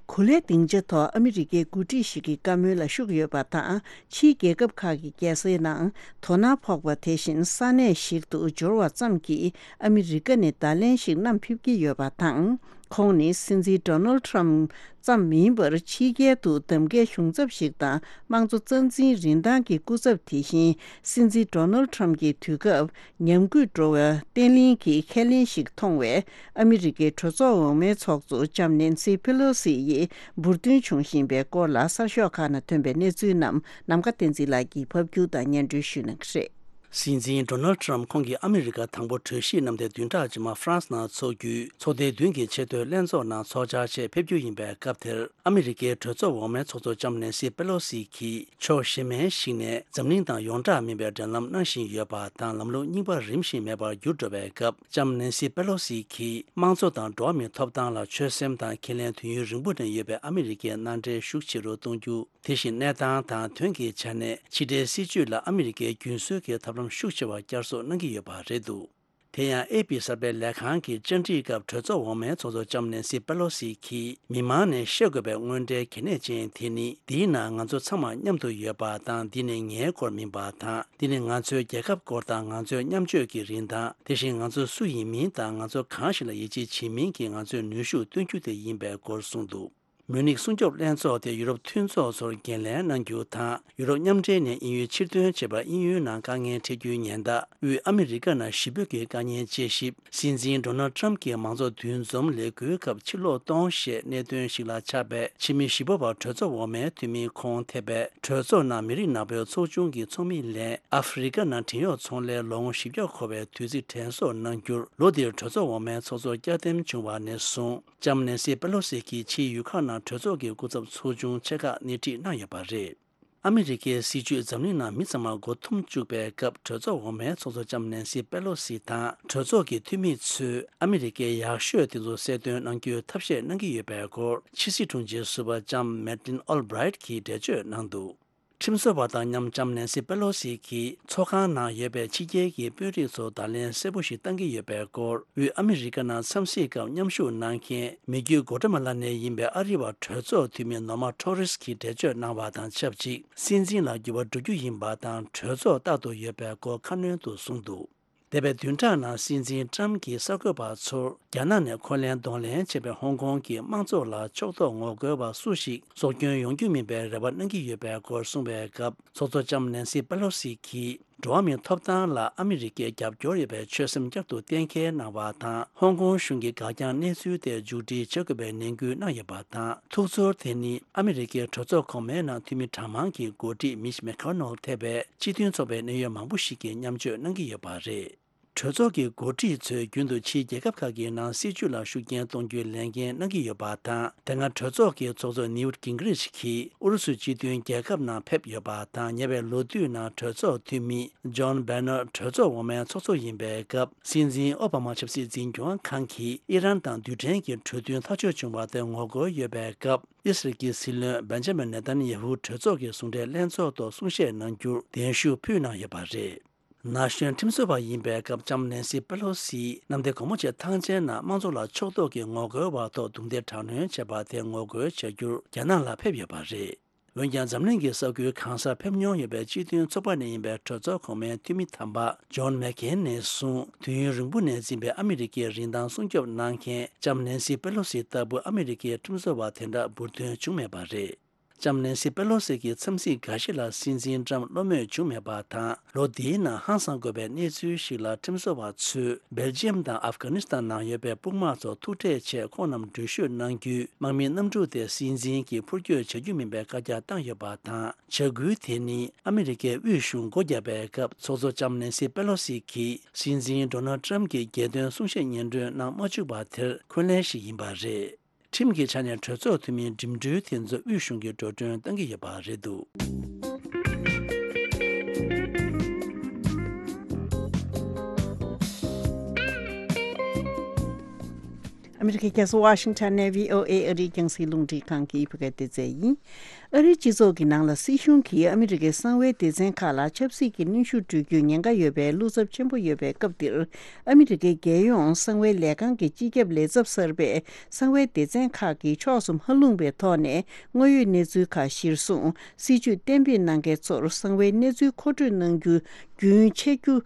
གོ་ལའི་སྡིངས་ཆ་ཐོག་ཨ་མི་རི་ཀའི་འགོ་ཁྲིད་ཞིག་གི་བཀའ་མོལ་ལ་ཤུགས་ཡོད་པ་དང་། ཕྱིའི་རྒྱལ་ཁབ་ཁག་གི་རྒྱལ་སའི་ནང་དོ་སྣང་ཕོག་པ་དེ་བཞིན་ས་གནས་ཤིག་ཏུ་འབྱོར་བ་ཙམ་གྱིས་ཨ་མི་རི་ཀ་ནས་བརྡ་ལན་ཞིག་བསྣམས་ཕེབས་ཀྱི་ཡོད་པ་དང་། ཁོང་ནི་སྲིད་འཛིན་ཌོ་ནལ་ཊམ་ཙམ་མིན་པར། ཕྱི་རྒྱལ་དུ་གདམ་ཁའི་གཞུང་ཚབ་ཞིག་དང་། དམངས་གཙོ་རྩ་འཛིན་རིན་ཐང་གི་སྐུ་ཚབ། དེ་བཞིན་སྲིད་འཛིན་ཌོ་ནལ་ཊམ་གྱི་དུས་སྐབས་ཉམས་རྒུད་འགྲོ་བའི་བརྟན་བརླིང་གི་ཁས་ལེན་ཞིག་མཐོང་བས། ཨ་མི་རི་ཀའི་གྲོས་ཚོགས་འོག་མའི་ཚོགས་གཙོ་ལྕམ་ནན་སི་པེ་ལོ་སི་ཡིས་འབུར་ཐོན་བྱུང་བཞིན་པའི་སྐོར་ལ། གསར་ཤོག་ཁག་ནང་ཐོན་པའི་གནས་ཚུལ་རྣམས་ནམ་མཁའ་བསྟན་འཛིན་ལགས་ཀྱིས་ཕབ་སྒྱུར་དང་སྙན་སྒྲོན་ཞུ་གནང་གི་རེད། སྲིད་འཛིན་ཌོ་ནལ་ཊམ་ཁོང་གིས་ཨ་མི་རི་ཀ་དང་པོ་གྲོས་གཞིའི་རྣམ་ཐར་བདུན་ཕྲག་རྗེས་མ་ཧྥ་རན་སི་ནང་འཚོགས་རྒྱུའི་ཚོགས་སྡེ་བདུན་གྱི་ཆེས་མཐོའི་ལྷན་ཚོགས་ནང་ཚོགས་བཅར་ཆེད་ཕེབས་རྒྱུ་ཡིན་པའི་སྐབས་དེར། ཨ་མི་རི་ཀའི་གྲོས་ཚོགས་འོག་མའི་ཚོགས་གཙོ་ལྕམ་ནན་སི་པེ་ལོ་སི་གིས་ཕྱོགས་གཞན་མའི་ཞིག་ནས་འཛམ་གླིང་དང་ཡོངས་གྲགས་མིན་པའི་འབྲེལ་ལམ་གནང་བཞིན་ཡོད་པ་དང་། ལམ་ལུགས་རྙིང་པ་རིམ་བཞིན་མེད་པར་འགྱུར་འགྲོ་བའི་སྐབས། ལྕམ་ནན་སི་པེ་ལོ་སི་གིས་དམངས་གཙོ་དང་འགྲོ་བ་མིའི་ཐོབ་ཐང་ལ་ཆོད་སེམས་དང་འཁྱེར་ལེན་དུས་ཡུན་རིང་པོ་ནས་ཡོད་པའི་ཨ་མི་རི་ཀའི་མནའ་འབྲེལ་ཤུགས་ཆེ་རུ་གཏོང་རྒྱུ། དེ་བཞིན་གནས་སྟངས་དང་དོན་གྱི་ཆ་ནས་ཕྱི་འབྲེལ་སྲིད་ཇུས་ལ་ཨ་མི་རི་ཀའི་རྒྱུན་སྲོལ་གྱི་ཐབས་ལམ་ཤུགས་ཆེ་བ་བསྐྱར་གསོ་གནང་གི་ཡོད་པ་རེད་འདུག་དེ་ཡང་ཨེ་པི་གསར་སྤེལ་ལས་ཁང་གི་བཅར་འདྲིའི་སྐབས། གྲོས་ཚོགས་འོག་མའི་ཚོགས་གཙོ་ལྕམ་ནན་སི་པེ་ལོ་སི་གིས། མི་མང་ནས་ཤེས་དགོས་པའི་དངོས་འབྲེལ་གལ་གནད་ཅན་དེ་ནི། འདིའི་ནང་ང་ཚོ་ཚང་མ་མཉམ་དུ་ཡོད་པ་དང་། འདི་ནི་ངའི་སྐོར་མིན་པ་དང་། འདི་ནི་ང་ཚོའི་རྒྱལ་ཁབ་སྐོར་དང་། ང་ཚོའི་མཉམ་སྤྱོད་ཀྱི་རིན་ཐང་། དེ་བཞིན་ང་ཚོ་སུ་ཡིན་མིན་དང་། ང་ཚོ་གང་ཞིག་ལ་ཡིད་ཆེས་བྱེད་མིན་གྱི་ང་ཚོའི་ནུས་ཤུགས་སྟོན་རྒྱུ་དེ་ཡིན་པའི་སྐོར་གསུངས་འདུག་མུ་ནིག་སྲུང་སྐྱོབ་ལྷན་ཚོགས་དེ་ཡུ་རོབ་མཐུན་ཚོགས་ཚོར་འགན་ལེན་གནང་རྒྱུ་དང་། ཡུ་རོབ་མཉམ་འབྲེལ་ནས་དབྱིན་ཡུལ་ཕྱིར་ཐོན་བྱས་པར། དབྱིན་ཡུལ་ནང་དཀའ་ངལ་འཕྲད་རྒྱུའི་ཉེན་བརྡ། དབུས་ཨ་མི་རི་ཀ་ནང་ཞི་བོ་གི་དཀའ་ཉེན་དཔྱད་ཞིབ། སྲིད་འཛིན་ཌོ་ནལ་ཊམ་གྱི་མང་ཚོགས་འདུ་འཛོམས་ལས་འགུལ་སྐབས་ཕྱིར་ལོག་གཏོང་ཞེས་གནད་དོན་ཞིག་ལ་ཆགས་པའི་ཕྱི་མི་ཞི་བོ་བ་གྲོས་ཚོགས་འོག་མའི་འཐུས་མི་ཁོང་ཐེ་བའི་གྲོས་ཚོགས་ནང་མི་རིགས་ནག་པོའི་ཚོགས་ཆུང་གི་ཚོགས་མི་ལས། ཨ་ཧྥེ་རི་ཀ་ནང་བྲན་གཡོག་ཚོང་ལས་ལོ་ངོ་བཞི་བརྒྱ་འཁོར་བའི་དུས་ཚིགས་དྲན་གསོ་གནང་རྒྱུར། ལོ་འདིར་གྲོས་ཚོགས་འོག་མའི་ཚོགས་གཙོར་བསྐྱར་འདེམས་བྱུང་བ་ནས་བཟུང་། ལྕམ་ནན་སི་པེ་ལོ་སི་གིས་ཕྱིའི་ཡུལ་ཁག་ནང་གྲོས་ཚོགས་ཀྱི་སྐུ་ཚབ་ཚོགས་ཆུང་ཆེ་ཁག་སྣེ་ཁྲིད་གནང་ཡོད་པ་རེད། ཨ་མི་རི་ཀའི་སྲིད་ཇུས་འཛམ་གླིང་ནང་མི་ཚང་མར་མགོ་འཐོམ་བཅུག་པའི་སྐབས། གྲོས་ཚོགས་འོག་མའི་ཚོགས་གཙོ་ལྕམ་ནན་སི་པེ་ལོ་སི་དང་གྲོས་ཚོགས་ཀྱི་འཐུས་མི་ཚོས་ཨ་མི་རི་ཀའི་ཡག་ཤོས་དེ་ཚོ་གསལ་སྟོན་གནང་རྒྱུའི་ཐབས་ཤེས་གནང་གི་ཡོད་པའི་སྐོར། ཕྱི་སྲིད་དྲུང་ཆེ་ཟུར་པ་ལྕམ་མེ་ཏིན་ཨོལ་བྷི་རའིཊ་གིས་འགྲེལ་བརྗོད་གནང་འདུག་ཁྲིམས་བཟོ་བ་དང་མཉམ་ལྕམ་ནན་སི་པེ་ལོ་སི་གིས་ཚོགས་ཁང་ནང་ཡོད་པའི་ཕྱི་རྒྱལ་གྱི་དཔོན་རིགས་ཚོར་བརྡ་ལན་གསལ་པོ་ཞིག་བཏང་གི་ཡོད་པའི་སྐོར། དབུས་ཨ་མི་རི་ཀ་ནང་འཚམས་གཟིགས་སྐབས་མཉམ་ཞུགས་གནང་མཁན་མི་རྒྱུད་གོ་ཏྲ་མ་ལ་ནས་ཡིན་པའི་ཨ་རི་བ་གྲོས་ཚོགས་འཐུས་མི་ནོར་མ་ཊོ་རེས་ཀྱིས་འགྲེལ་བརྗོད་གནང་བ་དང་ཆབས་ཅིག་སྲིད་འཛིན་ལ་འགྱུར་བ་འགྲོ་རྒྱུ་ཡིན་པ་དང་། གྲོས་ཚོགས་རྟག་ཏུ་ཡོད་པའི་སྐོར་ཁ་སྣོན་དུ་གསུངས་འདུག་འདས་པའི་བདུན་ཕྲག་ནང་སྲིད་འཛིན་ཊམ་གྱིས་གསར་འགོད་པ་ཚོར། རྒྱ་ནག་ནས་འཁོན་ལན་གདོང་ལེན་བྱས་པའི་ཧོང་ཀོང་གི་དམངས་གཙོ་ལ་ཕྱོགས་གཏོགས་ངོ་རྒོལ་བ་སུ་ཞིག་སྲོག་སྐྱོན་ཡོང་རྒྱུ་མིན་པའི་རེ་བ་གནང་གི་ཡོད་པའི་སྐོར་གསུངས་པའི་སྐབས། ཚོགས་གཙོ་ལྕམ་ནན་སི་པེ་ལོ་སི་གིས། འགྲོ་བ་མིའི་ཐོབ་ཐང་ལ་ཨ་མི་རི་ཀས་རྒྱབ་སྐྱོར་ཡོད་པའི་ཆོད་སེམས་བསྐྱར་དུ་གཏན་འཁེལ་གནང་བ་དང་། ཧོང་ཀོང་གཞུང་གི་འགག་རྐྱང་གནས་ཚུལ་དེ་མཇུག་སྒྲིལ་བྱེད་དགོས་པའི་ནན་སྐུལ་གནང་ཡོད་པ་དང་། ཐུགས་ཚོར་དེ་ནི་ཨ་མི་རི་ཀའི་གྲོས་ཚོགས་གོང་མའི་ནང་འཐུས་མི་གྲངས་མང་གི་འགོ་ཁྲིད་མིཆ་མེ་ཁོ་ནལ་ཐེ་བའི་སྤྱི་མཐུན་ཚོགས་པའི་གནད་ཡོད་མང་པོ་ཞིག་གིས་མཉམ་སྤྱོད་གནང་གི་ཡོད་པ་རེད། གྲོས་ཚོགས་ཀྱི་འགོ་ཁྲིད་ཚོས་རྒྱུན་དུ་ཕྱིའི་རྒྱལ་ཁབ་ཁག་གི་ནང་སྲིད་བྱུས་ལ་ཤུགས་རྐྱེན་གཏོང་རྒྱུའི་ལས་འགན་གནང་གི་ཡོད་པ་དང་། དེ་སྔ་གྲོས་ཚོགས་ཀྱི་ཚོགས་གཙོ་ནིའུ་ཊི་གིང་གྷི་རིཆ་གིས་ཨུ་རུ་སུའི་སྤྱི་མཐུན་རྒྱལ་ཁབ་ནང་ཕེབས་ཡོད་པ་དང་། ཉེ་བའི་ལོ་དུས་ནང་གྲོས་ཚོགས་འཐུས་མི་ཇོན་བྷེ་ནར་གྲོས་ཚོགས་འོག་མའི་ཚོགས་གཙོ་ཡིན་པའི་སྐབས། སྲིད་འཛིན་ཨོ་བྷ་མ་ཆབ་སྲིད་འཛིན་སྐྱོང་ཁང་གིས་ཨི་རན་དང་རྡུལ་ཕྲན་གྱི་གྲོས་མཐུན་མཐའ་འཁྱོལ་བྱུང་བ་དེར་ངོ་རྒོལ་ཡོད་པའི་སྐབས། ཨི་སི་རལ་གྱི་སྲིད་བློན་བེན་ཇ་མིན་ནེ་ཐན་ཡ་ཧུ་གྲོས་ཚོགས་ཀྱི་ཟུང་འབྲེལ་ལྷན་ཚོགས་ཐོག་གསུང་བཤད་གནང་རྒྱུར་གདན་ཞུ་ཕུལ་གནང་ཡོད་པ་རེད། ན་གཞོན་ཁྲིམས་བཟོ་བ་ཡིན་པའི་སྐབས། ལྕམ་ནན་སི་པེ་ལོ་སི་གནམ་བདེ་སྒོ་མོ་ཆེ་ཐང་ཆེན་ནང་དམངས་གཙོ་ལ་ཕྱོགས་གཏོགས་ཀྱི་ངོ་རྒོལ་བ་ཐོག་རྡུང་རྡེག་དྲག་གནོན་བྱས་པ་དེར་ངོ་རྒོལ་བྱ་རྒྱུར་རྒྱ་ནག་ལ་ཕེབས་ཡོད་པ་རེད། འོན་ཀྱང་། འཛམ་གླིང་གི་ས་ཁུལ་གང་སར་ཕེབས་མྱོང་ཡོད་པའི་སྤྱི་མཐུན་ཚོགས་པ་ནས་ཡིན་པའི་གྲོས་ཚོགས་གོང་མའི་འཐུས་མི་དམ་པ་ཇོན་མེག་ཁེན་ནས་གསུངས། དུས་ཡུན་རིང་པོ་ནས་འཛིན་པའི་ཨ་མི་རི་ཀའི་རིན་ཐང་སྲུང་སྐྱོབ་གནང་མཁན་ལྕམ་ནན་སི་པེ་ལོ་སི་ལྟ་བུ་ཨ་མི་རི་ཀའི་ཁྲིམས་བཟོ་བ་དེ་འདྲ་འབུར་ཐོན་བྱུང་མེད་པ་རེད། ལྕམ་ནན་སི་པེ་ལོ་སི་གི་འཚམས་གཟིགས་འགའ་ཞིག་ལ་སྲིད་འཛིན་ཏྲམ་བློ་མོས་བྱུང་མེད་པ་དང་། ལོ་འདིའི་ནང་ཧང་སང་དགོས་པའི་གནས་ཚུལ་ཞིག་ལ། ཁྲིམས་བཟོ་བ་ཚོས་སྦེལ་ཇི་ཡམ་དང་ཨབ་གྷ་ནི་སི་ཐན་ནང་ཡོད་པའི་དཔུང་དམག་ཚོ་ཐུག་འཕྲད་ཆེད་ཁོང་རྣམས་འགྲུལ་བཞུད་གནང་རྒྱུའི་དམག་མིའི་གནམ་གྲུ་དེ་སྲིད་འཛིན་གྱིས་འཕུར་སྐྱོད་བྱ་རྒྱུ་མིན་པའི་བཀའ་རྒྱ་བཏང་ཡོད་པ་དང་། བྱ་འགུལ་དེ་ནི་ཨ་མི་རི་ཀའི་དབུས་གཞུང་སྒོ་བརྒྱབ་པའི་སྐབས། ཚོགས་གཙོ་ལྕམ་ནན་སི་པེ་ལོ་སི་གིས་སྲིད་འཛིན་ཌོ་ནལ་ཏྲམ་གྱི་རྒྱལ་དོན་གསུང་བཤད་སྙན་སྒྲོན་གནང་མ་བཅུག་པ་དེར་འཁོན་ལན་ཞིག་ཡིན་པ་རེད། ཁྲིམས་ཀྱི་ཆ་ནས་གྲོས་ཚོགས་འཐུས་མིའི་འགྲིམ་འགྲུལ་དེ་ཚོ་དབུས་གཞུང་གིས་འགྲོ་གྲོན་གཏང་གི་ཡོད་པ་རེད་འདུག་ཨ་མི་རི་ཀའི་རྒྱལ་ས་ཝ་ཤིང་ཊོན་ནས་བྷི་ཨོ་ཨེ་ཨ་རིའི་རྒྱང་སྲིང་རླུང་འཕྲིན་ཁང་གི་བོད་སྐད་སྡེ་ཚན་ཡིན། ཨ་རིའི་སྤྱི་ཚོགས་ཀྱི་ནང་ལ་སྲིད་གཞུང་གིས་ཨ་མི་རི་ཀའི་གསང་བའི་སྡེ་ཚན་ཁག་ལ་ཆབ་སྲིད་ཀྱི་གནོན་ཤུགས་སྤྲོད་རྒྱུའི་ཉེན་ཁ་ཡོད་པའི་བློ་འཚབ་ཆེན་པོ་ཡོད་པའི་སྐབས་འདིར། ཨ་མི་རི་ཀའི་རྒྱལ་ཡོངས་གསང་བའི་ལས་ཁང་གི་སྤྱི་ཁྱབ་ལས་ཚབ་གསར་པས། གསང་བའི་སྡེ་ཚན་ཁག་གིས་ཕྱོགས་སུ་མ་ལྷུང་བའི་ཐོག་ནས་དངོས་ཡོད་གནས་ཚུལ་ཁག་གཞིར་བཟུང་། སྲིད་བྱུས་གཏན་འབེབས་གནང་མཁན་ཚོར་གསང་བའི་གནས་ཚུལ་མཁོ་སྤྲོད་གནང་རྒྱུ་རྒྱུན་ཆད་རྒྱུ།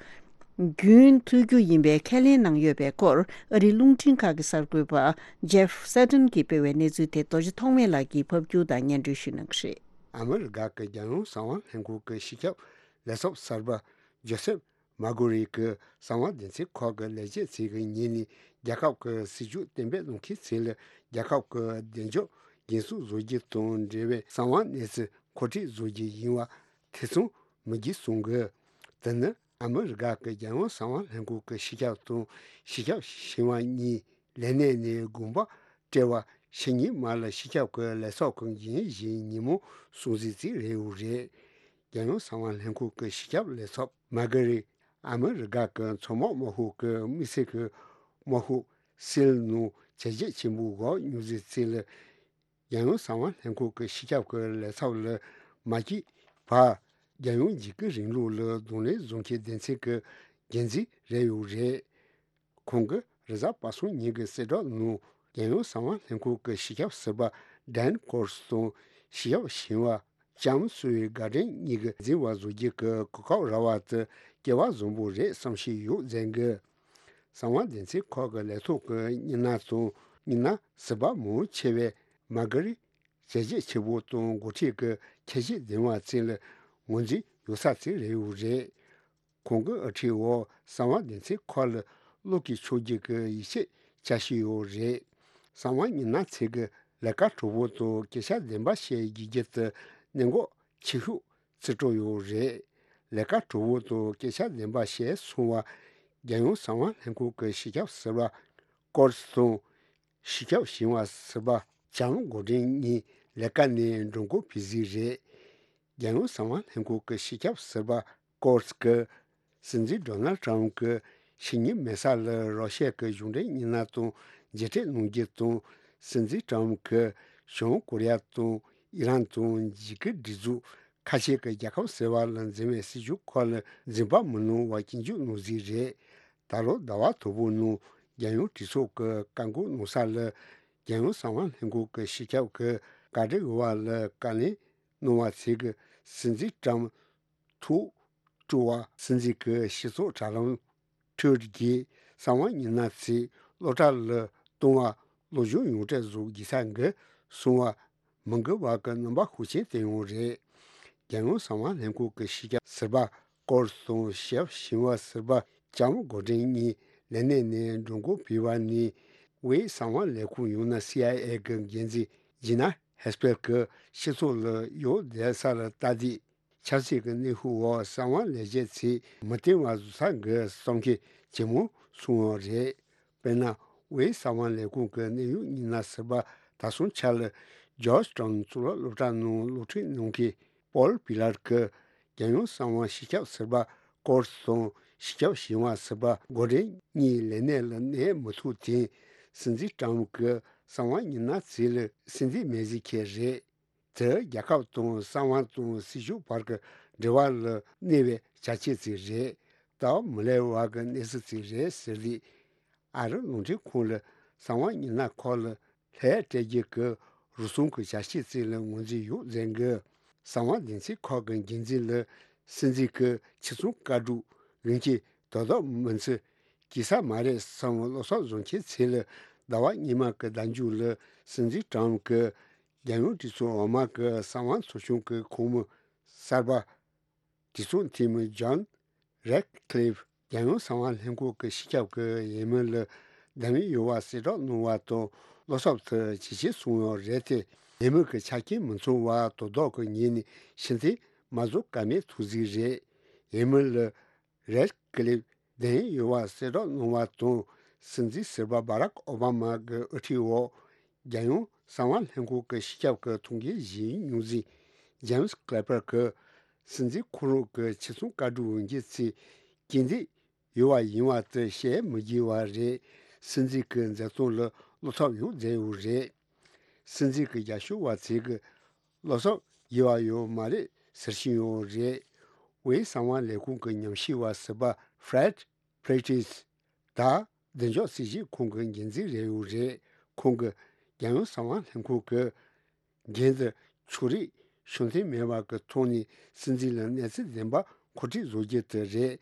རྒྱུན་མཐུད་རྒྱུ་ཡིན་པའི་ཁས་ལེན་གནང་ཡོད་པའི་སྐོར། ཨ་རིའི་རླུང་འཕྲིན་ཁང་གི་གསར་འགོད་པ་ཇེབ་སེ་ཏན་གྱིས་སྤེལ་བའི་གནས་ཚུལ་དེ་རྡོ་རྗེ་ཐོགས་མེད་ལགས་ཀྱིས་ཕབ་སྒྱུར་དང་སྙན་སྒྲོན་ཞུ་གནང་གི་རེད། ཨ་མི་རི་ཀ་གི་རྒྱལ་ཡོངས་གསང་བ་ལྷན་ཁང་གི་སྤྱི་ཁྱབ་ལས་ཚབ་གསར་པ་ཇོ་སེབ་མར་ཀུ་རི་གིས་གསང་བ་སྡེ་ཚན་ཁག་གི་ལས་བྱེད་ཚོ་གི་ཉིན་ནས་རྒྱལ་ཁབ་ཀྱི་སྲིད་བྱུས་གཏན་འབེབས་གནང་མཁན་ཚོ་ལ་རྒྱལ་ཁབ་ཀྱི་བདེ་འཇགས་རྒྱུན་སྲུང་བཟོ་རྒྱུ་དང་འབྲེལ་བའི་གསང་བ་གནས་ཚུལ་མཁོ་སྤྲོད་བཟོ་རྒྱུ་ཡིན་པ་ཐེ་ཚོམ་མི་དགོས་གསུངས་ཀྱི། དེ་ནི་ཨ་མི་རི་ཀ་གི་རྒྱལ་ཡོངས་གསང་བ་ལྷན་ཁང་གི་སྤྱི་ཁྱབ་དང་སྤྱི་ཁྱབ་གཞོན་པ་གཉིས་ལས་གནས་ནས་དགོངས་པ་སྤྲད་པ་ཕྱི་ཉིན་མ་ལ་སྤྱི་ཁྱབ་ཀྱི་ལས་ཚབ་ཀྱི་འགན་བཞེས་ཉིན་མོ་སྲུང་བརྩི་བྱས་རེད་འོ་རེད། རྒྱལ་ཡོངས་གསང་བ་ལྷན་ཁང་གི་སྤྱི་ཁྱབ་ལས་ཚབ་མར་ཀུ་རི་ཨ་མི་རི་ཀ་གི་མཚོ་དམག་དམག་ཤོག་གི་དམིགས་བསལ་གྱི་དམག་ཤོག་སིལ་ནང་བྱས་རྗེས་ཆེན་པོ་འགོག་མྱོང་ཚེ་ཚེ་ལ། རྒྱལ་ཡོངས་གསང་བ་ལྷན་ཁང་གི་སྤྱི་ཁྱབ་ཀྱི་ལས་ཚབ་ལ་མ་སྐྱེས་བར་རྒྱལ་ཡོངས་འཇིགས་སྐུལ་རིང་ལུགས་ལ་གདོང་ལེན་བཟོ་མཁན་སྡེ་ཚན་གྱི་འགན་འཛིན་རེད་འོ་རེད། ཁོང་གིས་རེས་གཟའ་པ་སངས་ཉིན་གྱི་གསལ་བསྒྲགས་ནང་རྒྱལ་ཡོངས་གསང་བ་ལྷན་ཁང་གི་སྤྱི་ཁྱབ་ཟུར་པ་ཌན་ཀོར་སི་དང་སྤྱི་ཁྱབ་གཞོན་པ་ལྕམ་སུའུ་ཝེ་གྷར་ཌེན་གཉིས་ཀྱིས་འཛིན་པ་བཟོ་རྒྱུ་གི་གོ་སྐབས་རག་པ་དེ་སྐལ་བ་བཟང་པོ་རེད་བསམ་གྱི་ཡོད་ཟེར་གི། གསང་བ་སྡེ་ཚན་ཁག་གི་ལས་ཐོག་གི་མི་སྣ་དང་མི་སྣ་ཟུར་པ་མང་ཆེ་བས་མར་ཀུ་རི་བྱས་རྗེས་ཆེ་བོ་དང་འགོ་ཁྲིད་ཀྱི་ཁྱད་ཆོས་ལྡན་པ་ཅིག་ལ་ངོས་འཛིན་ཡོད་ས་ཅིག་རེད་འོ་རེད། ཁོང་གི་དབུ་ཁྲིད་འོག་གསང་བ་སྡེ་ཚན་ཁག་ལ་བློ་འགྱོད་ཆོག་རྒྱུ་གི་ཡིད་ཆེས་བྱ་བཞིན་ཡོད་རེད། གསང་བ་མི་སྣ་ཚོས་ཀྱི་ལས་ཀ་གྲུང་པོ་དང་སྐད་ཆ་བདེན་པ་བཤད་དགོས་རྒྱུ་དེ་གནད་འགག་ཆེ་ཤོས་བརྩི་འགྲོ་ཡོད་རེད། ལས་ཀ་གྲུང་པོ་དང་སྐད་ཆ་བདེན་པ་བཤད་སོང་བ། རྒྱལ་ཡོངས་གསང་བ་ལྷན་ཁང་གི་སྤྱི་ཁྱབ་ཟུར་པ་ཀོར་སི་དང་། སྤྱི་ཁྱབ་གཞོན་པ་ཟུར་པ་ལྕམ་གྷོ་ཌེན་གཉིས་ལས་ཀ་ནས་འགྲོ་འགོ་བུད་ཟིན་རེད། རྒྱལ་ཡོངས་གསང་བ་ལྷན་ཁང་གི་སྤྱི་ཁྱབ་ཟུར་པ་ཀོར་སི་གིས་སྲིད་འཛིན་ཌོ་ནལ་ཏྲམ་གྱིས་ཕྱི་ཉིན་མེ་གསར་ལ་རོ་ཤི་ཡ་གི་གཞུང་འབྲེལ་མི་སྣ་དང་མཇལ་འཕྲད་གནང་རྒྱུ་དང་། སྲིད་འཛིན་ཏྲམ་གྱིས་བྱང་ཀོ་རི་ཡ་དང་ཨི་རན་དང་འཇིགས་སྐུལ་སྒྲིག་འཛུགས་ཁ་ཤས་ཀྱི་རྒྱལ་ཁབ་ཟེར་བ་ལ་འཛིན་པའི་སྲིད་བྱུས་ཁག་ལ་འཛིན་པ་མི་གནང་བ་སྐྱོན་བརྗོད་གནང་ཟིན་རེད། ད་ལོ་ཟླ་བ་དང་པོའི་ནང་རྒྱལ་ཡོངས་གྲོས་ཚོགས་ཀྱི་བཀའ་འགུག་གནང་ས་ལ་རྒྱལ་ཡོངས་གསང་བ་ལྷན་ཁང་གི་སྤྱི་ཁྱབ་ཀྱིས་བཀའ་འདྲི་ཡོད་པ་ལ་བཀའ་ལན་གནང་བ་ཚོས་ཀྱིས་སྲིད་འཛིན་ཏྲམ་ཐུགས་སྤྲོ་བ། སྲིད་འཛིན་གྱི་སྤྱི་ཚོགས་དྲ་ལམ་ཁྲོད་ཀྱི་གསང་བ་མི་སྣ་ཚོས་སློབ་གྲྭ་ལ་གཏོང་བ་སློབ་སྦྱོང་ཡོངས་གྲགས་བཟོ་དགོས་ས་འགའ་སོང་བ་མི་འགུལ་བ་གི་རྣམ་པ་ཤུགས་ཆེན་བསྟན་ཡོད་རེད། རྒྱལ་ཡོངས་གསང་བ་ལྷན་ཁང་གི་སྤྱི་ཁྱབ་ཟུར་པ་ཀོར་སི་དང་སྤྱི་ཁྱབ་གཞོན་པ་ཟུར་པ་ལྕམ་གྷོ་ཌེན་གཉིས་ལས་གནས་ནས་འགྲོ་འགོ་བུད་པ་ནས་དབུས་གསང་བ་ལས་ཁུངས་ཡང་ན་སི་ཨའི་ཨེ་གི་འགན་འཛིན་ཇི་ན་ཧེ་སྤེལ་གྱིས་སྤྱི་ཚོགས་ལ་ཡོད་བསྡད་ས་ལ་ལྟ་དུས། ཆབ་སྲིད་ཀྱི་གནོན་ཤུགས་འོག་གསང་བ་ལས་བྱེད་ཚོས་མི་བསྟེན་པ་བཟོ་ས་གི་གསུང་མཁན་ཇེ་མང་སོང་བ་རེད། དཔེར་ན། དབུས་གསང་བ་ལས་ཁུངས་ཀྱི་གནད་ཡོད་མི་སྣ་ཟུར་པ་དར་སྲུང་ཆ་ལ་ཇོརྗ་ཊའུན་གཙུག་ལག་སློབ་གྲྭ་ནང་སློབ་ཁྲིད་གནང་མཁན་པོལ་པི་ལར་གྱིས་རྒྱལ་ཡོངས་གསང་བ་སྤྱི་ཁྱབ་ཟུར་པ་ཀོར་སི་དང་སྤྱི་ཁྱབ་གཞུང་བ་ཟུར་པ་གོ་ཌེན་གཉིས་ལས་གནས་ལ་གནས་མི་ཐུབ་དེ། སྲིད་འཛིན་ཊམ་གྱིས་གསང་བ་མི་སྣ་ཚོ་ལ་སྲིད་འཛིན་མེད་ཟེར་མཁན་རེད། དེ་རྒྱལ་ཁབ་དང་གསང་བ་དང་སྲིད་ཇུས་བར་གྱི་འབྲེལ་བ་ལ་གནོད་པའི་བྱ་སྤྱོད་ཅིག་རེད། སྟབས་མི་ལེགས་པ་གི་གནས་ཚུལ་ཅིག་རེད་ཟེར་ཏེ། ཨ་རི་རླུང་འཕྲིན་ཁང་ལ་གསང་བ་མི་སྣ་ཁག་ལ་ལན་སྤྲད་རྒྱུ་གི་རུལ་སུངས་ཀྱི་བྱ་སྤྱོད་ཅིག་ལ་ངོས་འཛིན་ཡོད་ཟེར་གི། གསང་བ་སྡེ་ཚན་ཁག་གི་འགན་འཛིན་ལ་སྲིད་འཛིན་གྱི་ཆེད་རྩོམ་བཀའ་སྒྲུབ་འོས་འགན་དོ་བདག་མིན་ཚུལ་སྐྱེལ་ས་མ་རེད་བསམ་བློ་གསོག་བཟོ་མཁན་ཚོ་ལ། ཟླ་བ་སྔོན་མ་གི་ཟླ་མཇུག་ལ་སྲིད་འཛིན་ཊམ་གྱིས་རྒྱལ་ཡོངས་གྲོས་ཚོགས་འོག་མ་གི་གསང་བ་ཚོགས་ཆུང་གི་ཁོངས་མི་གསར་པ་གྲོས་ཚོགས་འཐུས་མི་ཇོན་རེད་ཀི་ལིབ་རྒྱལ་ཡོངས་གསང་བ་ལྷན་ཁང་གི་སྤྱི་ཁྱབ་ཀྱི་འོས་མི་ལ་བདམས་ཡོད་པ་གསལ་བསྒྲགས་གནང་བ་དང་། བློ་འཚབ་ཏུ་ཇེ་ཆེ་སོང་ཡོད་རེད་དེ། འོས་མི་གི་ཆ་རྐྱེན་མི་ཚང་བ་དོ་བདག་གི་ངོས་ནས་ཕྱིར་འཐེན་མ་བཟོ་ཀ་མེད་ཐུག་ཟིག་རེད། འོས་མི་ལ་རེད་ཀི་ལིབ་བདམས་ཡོད་པ་གསལ་བསྒྲགས་གནང་བ་དང་། སྲིད་འཛིན་ཟུར་པ་བྷ་རག་ཨོ་བྷ་མ་གི་དབུ་ཁྲིད་འོག་རྒྱལ་ཡོངས་གསང་བ་ལྷན་ཁང་གི་སྤྱི་ཁྱབ་ཀྱི་ཐུགས་འགན་བཞེས་མྱོང་མཁན་ཇེམ་སི་ཀི་ལེ་པར་གྱིས་སྲིད་འཛིན་ཁོ་རང་གི་ཆེད་རྩོམ་བཀའ་སྒྲུབ་འོས་འགན་ཚོ་རྐྱེན་འདས་ཡོད་པ་ཡིན་པ་དེ་བཤད་མི་དགོས་པ་རེད། སྲིད་འཛིན་གྱི་མཛད་རྟགས་ལ་བློ་འཚབ་ཡོད་མཛད་ཡོད་རེད། སྲིད་འཛིན་གྱི་རྒྱབ་སྐྱོར་བ་ཚོས་ཀྱི་བློ་འཚབ་དགོས་པ་ཡོད་མ་རེད་ཟེར་བཞིན་ཡོད་རེད། དབུས་གསང་བ་ལས་ཁུངས་ཀྱི་ཉམས་ཞིབ་པ་ཟུར་པ་ཧྥེ་རེད་པི་རི་ཊིས་ད་བདེ་འཇགས་སྲིད་ཇུས་ཁང་གི་འགན་འཛིན་རེད་ཡོད་རེད། ཁོང་གིས་རྒྱལ་ཡོངས་གསང་བ་ལྷན་ཁང་གི་འགན་དེ་ཕྱོགས་རིས་ཕྱོགས་མཐུན་མེད་པ་གི་ཐོག་ནས་སྲིད་འཛིན་ལ་གནས་ཚུལ་བདེན་པ་མཁོ་སྤྲོད་བཟོ་རྒྱུ་དེ་རེད།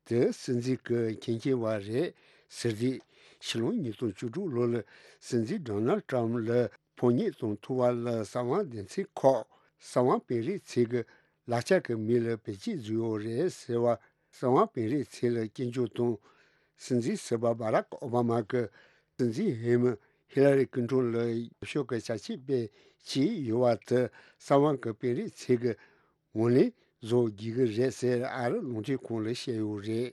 དེ་སྲིད་འཛིན་གྱི་འགན་འཁྱེར་བ་རེད་ཟེར་ཏེ། ཕྱི་ལོ་ཉིས་སྟོང་བཅུ་དྲུག་ལོ་ལ་སྲིད་འཛིན་ཌོ་ནལ་ཊམ་ལ་ཕོ་ཉ་དང་ཐུག་པ་ལ་གསང་བ་སྡེ་ཚན་ཁག་གསང་བ་དཔོན་རིགས་ཚོས་ཀྱི་ལག་ཆ་གི་མི་ལ་བེད་སྤྱོད་བཟོས་ཡོད་རེད་ཟེར་བ། གསང་བ་དཔོན་རིགས་ཚོ་ལ་སྐྱོན་བརྗོད་དང་། སྲིད་འཛིན་ཟུར་པ་བྷ་རག་ཨོ་བྷ་མ་གིས་སྲིད་འཛིན་འོས་མི་ཧི་ལ་རི་ཀིན་ཊོན་ལ་ཡག་ཤོས་ཀྱི་བྱ་སྤྱོད་སྤེལ་བྱས་ཡོད་པ་དེ་གསང་བ་གི་དཔོན་རིགས་ཚོས་ཀྱི་ངོས་ལེན་བཟོ་དགོས་ཀྱི་རེད་ཟེར་ཨ་རི་རླུང་འཕྲིན་ཁང་ལ་བཤད་ཡོད་རེད།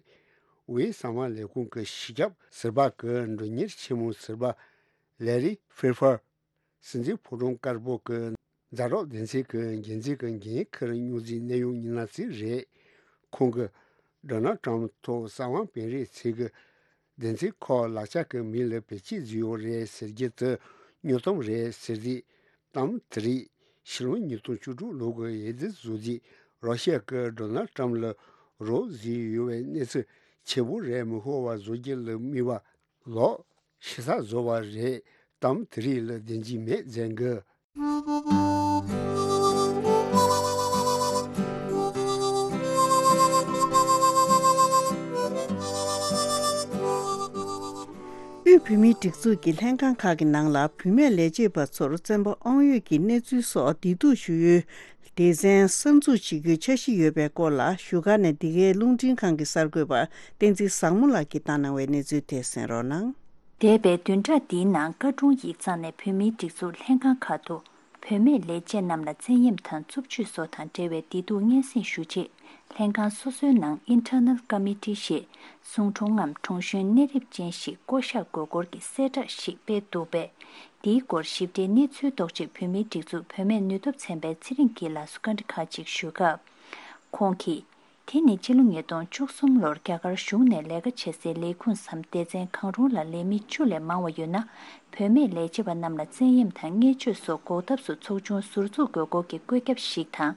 དབུས་གསང་བ་ལས་ཁུངས་ཀྱི་སྤྱི་ཁྱབ་ཟུར་པ་གི་མགྲོན་གཉེར་ཆེན་མོ་ཟུར་པ་ལེ་རི་ཧྥེ་ཧྥར། སྲིད་འཛིན་ཕོ་བྲང་དཀར་པོ་གི་མཛའ་གྲོགས་སྡེ་ཚན་གྱི་འགན་འཛིན་གྱི་འགན་འཁུར་མྱོང་མཁན་གནད་ཡོད་མི་སྣ་ཞིག་རེད། ཁོང་གིས་ཌོ་ནལ་ཊམ་ཐོག་གསང་བ་དཔོན་རིགས་ཚོས་ཀྱི་སྡེ་ཚན་ཁག་ལག་ཆ་གི་མི་ལ་བེད་སྤྱོད་བཟོས་ཡོད་རེད་ཟེར་རྒྱུ་དེ་དངོས་དོན་རེད་ཟེར་ཏེ། གཏམ་དེ་རིགས་ཕྱི་ལོ་ཉིས་སྟོང་བཅུ་དྲུག་ལོ་གི་འོས་བསྡུ་བཟོ་རྗེས་རོ་ཤི་ཡ་གིས་ཌོ་ནལ་ཊམ་ལ་རོགས་བཟོས་ཡོད་པའི་གནས་ཚུལ་ཆེ་བོ་རེད་མི་ཤོར་བ་བཟོ་རྒྱུ་ལ་དམིགས་པ་ལོག་ཤི་ས་བཟོ་བ་རེད། གཏམ་དེ་རིགས་ལ་བདེན་འཇིགས་མེད་ཟེར་གི། དབུས་བོད་མིའི་སྒྲིག་འཛུགས་ཀྱི་ལྷན་ཁང་ཁག་གི་ནང་ལ་བུད་མེད་ལས་བྱེད་པ་ཚོར་བཙོན་པ་དབང་ཡོད་ཀྱི་གནས་ཚུལ་སོགས་བདེ་སྡུག་ཞུ་ཡུལ་སྡེ་ཚན་གསར་འཛུགས་བྱེད་རྒྱུའི་འཆར་གཞི་ཡོད་པའི་སྐོར་ལ་བཞུགས་སྒར་ནས་འདི་གའི་རླུང་འཕྲིན་ཁང་གི་གསར་འགོད་པ་བསྟན་འཛིན་བཟང་མོ་ལགས་ཀྱིས་བཏང་གནང་བའི་གནས་ཚུལ་དེ་གསན་རོགས་གནང་། འདས་པའི་བདུན་ཕྲག་འདིའི་ནང་བཀའ་དྲུང་ཡིག་ཚང་ནས་བོད་མིའི་སྒྲིག་འཛུགས་ལྷན་ཁང་ཁག་ཏུ་བུད་མེད་ལས་བྱེད་རྣམས་ལ་བཙན་གཡེམ་དང་རྩུབ་སྤྱོད་སོགས་དང་འབྲེལ་བའི་བདེ་སྡུག་སྙན་སེང་ཞུ་ཆེད། ལྷན་ཁང་སོ་སོའི་ནང་Internal Committee ཞེས་ཟུང་དྲུང་ངམ་དྲུང་གཞོན་གནས་རིམ་ཅན་ཞིག་བསྐོ་གཞག་དགོས་སྐོར་གྱི་གསལ་བསྒྲགས་ཤིག་སྤེལ་འདུག་པས། འདིའི་སྐོར་ཞིབ་ཕྲའི་གནས་ཚུལ་རྟོགས་ཆེད་བོད་མིའི་སྒྲིག་འཛུགས་བུད་མེད་ནུས་སྟོབས་ཚན་པའི་ཚེ་རིང་སྐྱིད་ལགས་སུ་བཀའ་འདྲི་ཁག་ཅིག་ཞུས་སྐབས། ཁོང་གིས། དེ་ནི་ཕྱི་ལོ་ཉིས་སྟོང་བཅུ་གསུམ་ལོར་རྒྱ་གར་གཞུང་ནས་ལས་ཀ་བྱེད་སའི་ལས་ཁུངས་སམ་སྡེ་ཚན་གང་རུང་ལ་ལས་མི་བཅུ་ལས་མང་བ་ཡོད་ན། བུད་མེད་ལས་བྱེད་པ་རྣམས་ལ་བཙན་གཡེམ་དང་བརྙས་བཅོས་སོགས་འགོག་ཐབས་སུ་ཚོགས་ཆུང་ཟུར་འཛུགས་དགོས་སྐོར་གྱི་བཀོད་ཁྱབ་ཞིག་དང་།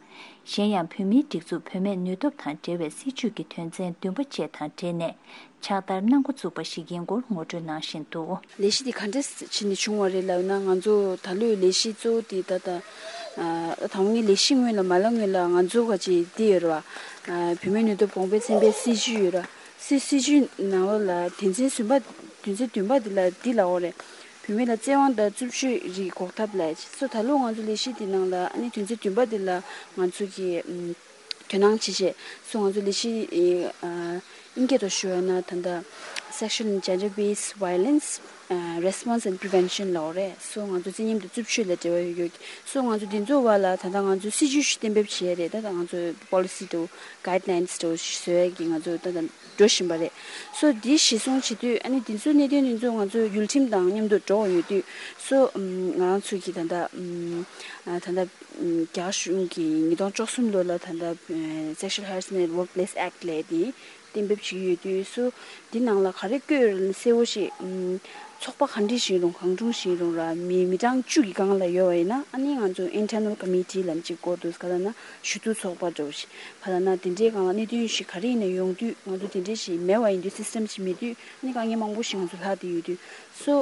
གཞན་ཡང་བོད་མིའི་སྒྲིག་འཛུགས་བུད་མེད་ནུས་སྟོབས་དང་འབྲེལ་བའི་སྲིད་བྱུས་ཀྱི་དོན་ཚན་བདུན་པ་བཅས་དང་འབྲེལ་ནས་ཕྱག་བསྟར་གནང་འགོ་བཙུགས་པ་ཞིག་ཡིན་སྐོར་ངོ་སྤྲོད་གནང་བཞིན་འདུག། ལས་གཞི་འདི་ག་འདྲས་བྱས་ནས་བྱུང་བ་རེད་ལབ་ན། ང་ཚོ་ད་ལོའི་ལས་གཞི་གཙོ་བོ་འདི་ད་ལྟ་ཨ་ད་ང་ལས་གཞི་སྔོན་ལ་མ་ལ་སྔོན་ལ་ང་ཚོ་ག་ཅིག་འདི་ཡོད་རེད་བ། ཨ་བུད་མེད་ནུས་སྟོབས་གོང་འཕེལ་ཚན་པའི་སྲིད་བྱུས་ཡོད་རེད། སྲིད་སྲིད་བྱུས་ནང་ལོགས་ལ་དོན་ཚན་བདུན་པ་དོན་ཚན་བདུན་པ་འདི་ལ་འདི་ལབ་ཡོད་རེད། བུད་མེད་ལ་བཙན་དབང་དང་རྩུབ་སྤྱོད་རིགས་འགོག་ཐབས་ལ་སོ་ད་ལོ་ང་ཚོ་ལས་གཞི་འདི་ནང་ལ་ཨ་ནི་དོན་ཚན་བདུན་པ་འདི་ལ་ང་ཚོ་གི་ཨམ་དོ་སྣང་བྱེད་ཆེད་སོ་ང་ཚོ་ལས་གཞི་ཨ་དབྱིན་སྐད་ཐོག་ཞུ་བ་ན་ད་ལྟ་ Sexual and Gender Based Violence Response and Prevention ལབ་རེད། སོ་ང་ཚོ་རྩིས་མཉམ་དུ་རྩུབ་སྤྱོད་ལ་འབྲེལ་བ་ཡོད་ཡོད། སོ་ང་ཚོ་འདི་ཚོའི་བར་ལ་ད་ལྟ་ང་ཚོས་སྲིད་ཇུས་ཤིག་གཏན་འབེབས་བྱས་རེད། ད་ལྟ་ང་ཚོས་པོ་ལི་སི་དང་གྷའིཌ་ལའིན་དང་བཟོ་ཡས་ཀྱི་ང་ཚོ་ད་ལྟ་འགྲོ་བཞིན་པ་རེད། སོ་འདི་གཞི་བཟུང་བྱེད་དུས་ཨ་ནི་འདི་ཚོའི་གནད་དོན་འདི་ཚོ་ང་ཚོ་ཡུལ་ཁྲིམས་དང་མཉམ་དུ་འགྲོ་བ་ཡོད་དུས། སོ་ང་རང་ཚོས་ཀྱི་ད་ལྟ་ད་ལྟ་རྒྱ་གཞུང་གིས་ཉིས་སྟོང་བཅུ་གསུམ་ལོ་ལ་ད་ལྟ་Sexual Harassment at Workplace Act ལབ་དེ་གཏན་འབེབས་བྱེད་ཀྱི་ཡོད་དུས། སོ་འདི་ནང་ལ་ག་རེ་བཀོད་ཡོད་རེད་གསལ་པོ་ཞིག་ཚོགས་པ་ག་འདྲ་ཞིག་ཡིན་རུང་གང་བྱུང་ཞིག་ཡིན་རུང་ར་མི་མི་གྲངས་བཅུ་གི་སྒང་ལ་ཡོད་པ་ཡིན་ན་ཨ་ནི་ང་ཚོ་Internal Committee ལབ་ཅིག་བསྐོ་འདུག་ག་ལབ་ན་ཞུ་གཏུག་ཚོགས་པ་འདྲ་བོ་ཞིག་ག་ལབ་ན་དེ་འདྲའི་སྒང་ལ་གནད་དོན་ཞིག་ག་རེ་ཡིན་ན་ཡོང་དུས་ང་ཚོ་དེ་འདྲ་ཞིག་མེད་པ་ཡིན་དུས་སི་སི་ཊམ་ཞིག་མེད་དུས་ཨ་ནི་དཀའ་ངལ་མང་པོ་ཞིག་ང་ཚོ་ལྷག་བསྡད་ཡོད་དུས། སོ་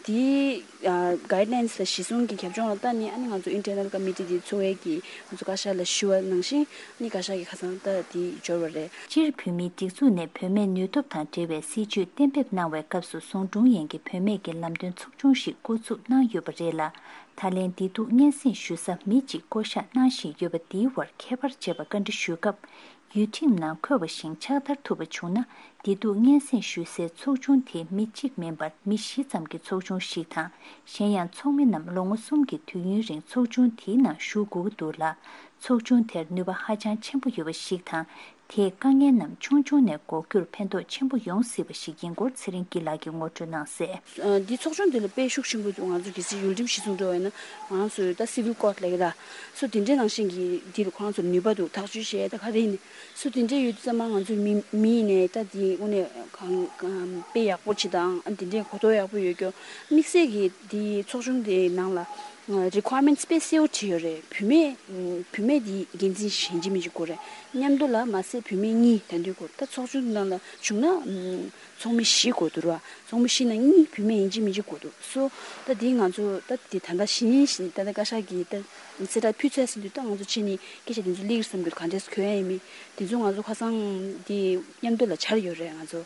འདི་གྷའིཌ་ལའིན་ལ་གཞི་བཟུང་གི་རྒྱབ་ལྗོངས་ལ་ལྟ་ནས་ཨ་ནི་ང་ཚོ་Internal Committee འདི་ཚོགས་པའི་གི་ང་ཚོ་བཀའ་ཤག་ལ་ཞུ་བ་ནང་བཞིན་ཨ་ནི་བཀའ་ཤག་གིས་ཁ་སང་ལྟ་འདི་འབྱོར་བ་རེད། སྤྱིར་བོད་མིའི་སྒྲིག་འཛུགས་ནས་བུད་མེད་ནུས་སྟོབས་དང་འབྲེལ་བའི་སྲིད་ཇུས་གཏན་འབེབས་གནང་བའི་སྐབས་སུ་ཟུང་དྲུང་ཡན་གྱི་བུད་མེད་ཀྱི་ལམ་སྟོན་ཚོགས་ཆུང་ཞིག་བསྐོ་འཛུགས་གནང་ཡོད་པ་རེད་ལ། ད་ལན་བདེ་སྡུག་སྙན་སེང་ཞུ་ས་མི་གཅིག་བསྐོ་གཞག་གནང་བཞིན་ཡོད་པ་འདིའི་བར་ཁྱད་པར་འབྱེད་པ་བཀའ་འདྲི་ཞུས་སྐབས། ཡུལ་ཁྲིམས་ནང་འཁོད་པ་བཞིན་ཕྱག་བསྟར་ཐུབ་པ་བྱུང་ན། བདེ་སྡུག་སྙན་སེང་ཞུ་སའི་ཚོགས་ཆུང་དེ་མི་གཅིག་མིན་པར་མི་བཞི་ཙམ་གྱི་ཚོགས་ཆུང་ཞིག་དང་། གཞན་ཡང་ཚོགས་མི་རྣམས་ལོ་ངོ་གསུམ་གྱི་དུས་ཡུན་རིང་ཚོགས་ཆུང་དེའི་ནང་ཞུགས་དགོས་ཀྱི་འདུག་ལ། ཚོགས་ཆུང་དེར་ནུས་པ་ཧ་ཅང་ཆེན་པོ་ཡོད་པ་ཞིག་དང་། དེས་དཀའ་ངལ་རྣམས་ཆུང་ཆུང་ནས་འགོག་རྒྱུར་ཕན་ཐོགས་ཆེན་པོ་ཡོང་སྲིད་པ་ཞིག་ཡིན་སྐོར་ཚེ་རིང་སྐྱིད་ལགས་ཀྱིས་ངོ་སྤྲོད་གནང་གསལ། འདི་ཚོགས་ཆུང་འདི་ལ་དཔེ་ཤུགས་ཆེན་པོ་འདུག་ང་ཚོ་གལ་སྲིད་ཡུལ་ཁྲིམས་གཞི་བཟུང་འགྲོ་བ་ཡིན་ན་ང་རང་ཚོའི་ད་སི་ཝིལ་ཀོཌ་ལབ་ཀྱི་ར། སོ་དེ་འདྲའི་ནང་བཞིན་གྱི་འདི་ལ་ཁོ་རང་ཚོར་ནུས་པ་འདུག་ཐག་གཅོད་བྱས་ད་ག་རེ་ཡིན་ནས། སོ་དེ་འདྲའི་ཡོད་དུས་ཙམ་པ་ང་ཚོའི་མི་མི་ཡིན་ནས་ད་དེ་དངོས་གནས་གང་གང་དཔེ་ཡག་པོ་བྱེད་དང་ཨ་དེ་འདྲའི་གོ་རྟོགས་ཡག་པོ་ཡོད་རྒྱུ། དམིགས་བསལ་གྱི་དེ་ཚོགས་ཆུང་དེའི་ནང་ལ་རི་ཀོ་ཡར་མེན་ཊི་དཔེ་གསལ་པོ་བྲིས་ཡོད་རེད། བུད་མེད་བུད་མེད་དེ་འགན་འཛིན་ཡིན་གཅིག་མིན་གཅིག་དགོས་རེད། མཉམ་དུ་ལ་མ་ཟད་བུད་མེད་གཉིས་ད་འདུས་དགོས་རེད། ད་ཚོགས་ཆུང་ནང་ལ་བྱུང་ན་ཚོགས་མི་བཞི་དགོས་འདུག་ར། ཚོགས་མི་བཞི་ནང་གཉིས་བུད་མེད་ཡིན་གཅིག་མིན་གཅིག་དགོས་འདུག་སོ་ད་དེ་ང་ཚོ་ད་དེ་ད་ལྟ་གཞི་ནས་ད་ལྟ་བཀའ་ཤག་གིས་ད་གསལ་བསྒྲགས་ཕུལ་ཚར་ཟིན་དུས་ད་ང་ཚོ་ཕྱི་ནས་སྐད་ཆ་དེ་ཚོ་སླེབས་ཀྱི་བསམ་གྱི་འདུག་ག་འདྲས་གོ་ཡ་ཡིན་མིན་དེ་ཚོ་ང་ཚོ་ཁ་སང་དེ་མཉམ་དུ་ལ་བཅར་ཡོད་རེད་ང་ཚོ།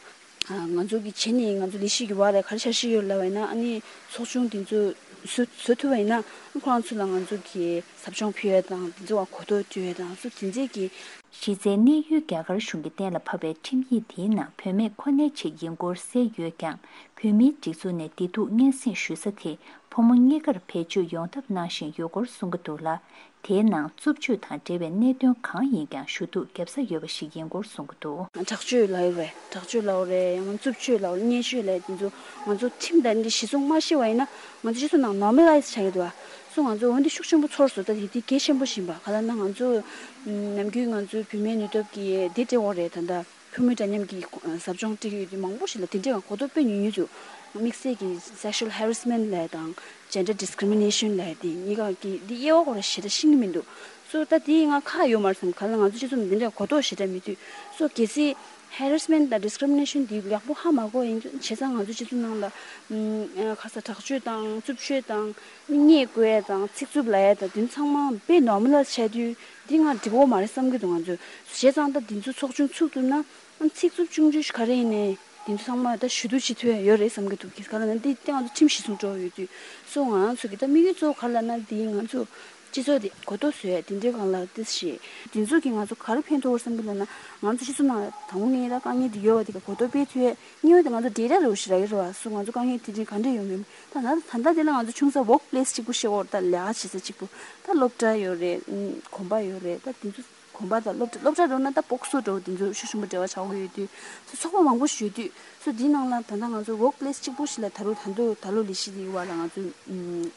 ང་ཚོ་གི་བྱས་ནས་ང་ཚོ་ལས་གཞི་གི་བར་ལ་ག་རེ་འཆར་གཞི་ཡོད་ལབ་པ་ཡིན་ན་ཨ་ནི་ཚོགས་ཆུང་དེ་ཚོ་བཟོ་བཟོ་ཐུབ་པ་ཡིན་ན་ཁོ་རང་ཚོ་ལ་ང་ཚོ་གི་ཟབ་སྦྱོང་ཕུལ་ཡ་དང་དེ་ཚོ་ག་གོ་རྟོགས་སྤྲོད་ཡ་དང་སོ་དེ་ཚོ་གི་གཞི་རྩའི་གནས་ཡུལ་རྒྱ་གར་གཞུང་གིས་གཏན་ལ་ཕབ་པའི་ཁྲིམས་ཡིག་དེའི་ནང་བུད་མེད་ཁོ་ནའི་ཆེད་ཡིན་སྐོར་གསལ་ཡོད་ཀྱང་། བོད་མིའི་སྒྲིག་འཛུགས་ནས་བདེ་སྡུག་སྙན་སེང་ཞུ་ས་དེ་ཕོ་མོ་གཉིས་ཀར་བེད་སྤྱོད་ཡོང་ཐབས་གནང་བཞིན་ཡོད་སྐོར་གསུང་གི་འདུག་ལ། དེའི་ནང་རྩུབ་སྤྱོད་དང་འབྲེལ་བའི་གནད་དོན་གང་ཡིན་ཀྱང་ཞུ་གཏུག་བརྒྱབ་ས་ཡོད་པ་ཞིག་ཡིན་སྐོར་གསུང་གི་འདུག་དྲག་སྤྱོད་ལབ་ཡོད་རེད། དྲག་སྤྱོད་ལབ་ཡོད་རེད། ཡང་ན་རྩུབ་སྤྱོད་ལབ་ཡོད་རེད། བརྙས་སྤྱོད་ལབ་ཡོད་རེད། དེ་ཚོ་ང་ཚོ་ཁྲིམས་དང་འདི་གཞི་བཟུང་མ་ཤེས་པ་ཡིན་ན་ང་ཚོ་སྤྱི་ཚོགས་ནང་ནོར་མ་ལའི་ཛི་བྱ་ཡི་འདུག་ཨ། སོ་ང་ཚོ་འོན་ཏེ་ཤུགས་ཆེན་པོ་ཚོར་སོང་། ད་དེ་དེ་གལ་ཆེན་པོ་ཞིག་ཡིན་པ་ག་ལབ་ན་ང་ཚོ་ནམ་རྒྱུན་ང་ཚོའི་བུད་མེད་ནུས་སྟོབས་ཀྱི་དེ་སྤྲད་ཡོད་རེད། ད་ལྟ་བུད་མེད་འདྲ་མཉམ་གྱི་ཟབ་སྦྱོང་སྤྲད་ཀྱི་ཡོད་དུས་མང་པོ་ཞིག་ལ་དེ་འདྲའི་གོ་རྟོགས་དཔེ་ཉུང་ཉུང་འདུག་དམིགས་བསལ་གྱི་sexual harassment ལབ་ཡ་དང་gender discrimination ལབ་ཡ་དེ་གཉིས་ཀ་གི་འདི་དབྱེ་བ་ཁོ་རང་ཞེ་དྲག་ཤེས་ཀྱི་མི་འདུག་སོ་ད་དེ་ང་ཁག་ཡོད་མ་རེད་བསམ། ག་ལ་ང་ཚོ་སྤྱི་ཚོགས་ནང་དེ་འདྲའི་གོ་རྟོགས་ཞེ་དྲག་མེད་དུས་སོ་གལ་སྲིད་harassment དང་discrimination དེ་ཡག་པོ་ཧ་མ་གོ་ཡིན་དུས་བྱས་ཙང་ང་ཚོ་སྤྱི་ཚོགས་ནང་ལ་ཁ་ས་དྲག་སྤྱོད་དང་རྩུབ་སྤྱོད་དང་བརྙས་བཀོལ་ཡ་དང་ཚིག་རྩུབ་ལབ་ཡ་དང་དེ་ཚང་མ་དཔེ་normalize བྱས་དུས་འདི་ང་འགྲིག་གི་མ་རེད་བསམ་གྱི་འདུག་ང་ཚོས་བྱས་ཙང་ད་དེ་ཚོ་ཚོགས་ཆུང་ཚུགས་ཐུབ་ན། ཨ་ཚིག་རྩུབ་ཆུང་ཆུང་ཞིག་ག་རེ་ཡིན་ནའི་དེ་ཚོ་ཚང་མ་ད་ཞུ་གཏུག་བྱེད་ཐུབ་ཡ་ཡོད་རེད་བསམ་གྱི་འདུག་ག་ལབ་ན་འདི་ང་ཚོ་ཁྲིམས་གཞི་བཟུང་འགྲོ་ཡོད་དུས་སོ་ང་རང་ཚོ་གི་ད་དམིགས་ཡུལ་གཙོ་བོ་ག་ལབ་ན་འདི་ང་ཚོ་སྤྱི་ཚོགས་དེ་གོ་རྟོགས་བཟོ་ཡ་དེ་འདྲའི་སྒང་ལ་ཏིས་ཞེས་དེ་ཚོ་གི་ང་ཚོ་ག་རེ་ཕན་ཐོགས་བསམ་གྱི་ལབ་ན་ང་ཚོ་སྤྱི་ཚོགས་ནང་དང་པོ་ངས་ད་དཀའ་ངལ་དེ་ཡོད་པ་དེ་ག་གོ་རྟོགས་སྤེལ་ཐུབ་ཡ་གཉིས་པ་དེ་ང་ཚོ་data རེ་བ་ཞིག་རག་གི་རེད་བ་སོ་ང་ཚོ་དཀའ་ངལ་དེ་འདྲའི་ག་འདྲ་ཡོང་མིན་ད་ད་ད་ལྟ་དེ་ལ་ང་ཚོ་ཆུང་ས་work place གཅིག་པུ་ཤེས་འོར་ད་ལས་ཀ་བྱེད་ས་གཅིག་པུ་ད་སློབ་གྲྭ་ཡོད་རེད་གོམ་པ་ཡོད་རེད་ད་དེ་ཚོ། གོམ་པ་དང་སློབ་གྲྭ་སློབ་གྲྭ་འགྲོ་ན་ད་སྤོག་སོ་འགྲོ་དེ་ཚོ་ཤུགས་ཆེན་པོ་འབྲེལ་བ་ཆགས་ཀྱི་ཡོད་དུས་སོ་ཚོགས་པ་མང་པོ་ཞིག་ཡོད་དུས་སོ་དེའི་ནང་ལ་ད་ལྟ་ང་ཚོ་work place གཅིག་པུ་ཞིག་ལ་ད་རུང་ད་དུང་ད་ལོ་ལས་གཞི་དེའི་བར་ལ་ང་ཚོས་དོ་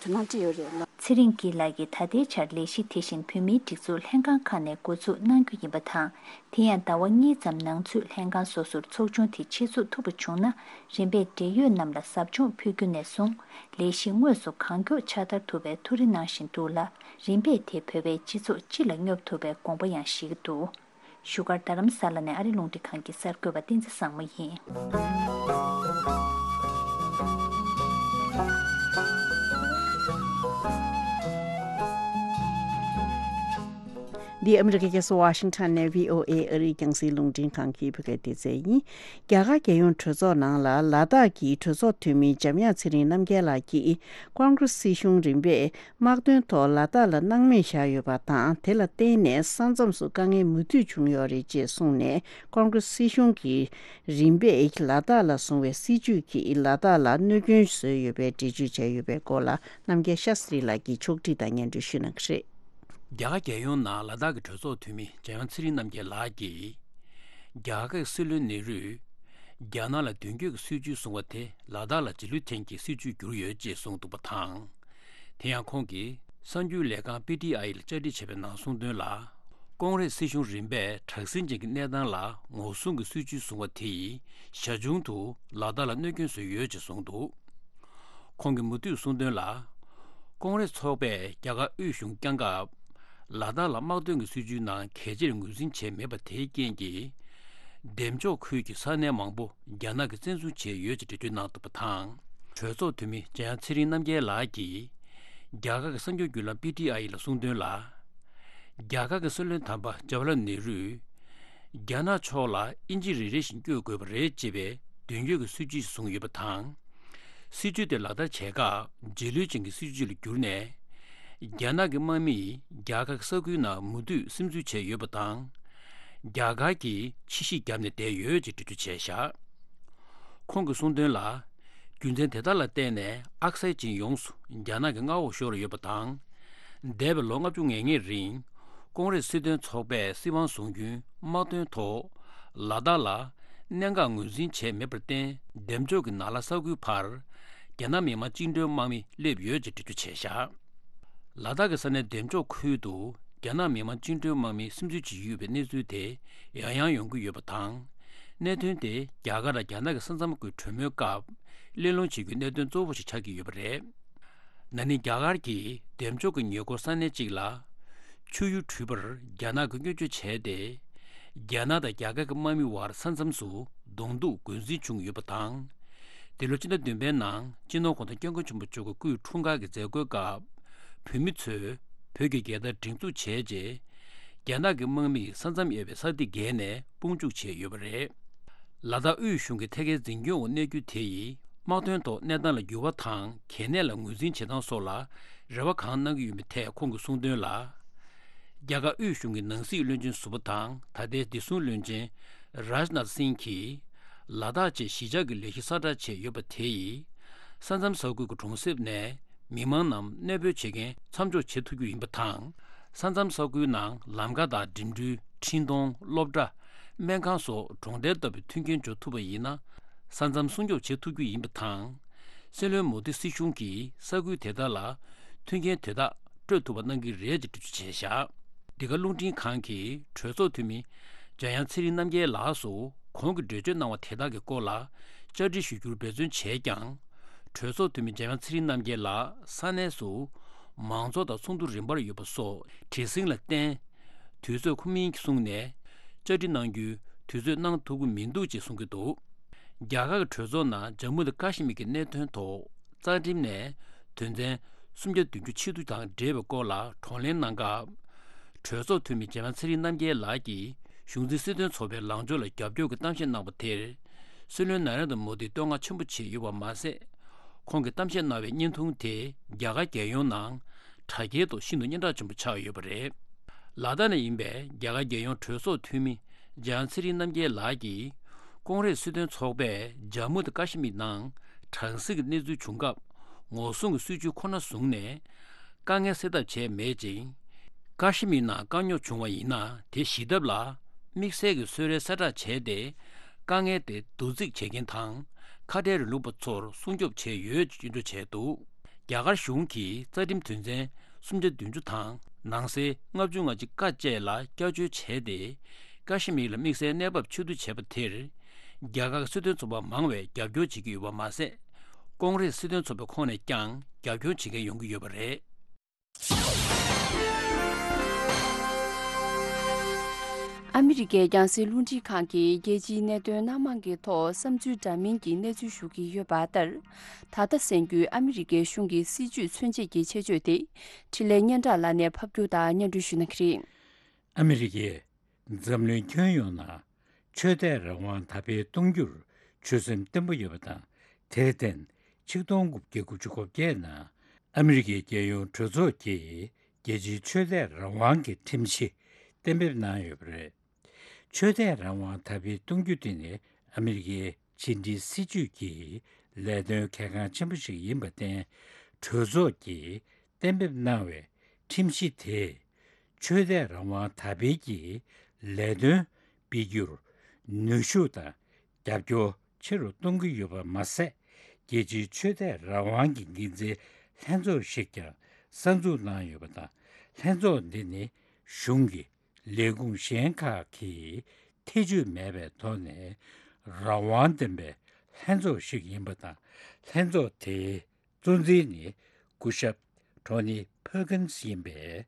སྣང་སྤྲད་ཡོད་རེད་ལ། ཚེ་རིང་སྐྱིད་ལགས་ཀྱིས་ད་ལྟའི་ཆར་ལས་གཞི་དེ་བཞིན་བོད་མིའི་སྒྲིག་འཛུགས་ལྷན་ཁང་ཁག་ནས་འགོ་འཛུགས་གནང་རྒྱུ་ཡིན་པ་དང་དེ་ཡང་ཟླ་བ་གཉིས་ཙམ་ནང་ཚུད་ལྷན་ཁང་སོ་སོར་ཚོགས་ཆུང་དེ་ཆེད་འཛུགས་ཐུབ་པ་བྱུང་ན་རིམ་པས་འབྲེལ་ཡོད་རྣམས་ལ་ཟབ་སྦྱོང་ཕུལ་རྒྱུ་ནས་བཟུང་ལས་གཞི་དངོས་སུ་གང་མགྱོགས་ཕྱག་བསྟར་ཐུབ་པའི་ཐུགས་རེ་གནང་བཞིན་འདུག་ལ། རིམ་པས་དེ་བོད་པའི་སྤྱི་ཚོགས་སྤྱི་ལ་སྙོབ་ཐུབ་པའི་དགོངས་པ་ཡང་བཞེས་ཀྱི་འདུག་བཞུགས་སྒར་རྡ་རམ་ས་ལ་ནས་ཨ་རི་རླུང་འཕྲིན་ཁང་གི་གསར་འགོད་པ་བསྟན་འཛིན་བཟང་མོ་ཡིན། འདི་ཨ་མི་རི་ཀའི་རྒྱལ་ས་ཝ་ཤིང་ཊོན་ནས་བྷི་ཨོ་ཨེ་ཨ་རིའི་རྒྱང་སྲིང་རླུང་འཕྲིན་ཁང་གི་བོད་སྐད་སྡེ་ཚན་ཡིན། རྒྱ་གར་རྒྱལ་ཡོངས་གྲོས་ཚོགས་ནང་ལ་ལ་དྭགས་ཀྱི་གྲོས་ཚོགས་འཐུས་མི་འཇམ་དབྱངས་ཚེ་རིང་རྣམ་རྒྱལ་ལགས་ཀྱིས་ཀོང་ཀྲེས་སྲིད་གཞུང་རིམ་པས་དམག་དོན་ཐོག་ལ་དྭགས་ལ་སྣང་མེད་བཞག་ཡོད་པ་དང་། དེ་ལ་བརྟེན་ནས་ས་མཚམས་སུ་དཀའ་ངལ་མུ་མཐུད་བྱུང་ཡོད་རེད་ཅེས་གསུངས་ནས། ཀོང་ཀྲེས་སྲིད་གཞུང་གིས་རིམ་པས་ལ་དྭགས་ལ་བཟུང་བའི་སྲིད་བྱུས་ཀྱིས་ལ་དྭགས་ལ་གནོད་སྐྱོན་བཟོས་ཡོད་པའི་འགྲེལ་བརྗོད་བྱས་ཡོད་པའི་སྐོར་ལ། རྣམ་རྒྱལ་ཤཱ་སི་རི་ལགས་ཀྱིས་ཕྱོགས་སྒྲིག་དང་སྙན་སྒྲོན་ཞུ་གནང་གི་རེད། རྒྱ་གར་རྒྱལ་ཡོངས་ནང་ལ་དྭགས་ཀྱི་གྲོས་ཚོགས་འཐུས་མི་འཇམ་དབྱངས་ཚེ་རིང་རྣམ་རྒྱལ་ལགས་ཀྱིས། རྒྱ་གར་གྱི་སྲིད་བློན་ནེ་རུས། རྒྱ་ནག་ལ་མདུན་སྐྱོད་ཀྱི་སྲིད་བྱུས་བཟུང་བ་དེ་ལ་དྭགས་ལ་རྗེས་ལུས་ཐེན་གྱི་སྲིད་བྱུས་གྱུར་ཡོད་ཅེས་གསུངས་འདུག་པ་དང་། དེ་ཡང་ཁོང་གིས་གསར་འགྱུར་ལས་ཁང་པི་ཊི་ཨའི་ལ་བཅར་འདྲི་བྱས་པའི་ནང་གསུངས་དོན་ལ། ཀོང་ཀྲེས་སྲིད་གཞུང་རིམ་པས་དྲག་ཟིང་ཅན་གྱི་གནས་སྟངས་ལ་ངོ་སྲུང་གི་སྲིད་བྱུས་བཟུང་བ་དེ་ཡིས་ཞར་བྱུང་དུ་ལ་དྭགས་ལ་གནོད་སྐྱོན་བཟོས་ཡོད་ཅེས་གསུངས་འདུག་ཁོང་གིས་མུ་མཐུད་གསུངས་དོན་ལ། ཀོང་ཀྲེས་ཚོགས་པས་རྒྱ་གར་དབུས་གཞུང་བསྐྱངས་སྐབས། ལ་དྭགས་ལ་དམག་དོན་གྱི་སྲིད་བྱུས་ནང་གལ་ཆེར་ངོས་འཛིན་བྱས་མེད་པ་དེའི་རྐྱེན་གྱིས། འདེམས་འཇོག་ཁུལ་གྱི་ས་གནས་མང་པོ་རྒྱ་ནག་གིས་བཙན་བཟུང་བྱས་ཡོད་ཅེས་འགྲེལ་བརྗོད་གནང་འདུག་པ་དང་། གྲོས་ཚོགས་འཐུས་མི་འཇམ་དབྱངས་ཚེ་རིང་རྣམ་རྒྱལ་ལགས་ཀྱིས། རྒྱ་གར་གྱི་གསར་འགྱུར་བརྒྱུད་ལམ་པི་ཊི་ཨའི་ལ་གསུངས་དོན་ལ། རྒྱ་གར་གྱི་སྲིད་བློན་དམ་པ་ཇ་ཝ་ཧར་ལལ་ནེ་རུས། རྒྱ་ནག་ཕྱོགས་ལ་ཨིན་ཇི་རེ་རེ་བཞིན་བསྐྱོད་དགོས་པ་རེད་ཅེས་པའི་མདུན་སྐྱོད་ཀྱི་སྲིད་བྱུས་བཟུང་ཡོད་པ་དང་། སྲིད་བྱུས་དེ་ལག་བསྟར་བྱེད་སྐབས་རྗེས་ལུས་ཅན་གྱི་སྲིད་བྱུས་ལ་གྱུར་ནས། རྒྱ་ནག་གི་དམག་མིས་རྒྱ་གར་གྱི་ས་ཁུལ་ནང་མུ་མཐུད་སིམ་འཛུལ་བྱས་ཡོད་པ་དང་། རྒྱ་གར་གྱིས་ཕྱི་བཤིག་བརྒྱབ་ནས་བསྡད་ཡོད་ཅེས་འགྲེལ་བརྗོད་བྱས་བཞག་ཁོང་གིས་གསུངས་དོན་ལ། རྒྱུ་མཚན་དེ་དག་ལ་བརྟེན་ནས་ཨག་སའི་ཅིན་ཡོངས་སུ་རྒྱ་ནག་གི་མངའ་འོག་ཤོར་ཡོད་པ་དང་། འདས་པའི་ལོ་ལྔ་བཅུ་ང་ལྔའི་རིང་ཀོང་ཀྲེས་སྲིད་དོན་ཚོགས་པས་སྲིད་དབང་བཟུང་རྒྱུའི་དམག་དོན་ཐོག་ལ་དྭགས་ལ་གནད་འགག་ངོས་འཛིན་བྱས་མེད་པར་བརྟེན། འདེམས་འཇོག་གི་ནཱ་ལ་ས་ཁུལ་བར་རྒྱ་ནག་མི་དམངས་བཅིངས་འགྲོལ་དམག་མི་སླེབས་ཡོད་ཅེས་འགྲེལ་བརྗོད་བྱས་བཞག་ལ་དྭགས་ཀྱི་ས་གནས་འདེམས་འཇོག་ཁུལ་དུ་རྒྱ་ནག་མི་དམངས་བཅིངས་འགྲོལ་དམག་མིས་སིམ་འཛུལ་བྱེད་ཀྱི་ཡོད་པའི་གནས་ཚུལ་དེ་ཡང་ཡང་ཡོང་གི་ཡོད་པ་དང་། གནད་དོན་དེ་རྒྱ་གར་དང་རྒྱ་ནག་གི་ས་མཚམས་ཀྱི་གྲོས་མོལ་སྐབས་གླེང་སློང་བྱེད་རྒྱུའི་གནད་དོན་གཙོ་བོ་ཞིག་ཆགས་ཀྱི་ཡོད་པ་རེད། ན་ནིང་རྒྱ་གར་གྱིས་འདེམས་འཇོག་གི་ཉེ་འཁོར་ས་གནས་གཅིག་ལ་ཆུ་ཡུར་དྲུད་པར་རྒྱ་ནག་གིས་སྐྱོན་བརྗོད་བྱས་ཏེ། རྒྱ་ནག་དང་རྒྱ་གར་གྱི་དམག་མི་བར་ས་མཚམས་སུ་གདོང་ཐུག་འགོས་འཛིན་བྱུང་ཡོད་པ་དང་། འདི་ལོ་སྤྱི་ཟླ་བདུན་པའི་ནང་སྤྱི་ནོར་གོང་ས་སྐྱབས་མགོན་ཆེན་པོ་མཆོག་གི་སྐུའི་འཁྲུངས་སྐར་གྱི་མཛད་སྒོའི་སྐབས། བོད་མི་ཚོས་བོད་ཀྱི་རྒྱལ་དར་སྒྲེང་འཛུགས་བྱས་རྗེས། རྒྱ་ནག་གི་དམག་མིས་ས་མཚམས་དབྱེ་བའི་ས་ཐིག་བརྒལ་ནས་དཔུང་འཇུག་བྱས་ཡོད་པ་རེད། ལ་དྭགས་དབུས་གཞུང་གི་ཐད་ཀའི་འཛིན་སྐྱོང་འོག་གནས་རྒྱུ་དེ་ཡིས་དམག་དོན་ཐོག་གནས་སྟངས་ལ་འགྱུར་བ་དང་གལ་གནད་ལ་ངོས་འཛིན་བྱེད་སྟངས་སོགས་ལ་རེ་བ་གང་གནང་གི་ཡོད་མེད་ཐད་ཁོང་གིས་གསུངས་དོན་ལ། རྒྱ་གར་དབུས་གཞུང་གི་ནང་སྲིད་བློན་ཆེན་ཟུར་པ་དང་ད་ལྟའི་བདེ་སྲུང་བློན་ཆེན་རཱཇ་ནཱཐ་སིང་གིས་ལ་དྭགས་ཆེད་གཞིས་ཆགས་ཀྱི་ལས་གཞི་གསལ་བསྒྲགས་བྱས་ཡོད་པ་དེ་ཡིས་ས་མཚམས་ས་ཁུལ་གྱི་གྲོང་གསེབ་ནས་མི་མང་རྣམས་གནས་སྤོས་བྱེད་མཁན་མཚམས་འཇོག་བྱེད་ཐུབ་རྒྱུ་ཡིན་པ་དང་། ས་མཚམས་ས་ཁུལ་ནང་ལམ་ཁ་དང་འགྲིམ་འགྲུལ། འཕྲིན་གཏོང་། སློབ་གྲྭ། སྨན་ཁང་སོགས་གྲོང་རྡལ་ལྟ་བུའི་མཐུན་རྐྱེན་འབྱོར་ཐུབ་པ་ཡིན་ན། ས་མཚམས་སྲུང་སྐྱོབ་བྱེད་ཐུབ་རྒྱུ་ཡིན་པ་དང་། སྲིད་བློན་མོ་དི་སྲིད་གཞུང་གིས་ས་ཁུལ་དེ་དག་ལ་མཐུན་རྐྱེན་དེ་དག་སྤྲོད་ཐུབ་པ་གནང་གི་རེད་ཅེས་འགྲེལ་བརྗོད་བྱས་བཞག་འདི་ག་རླུང་འཕྲིན་ཁང་གིས་གྲོས་ཚོགས་འཐུས་མི་འཇམ་དབྱངས་ཚེ་རིང་རྣམ་རྒྱལ་ལགས་སུ་གོང་གི་འགྲེལ་བརྗོད་གནང་བ་དེ་དག་གི་སྐོར་ལ་བཅར་འདྲི་ཞུ་རྒྱུར་འབད་བརྩོན་བྱས་ཀྱང་། གྲོས་ཚོགས་འཐུས་མི་འཇམ་དབྱངས་ཚེ་རིང་རྣམ་རྒྱལ་ལགས་ས་གནས་སུ་མང་ཚོགས་དང་ཚོགས་འདུ་རིམ་པར་ཡོད་པ་སོགས་བྲེལ་ཟིང་ལ་བརྟེན། དུས་ཚོད་ཁོམ་མིན་གྱིས་བཟུང་ནས་བཅར་འདྲི་གནང་རྒྱུའི་དུས་ཚོད་གནང་ཐུབ་ཀྱི་མི་འདུག་ཅེས་གསུང་གི་འདུག་རྒྱ་གར་གྱི་གྲོས་ཚོགས་ནང་ཇམ་མུ་དང་ཀ་ཤི་མིར་གྱི་གནད་དོན་ཐོག་རྩ་ཁྲིམས་ནས་དོན་ཚན་སུམ་བརྒྱ་བདུན་ཅུ་ཆེད་དུ་དང་འབྲེལ་བའི་སྐོར་ལ་བགྲོ་གླེང་གནང་སྐབས། གྲོས་ཚོགས་འཐུས་མི་འཇམ་དབྱངས་ཚེ་རིང་རྣམ་རྒྱལ་ལགས་ཀྱིས་གཞུང་འཛིན་སྲིད་དོན་ཚོགས་པའི་ལངས་ཕྱོགས་ལ་རྒྱབ་སྐྱོར་གྱི་གཏམ་བཤད་གནང་བ་དེར། སྲིད་བློན་ན་རེན་དྲ་མོ་དིས་བསྟོད་བསྔགས་ཆེན་པོ་བྱས་ཡོད་པ་མ་ཟད། ཁོང་གིས་གཏམ་བཤད་གནང་བའི་བརྙན་ཐུང་དེ་རྒྱ་གར་རྒྱལ་ཡོངས་ནང་དྲ་རྒྱའི་ཐོག་ཤིན་ཏུ་སྙན་གྲགས་ཆེན་པོ་ཆགས་ཡོད་པ་རེད། ལ་དྭགས་ནས་ཡིན་པའི་རྒྱ་གར་རྒྱལ་ཡོངས་གྲོས་ཚོགས་འཐུས་མི་འཇམ་དབྱངས་ཚེ་རིང་རྣམ་རྒྱལ་ལགས་ཀྱིས། ཀོང་ཀྲེས་སྲིད་དོན་ཚོགས་པས་ཇམ་མུ་དང་ཀ་ཤི་མིར་ནང་དྲག་ཟིང་གི་གནས་ཚུལ་བྱུང་སྐབས་ངོ་སྲུང་གི་སྲིད་ཇུས་ཁོ་ན་བཟུང་ནས་དཀའ་ངལ་སེལ་ཐབས་བྱས་མེད་ཅིང་། ཀ་ཤི་མིར་ནང་དཀའ་རྙོག་བྱུང་བ་ཡིན་ན་དེ་ཞི་ཐབས་ལ་དམིགས་བསལ་གྱི་གསོལ་རས་གསལ་བསྒྲགས་བྱས་ཏེ་དཀའ་ངལ་དེ་བསྡུ་རྩིས་བྱེད་མཁན་དང་ཁ་བྲལ་རིང་ལུགས་པ་ཚོར་སྲུང་སྐྱོབ་བྱས་ཡོད་ཅེས་སྐྱོན་བརྗོད་བྱས་འདུག་རྒྱ་གར་གཞུང་གིས་རྩ་ཁྲིམས་དོན་ཚན་སུམ་བརྒྱ་བདུན་ཅུ་དང་ནང་གསེས་ལྔ་བཅུ་ང་གཅིག་ཀ་བཅས་ལ་བསྐྱར་བཅོས་བྱས་ཏེ། ཀ་ཤི་མིར་ལ་དམིགས་བསལ་གནས་བབ་ཆེད་དུ་བྱས་པ་དེར། རྒྱ་གར་གྱི་སྲིད་དོན་ཚོགས་པ་མང་བས་རྒྱབ་སྐྱོར་བྱེད་ཀྱི་ཡོད་པ་མ་ཟད། ཀོང་ཀྲེས་སྲིད་དོན་ཚོགས་པའི་ཁོངས་ནས་ཀྱང་རྒྱབ་སྐྱོར་བྱེད་མཁན་ཡོང་གི་ཡོད་པ་རེད། ཨ་མི་རི་ཀའི་རྒྱང་སྲིང་རླུང་འཕྲིན་ཁང་གིས་རྒྱལ་སྤྱིའི་གནད་དོན་སྣ་མང་གི་ཐོག་བསམ་ཚུལ་འདྲ་མིན་གྱི་གནས་ཚུལ་ཞུ་གི་ཡོད་པ་ལྟར། ད་ལྟ་གསན་རྒྱུའི་ཨ་མི་རི་ཀའི་གཞུང་གི་སྲིད་བྱུས་མཚོན་བྱེད་ཀྱི་ཆེད་བརྗོད་དེ། འཕྲིན་ལས་སྙན་གྲགས་ལགས་ནས་ཕབ་སྒྱུར་དང་སྙན་སྒྲོན་ཞུ་གནང་གི་རེད། ཨ་མི་རི་ཀས་འཛམ་གླིང་ཁྱོན་ཡོངས་ནང་ཆོས་དད་རང་དབང་དར་སྤེལ་གཏོང་རྒྱུར་ཆོད་སེམས་བརྟན་པོ་ཡོད་པ་དང་། དེར་བརྟེན་ཆིག་སྟོང་དགུ་བརྒྱ་དགུ་བཅུ་གོ་བརྒྱད་ནང་ཨ་མི་རི་ཀའི་རྒྱལ་ཡོངས་གྲོས་ཚོགས་ཀྱིས་རྒྱལ་སྤྱིའི་ཆོས་དད་རང་དབང་གི་ཁྲིམས་གཞི་གཏན་འབེབས་གནང་ཡོད་པ་རེད། ཆོས་དད་རང་དབང་དར་སྤེལ་གཏོང་རྒྱུ་དེ་ནི་ཨ་མི་རི་ཀའི་ཕྱི་འབྲེལ་སྲིད་ཇུས་ཀྱི་ལས་དོན་གལ་འགངས་ཆེན་པོ་ཞིག་ཡིན་པར་བརྟེན། གྲོས་ཚོགས་ཀྱིས་གཏན་འབེབས་གནང་བའི་ཁྲིམས་གཞི་དེས་ཆོས་དད་རང་དབང་དར་སྤེལ་གྱི་ལས་དོན་སྤེལ་རྒྱུར་ནུས་ཤུགས་དང་རྒྱབ་སྐྱོར་ཆེ་རུ་གཏོང་གི་ཡོད་པ་མ་ཟད། རྒྱལ་སྤྱིའི་ཆོས་དད་རང་དབང་གི་འགན་འཛིན་ལྷན་ཚོགས་ཤིག་ཀྱང་གསར་འཛུགས་གནང་ཡོད་པ་དང་། ལྷན་ཚོགས་འདི་ནི་གཞུང་གི་ལས་ཁུངས་གཞན་ཁག་གིས་ཐེ་ཇུས་མེད་པའི་ཐོག་ནས་རང་དབང་ལྡན་པའི་ལྷན་ཚོགས་ཤིག་ཡིན་པ་དང་། ལྷན་ཚོགས་དེའི་གཙོ་འཛིན་ནི་སྐུ་ཞབས་ཊོ་ནི་ཕར་ཀིན་སི་ཡིན་པས།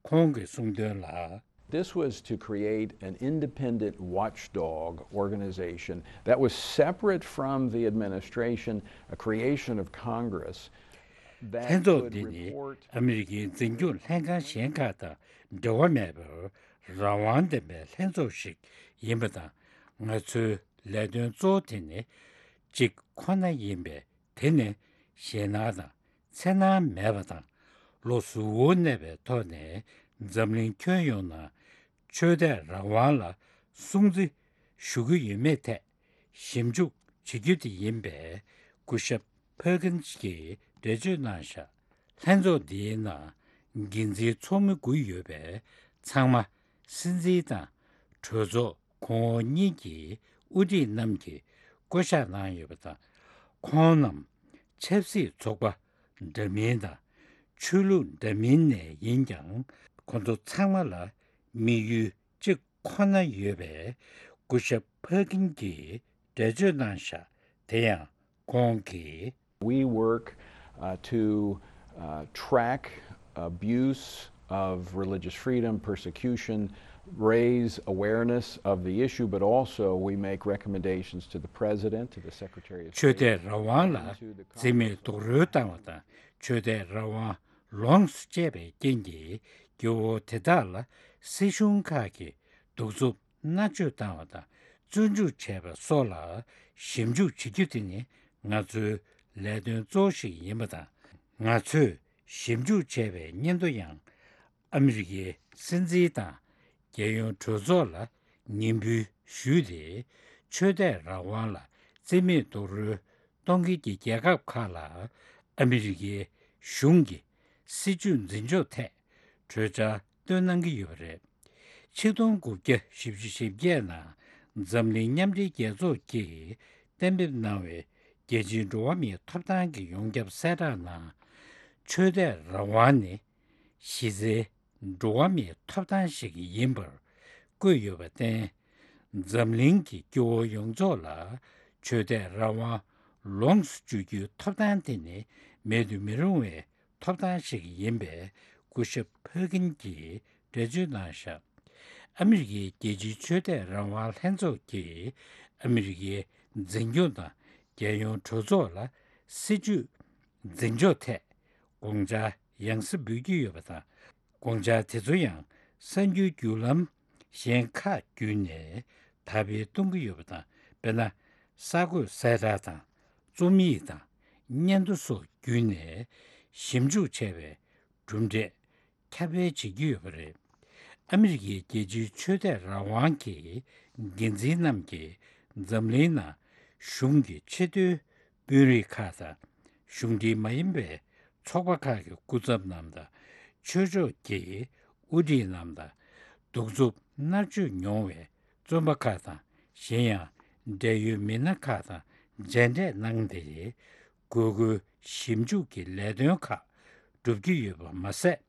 ཁོང་གིས་གསུངས་དོན་ལ། This was to create an independent watchdog organization that was separate from the administration, a creation of Congress that ལྷན་ཚོགས་འདི་ནི་ཨ་མི་རི་ཀའི་འཛིན་སྐྱོང་ལྷན་ཁང་གཞན་ཁག་དང་འབྲེལ་བ་མེད་པར་རང་དབང་ལྡན་པའི་ལྷན་ཚོགས་ཤིག་ཡིན་པ་དང་། ང་ཚོའི་ལས་དོན་གཙོ་བོ་དེ་ནི་གཅིག་ཁོ་ན་ཡིན་པས། དེ་ནི་ཞེད་སྣང་དང་འཚེར་སྣང་མེད་པ་དང་། བློ་གཟུ་བོར་གནས་པའི་ཐོག་ནས་འཛམ་གླིང་ཁྱོན་ཡོངས་ནང་ཆོས་དད་རང་དབང་ལ་སྲུང་བརྩི་ཞུ་གི་ཡོད་མེད་ཐད་ཞིབ་འཇུག་བྱེད་རྒྱུ་དེ་ཡིན་པས། སྐུ་ཞབས་ཕར་ཀིན་སི་གིས་འགྲེལ་བརྗོད་གནང་བཞག་ལྷན་ཚོགས་འདིའི་ནང་འགན་འཛིན་ཚོགས་མི་དགུ་ཡོད་པས། ཚང་མ་སྲིད་འཛིན་དང་གྲོས་ཚོགས་གོང་འོག་གཉིས་ཀྱི་དབུ་ཁྲིད་རྣམས་ཀྱིས་བསྐོ་གཞག་གནང་ཡོད་པ་དང་། ཁོང་རྣམས་ཆབ་སྲིད་ཚོགས་པ་འདྲ་མིན་དང་ཆོས་ལུགས་འདྲ་མིན་ནས་ཡིན་ཀྱང་། ཁོང་ཚོ་ཚང་མ་ལ་དམིགས་ཡུལ་གཅིག་ཁོ་ན་ཡོད་པའི་སྐུ་ཞབས་ཕར་ཀིན་གྱིས་འགྲེལ་བརྗོད་གནང་བཞག་དེ་ཡང་ཁོང་གིས། We work uh, to uh, track abuse of religious freedom, persecution, raise awareness of the issue, but also we make recommendations to the President, to the Secretary of State, ཆོས་དད་རང་དབང་ལ་and to the འཛིན་མེད་རྡོག་རོལ་བཏང་བ་དང་། ཆོས་དད་རང་དབང་ལོངས་སུ་སྤྱད་པའི་རྐྱེན་གྱིས་སྐྱེ་བོ་དེ་དག་ལ་སྲིད་གཞུང་ཁག་གིས་གདུག་རྩུབ་མནར་གཅོད་བཏང་བ་དང་། བཙོན་འཇུག་བྱས་པ་སོགས་ལ་ཞིབ་འཇུག་བྱེད་རྒྱུ་དེ་ནི་ང་ཚོའི་ལས་དོན་གཙོ་བོ་ཞིག་ཡིན་པ་དང་། ང་ཚོས་ཞིབ་འཇུག་བྱས་པའི་སྙན་ཐོ་ཡང་ཨ་མི་རི་ཀའི་སྲིད་འཛིན་དང་རྒྱལ་ཡོངས་གྲོས་ཚོགས་ལ་ཉན་འབུལ་ཞུས་ཏེ། ཆོས་དད་རང་དབང་ལ་བརྩི་མེད་རྡོག་རོལ་གཏོང་མཁན་གྱི་རྒྱལ་ཁབ་ཁག་ལ་ཨ་མི་རི་ཀའི་གཞུང་གི་སྲིད་བྱུས་འཛིན་ཕྱོགས་ཐད་གྲོས་འཆར་བཏོན་གནང་གི་ཡོད་པ་རེད། ཆིག་སྟོང་དགུ་བརྒྱ་བཞི་བཅུ་ཞེ་བརྒྱད་ནང་འཛམ་གླིང་མཉམ་འབྲེལ་རྒྱལ་ཚོགས་ཀྱིས་གཏན་འབེབས་གནང་བའི་རྒྱལ་སྤྱིའི་འགྲོ་བ་མིའི་ཐོབ་ཐང་གི་ཡོངས་ཁྱབ་གསལ་བསྒྲགས་ནང་། ཆོས་དད་རང་དབང་ནི་གཞི་རྩའི་འགྲོ་བ་མིའི་ཐོབ་ཐང་ཞིག་ཡིན་པར་བཀོད་ཡོད་པར་བརྟེན། འཛམ་གླིང་གི་སྐྱེ་བོ་ཡོངས་རྫོགས་ལ་ཆོས་དད་རང་དབང་ལོངས་སུ་སྤྱོད་རྒྱུའི་ཐོབ་ཐང་དེ་ནི་མེད་དུ་མི་རུང་བའི་ཐོབ་ཐང་ཞིག་ཡིན་པའི་སྐུ་ཞབས་ཕར་ཀིན་གྱིས་འགྲེལ་བརྗོད་གནང་བཞག་ཨ་མི་རི་ཀའི་རྒྱལ་སྤྱིའི་ཆོས་དད་རང་དབང་ལྷན་ཚོགས་ཀྱིས་ཨ་མི་རི་ཀའི་འཛིན་སྐྱོང་དང་རྒྱལ་ཡོངས་གྲོས་ཚོགས་ལ་སྲིད་བྱུས་འཛིན་ཕྱོགས་ཐད་དགོངས་འཆར་ཡང་སེ་འབུལ་གྱི་ཡོད་པ་དང་། དགོངས་འཆར་དེ་ཚོ་ཡང་གསར་འགྱུར་བརྒྱུད་ལམ་གཞན་ཁག་བརྒྱུད་ནས་དར་སྤེལ་གཏོང་གི་ཡོད་པ་དང་། དཔེར་ན། གསར་འགོད་གསལ་བསྒྲགས་དང་རྩོམ་ཡིག་དང་སྙན་ཐོ་སོགས་བརྒྱུད་ནས་ཞིབ་འཇུག་བྱས་པའི་གྲུབ་འབྲས་ཁྱབ་སྤེལ་བྱེད་ཀྱི་ཡོད་པ་རེད། ཨ་མི་རི་ཀའི་རྒྱལ་སྤྱིའི་ཆོས་དད་རང་དབང་གི་འགན་འཛིན་རྣམས་ཀྱིས་འཛམ་གླིང་ནང་གཞུང་གི་ཆེས་མཐོའི་དཔོན་རིགས་ཁག་དང་། གཞུང་འབྲེལ་མ་ཡིན་པའི་ཚོགས་པ་ཁག་གི་སྐུ་ཚབ་རྣམས་དང་། ཆོས་ཕྱོགས་ཀྱི་དབུ་ཁྲིད་རྣམས་དང་། གདུག་རྩུབ་མནར་གཅོད་མྱོང་བའི་བཙོན་པ་ཁག་དང་། གཞན་ཡང་འབྲེལ་ཡོད་མི་སྣ་ཁག་དང་མཇལ་འཕྲད་གནང་སྟེ། དགོས་མཁོའི་ཞིབ་འཇུག་གི་ལས་དོན་ཁག་སྒྲུབ་ཀྱི་ཡོད་པ་མ་ཟད།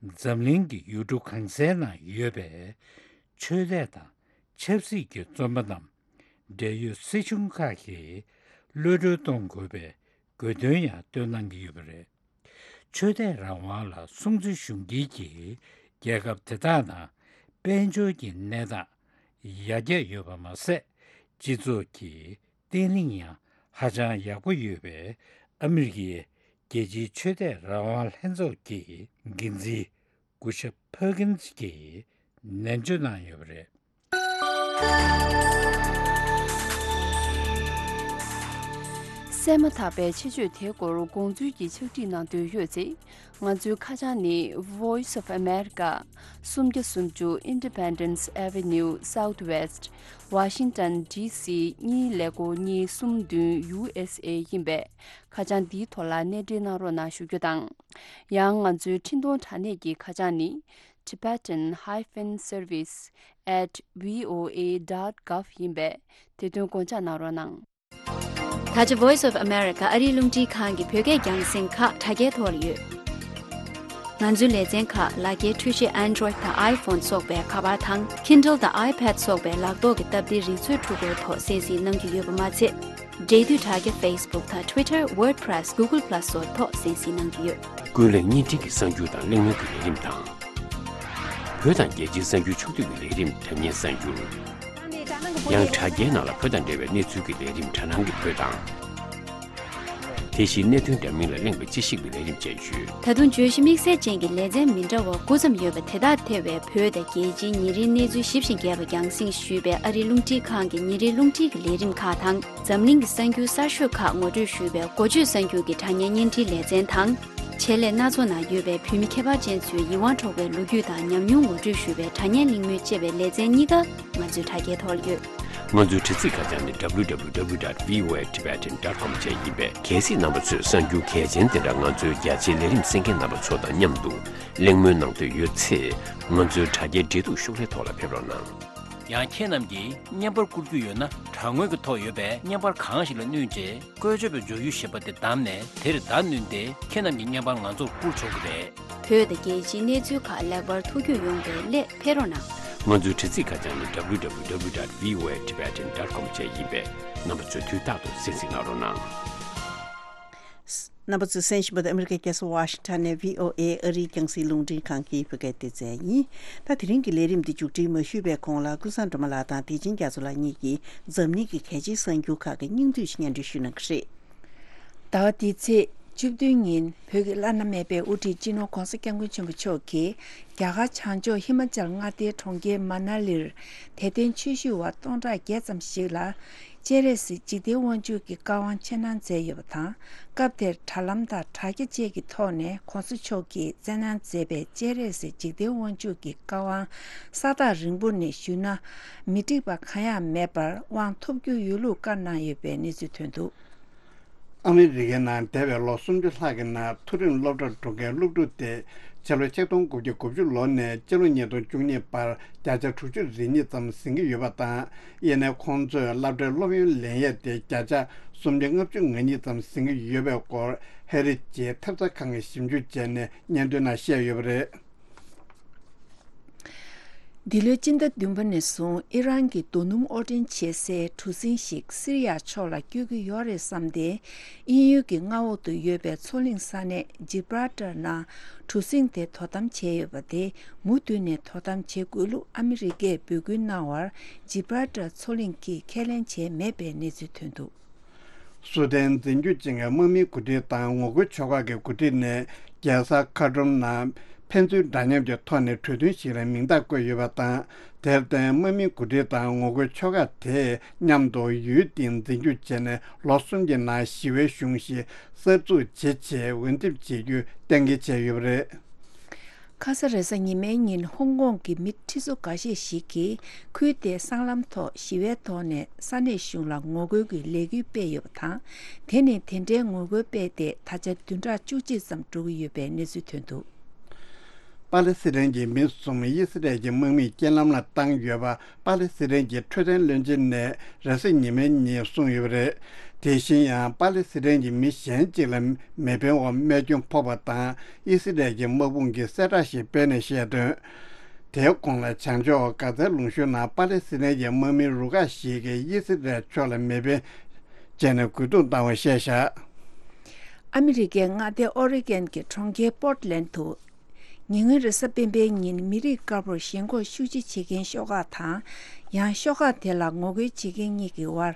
འཛམ་གླིང་གི་ཡུལ་གྲུ་གང་སའི་ནང་ཡོད་པའི་ཆོས་དད་དང་ཆབ་སྲིད་ཀྱི་བཙོན་པ་རྣམས་འབྲེལ་ཡོད་སྲིད་གཞུང་ཁག་གིས་གློད་གྲོལ་གཏོང་དགོས་པའི་དགོས་འདུན་ཡང་བཏོན་གནང་གི་ཡོད་པ་རེད། ཆོས་དད་རང་དབང་ལ་སྲུང་བརྩི་ཞུ་མཁན་གྱི་རྒྱལ་ཁབ་དེ་དག་ནང་དཔལ་འབྱོར་གྱི་གནས་སྟངས་ཡར་རྒྱས་ཡོད་པ་མ་ཟད། སྤྱི་ཚོགས་ཀྱི་བརྟན་ལྷིང་ཡང་ཧ་ཅང་ཡག་པོ་ཡོད་པའི་ཨ་མི་རི་ཀའི་རྒྱལ་སྤྱིའི་ཆོས་དད་རང་དབང་ལྷན་ཚོགས་ཀྱི་འགན་འཛིན་སྐུ་ཞབས་ཕར་ཀིན་སི་གྱིས་ ནན་བརྗོད་གནང་ཡོད་པ་རེད། གསན་མ་ཐག་པའི་ཆེད་བརྗོད་དེའི་སྐོར་དགོངས་ཚུལ་གྱི་ཕྱག་བྲིས་གནང་འདོད་ཡོད་ཚེ། ང་ཚོའི་ཁ་བྱང་ནི། Voice of America། སུམ་བརྒྱ་སུམ་ཅུ། Independence Avenue Southwest། Washington D C གཉིས་ཀླད་ཀོར་གཉིས་གསུམ་བདུན། U S A ཡིན་པས། ཁ་བྱང་འདིའི་ཐོག་ལ་གནས་འབྲེལ་གནང་རོགས་གནང་ཞུ་རྒྱུ་དང་། ཡང་ང་ཚོའི་འཕྲིན་གཏོང་དྲ་གནས་ཀྱི་ཁ་བྱང་ནི། Tibetan hyphen service at V O A dot gov ཡིན་པས། དེ་དོན་དགོངས་འཇགས་གནང་རོགས་གནང་། ད་ཆ་Voice of America ཨ་རིའི་རླུང་འཕྲིན་ཁང་གི་བོད་སྐད་རྒྱང་སྲིང་ཁག་དྲ་རྒྱའི་ཐོག་ལ་ཡོད། ང་ཚོའི་ལེ་ཚན་ཁག་ལག་འཁྱེར་འཕྲུལ་ཆས་Android དང་iPhone སོགས་པའི་ཁ་པར་དང་Kindle དང་iPad སོགས་པའི་ལག་ཐོག་གི་སྟབས་བདེའི་རིག་མཛོད་འཕྲུལ་འཁོར་ཐོག་གསན་གཟིགས་གནང་རྒྱུ་ཡོད་པ་མ་ཚད། འབྲེལ་མཐུད་དྲ་རྒྱ་Facebook དང་Twitter WordPress Google Plus སོགས་ཐོག་གསན་གཟིགས་གནང་རྒྱུ་ཡོད། ཀུན་གླེང་བརྙན་འཕྲིན་གྱི་གསར་འགྱུར་དང་གླེང་མོལ་གྱི་ལས་རིམ་དང་། བོད་དང་རྒྱལ་སྤྱིའི་གསར་འགྱུར་ཕྱོགས་བསྡུས་ཀྱི་ལས་རིམ་དྲ་བརྙན་གསར་འགྱུར། ཡང་དྲ་རྒྱའི་ནང་ལ་བོད་དང་འབྲེལ་བའི་གནས་ཚུལ་གྱི་ལས་རིམ་དྲ་སྣང་གི་བོད་དང་། དེ་བཞིན་གནད་དོན་འདྲ་མིན་ལ་གླེང་བའི་དཔྱད་ཞིབ་ཀྱི་ལས་རིམ་བཅས་ཡོད། ད་དུང་བརྗོད་གཞི་དམིགས་བསལ་ཅན་གྱི་ལེ་ཚན་མི་འདྲ་བ་དགུ་ཙམ་ཡོད་པ་དེ་དག་ཐེ་བའི་བོད་དང་རྒྱལ་སྤྱིའི་ཉིན་རེའི་གནས་ཚུལ་ཞིབ་ཅིང་རྒྱས་པ་རྒྱང་སྲིང་ཞུས་པའི་ཨ་རིའི་རླུང་འཕྲིན་ཁང་གི་ཉིན་རེའི་རླུང་འཕྲིན་གྱི་ལས་རིམ་ཁག་དང་། འཛམ་གླིང་གི་གསར་འགྱུར་གསར་ཤོས་ཁག་ངོ་སྤྲོད་ཞུས་པའི་འགོ་བརྗོད་གསར་འགྱུར་གྱི་དྲ་བརྙན་བརྙན་འཕྲིན་ལེ་ཚན་དང་། ཆེད་ལས་སྣ་ཚོགས་ནང་ཡོད་པའི་བོད་མི་ཁྱད་པར་ཅན་ཚོའི་ཡིད་དབང་འཕྲོག་པའི་ལོ་རྒྱུས་དང་ཉམས་མྱོང་ངོ་སྤྲོད་ཞུས་པའི་དྲ་བརྙན་གླེང་མོལ་བཅས་པའི་ལེ་ཚན་གཉིས་ཀ་ང་ཚོའི་དྲ་རྒྱའི་ཐོག་ལ་ཡོད། ང་ཚོའི་དྲ་ཚིགས་ཁ་བྱང་ནི་W W W dot V O A Tibetan dot com བཅས་ཡིན་པས། གལ་སྲིད་རྣམ་པ་ཚོས་གསར་འགྱུར་གལ་ཆེན་དེ་འདྲ་ང་ཚོའི་རྒྱ་ཆེའི་ལས་རིམ་གསན་མཁན་རྣམ་པ་ཚོ་དང་མཉམ་དུ་གླེང་མོལ་གནང་འདོད་ཡོད་ཚེ། ང་ཚོའི་དྲ་རྒྱའི་འབྲེལ་གཏུག་ཤོག་ལྷེ་ཐོག་ལ་ཕེབས་རོགས་གནང་། ཡང་ཁྱེད་རྣམས་ཀྱིས་བརྙན་པར་བསྐུར་རྒྱུ་ཡོད་ན། དྲ་ངོས་ཀྱི་ཐོག་ཡོད་པའི་བརྙན་པར་གང་ཞིག་ལ་བསྣུན་རྗེས། བཀོལ་སྤྱོད་པའི་འབྱོར་ཡུལ་ཞེས་པ་དེ་བདམས་ནས། དེར་བརྡ་བསྣུན་ཏེ། ཁྱེད་རྣམས་ཀྱི་བརྙན་པར་ང་ཚོར་བསྐུར་ཆོག་གི་རེད། བོད་དང་རྒྱལ་སྤྱིའི་གནས་ཚུལ་ཁག་ལེགས་པར་ཐུགས་རྒྱུས་ཡོང་བའི་སླད་ཕེབས་རོགས་གནང་། ང་ཚོའི་དྲ་ཚིགས་ཁ་བྱང་ནི་W W W dot V O A Tibetan dot com བཅས་ཡིན་པས། རྣམ་པ་ཚོས་དུས་རྟག་ཏུ་གསན་གཟིགས་གནང་རོགས་གནང་། རྣམ་པ་ཚོས་གསན་བཞིན་པ་དེ་ཨ་མི་རི་ཀའི་རྒྱལ་ས་ཝ་ཤིང་ཊོན་ནས་V O A ཨ་རིའི་རྒྱང་སྲིང་རླུང་འཕྲིན་ཁང་གི་བོད་སྐད་སྡེ་ཚན་ཡིན། ད་དེ་རིང་གི་ལས་རིམ་འདི་མཇུག་སྒྲིལ་མ་ཞུས་པའི་གོང་ལ། ཀུན་བཟང་སྒྲོལ་མ་ལགས་དང་བདེ་ཆེན་རྒྱ་མཚོ་ལགས་གཉིས་ཀྱིས་འཛམ་གླིང་གི་གལ་ཆེའི་གསར་འགྱུར་ཁག་གི་སྙིང་བསྡུས་ཤིག་སྙན་སྒྲོན་ཞུ་གནང་གི་རེད། ཟླ་བ་འདིའི་ཚེས་བཅུ་བདུན་ཉིན་བོད་ཀྱི་བླ་ན་མེད་པའི་དབུ་ཁྲིད་སྤྱི་ནོར་༧གོང་ས་༧སྐྱབས་མགོན་ཆེན་པོ་མཆོག་གིས་རྒྱ་གར་བྱང་ཕྱོགས་ཧི་མ་ཅལ་མངའ་སྡེའི་གྲོང་ཁྱེར་མ་ན་ལིར་དད་ལྡན་ཆོས་ཞུ་བ་སྟོང་ཕྲག་བརྒྱད་ཙམ་ཞིག་ལ་སྤྱན་རས་གཟིགས་འཇིག་རྟེན་དབང་ཕྱུག་གི་བཀའ་དབང་ཆེད་གནང་མཛད་ཡོད་པ་དང་། སྐབས་དེར་དྲ་ལམ་དང་དྲ་རྒྱ་བཅས་ཀྱི་ཐོག་ནས་༧གོང་ས་མཆོག་གིས་སྩལ་གནང་མཛད་པའི་སྤྱན་རས་གཟིགས་འཇིག་རྟེན་དབང་ཕྱུག་གི་བཀའ་དབང་ས་ཐག་རིང་པོ་ནས་ཞུས་ན་མི་འགྲིག་པ་གང་ཡང་མེད་པར་དབང་ཐོབ་རྒྱུ་ཡོད་ལུགས་བཀའ་གནང་ཡོད་པའི་གནས་ཚུལ་ཐོན་འདུག། ཨ་མི་རི་ཀའི་ནང་འདས་པའི་ལོ་སུམ་ཅུ་ལྷག་གི་ནང་མཐོ་རིམ་སློབ་གྲྭར་འགྲོ་མཁན་སློབ་ཕྲུག་དེ་ཕྱི་ལོ་ཆིག་སྟོང་དགུ་བརྒྱ་དགུ་བཅུ་ལོ་ནས་སྤྱི་ལོ་ཉིས་སྟོང་བཅུ་གཉིས་བར་བརྒྱ་ཆ་དྲུག་ཅུ་རེ་གཉིས་ཙམ་ཟིན་གྱི་ཡོད་པ་དང་། ཡིན་ནའི་ཁོང་ཚོས་སློབ་གྲྭའི་སློབ་ཡོན་ལེན་ཡས་དེ་བརྒྱ་ཆ་སུམ་བརྒྱ་ལྔ་བཅུ་ང་གཉིས་ཙམ་ཟིན་གྱི་ཡོད་པའི་སྐོར་ཧེ་རི་ཇེ་ཐབས་རྩ་ཁང་གིས་ཞིབ་འཇུག་བྱས་ནས་སྙན་ཐོའི་ནང་བཤད་ཡོད་པ་རེད། འདི་ལོའི་སྤྱི་ཟླ་བདུན་པ་ནས་བཟུང་ཨི་རན་གྱི་རྡོ་སྣུམ་དབོར་འདྲེན་བྱེད་སའི་གྲུ་གཟིངས་ཤིག་སི་རི་ཡ་ཕྱོགས་ལ་བསྐྱོད་ཀྱི་ཡོད་རེད་བསམ་སྟེ། དབྱིན་ཡུལ་གྱི་མངའ་འོག་ཏུ་ཡོད་པའི་མཚོ་གླིང་ས་གནས་ཇི་བྷ་རལ་ཊར་ནང་གྲུ་གཟིངས་དེ་དོ་དམ་བྱས་ཡོད་པ་དེ་མུ་མཐུད་ནས་དོ་དམ་བྱེད་དགོས་ལུགས་ཨ་མི་རི་ཀས་འབོད་སྐུལ་གནང་བར་ཇི་བྷ་རལ་ཊར་མཚོ་གླིང་གིས་ཁས་ལེན་བྱས་མེད་པའི་གནས་ཚུལ་ཐོན་འདུག། སུ་དན་འཛིན་སྐྱོང་ཅན་གྱི་དམག་མིའི་འགོ་ཁྲིད་དང་ངོ་རྒོལ་ཕྱོགས་ཁག་གི་འགོ་ཁྲིད་ནས་རྒྱལ་ས་ཁ་ཏྲོམ་ནང་ཕན་ཚུན་འདྲ་མཉམ་གྱི་ཐོག་ནས་གྲོས་མཐུན་ཞིག་ལ་མིང་རྟགས་བཀོད་ཡོད་པ་དང་། དེར་བརྟེན་དམག་མིའི་འགོ་ཁྲིད་དང་ངོ་རྒོལ་ཕྱོགས་ཁག་དེས་མཉམ་དུ་ཡུལ་དེའི་འཛིན་སྐྱོང་བྱས་ནས་ལོ་གསུམ་གྱི་ནང་ཞི་བའི་གཞུང་ཞིག་གསར་འཛུགས་བྱེད་ཆེད་འོས་འདེམས་བྱེད་རྒྱུ་གཏན་འཁེལ་བྱས་ཡོད་པ་རེད། ཁ་ས་རེས་གཟའ་ཉི་མའི་ཉིན་ཧོང་ཀོང་གི་མི་ཁྲི་ཚོ་འགའ་ཤས་ཤིག་གིས་ཁུལ་དེའི་སྲང་ལམ་ཐོག་ཞི་བའི་ཐོག་ནས་ས་གནས་གཞུང་ལ་ངོ་རྒོལ་གྱི་ལས་འགུལ་སྤེལ་ཡོད་པ་དང་། དེ་ནི་དེ་འདྲའི་ངོ་རྒོལ་སྤེལ་ཏེ་ད་ཆ་བདུན་ཕྲག་བཅུ་གཅིག་ཙམ་འགྲོ་གི་ཡོད་པའི་གནས་ཚུལ་ཐོན་འདུག། པ་ལེ་སི་ཐན་གྱི་མི་གསུམ་དབྱི་སི་རལ་གྱི་དམག་མིས་རྐྱེན་ལམ་ལ་བཏང་ཡོད་པ། པ་ལེ་སི་ཐན་གྱི་འཕྲོད་བསྟེན་བློན་ཆེན་ནས་རེས་གཟའ་ཉི་མའི་ཉིན་གསུངས་ཡོད་པ་རེད། དེ་བཞིན་ཡང་པ་ལེ་སི་ཐན་གྱི་མི་གཞན་གཅིག་ལ་མེ་འཕེན་འོག་རྨས་སྐྱོན་ཕོག་པ་དང་། དབྱི་སི་རལ་གྱི་དམག་དཔུང་གིས་གསལ་བསྒྲགས་ཤིག་སྤེལ་ནས་བཤད་དོན། དེའི་གོང་ལ་བྱང་ཕྱོགས་གྷ་ཛའི་ལུང་གཤོང་ནང་པ་ལེ་སི་ཐན་གྱི་དམག་མི་རུ་ཁག་ཞིག་གིས་དབྱི་སི་རལ་ཕྱོགས་ལ་མེ་འཕེན་བྱས་ནས་རྒོལ་རྡུང་བཏང་བ་བཤད་བཞག། ཨ་མི་རི་ཀའི་མངའ་སྡེ་ཨོ་རི་གན་གྱི་གྲོང་ཁྱེར་པོར་ཊི་ལན་དུ། ཉེ་སྔོན་རེས་གཟའ་སྤེན་པའི་ཉིན་མི་རིགས་དཀར་པོར་ཞེན་ཁོག་ཤུགས་ཆེ་བྱེད་མཁན་ཤོག་ཁག་དང་། ཡང་ཤོག་ཁག་དེ་ལ་ངོ་རྒོལ་བྱེད་མཁན་གཉིས་ཀྱི་དབར་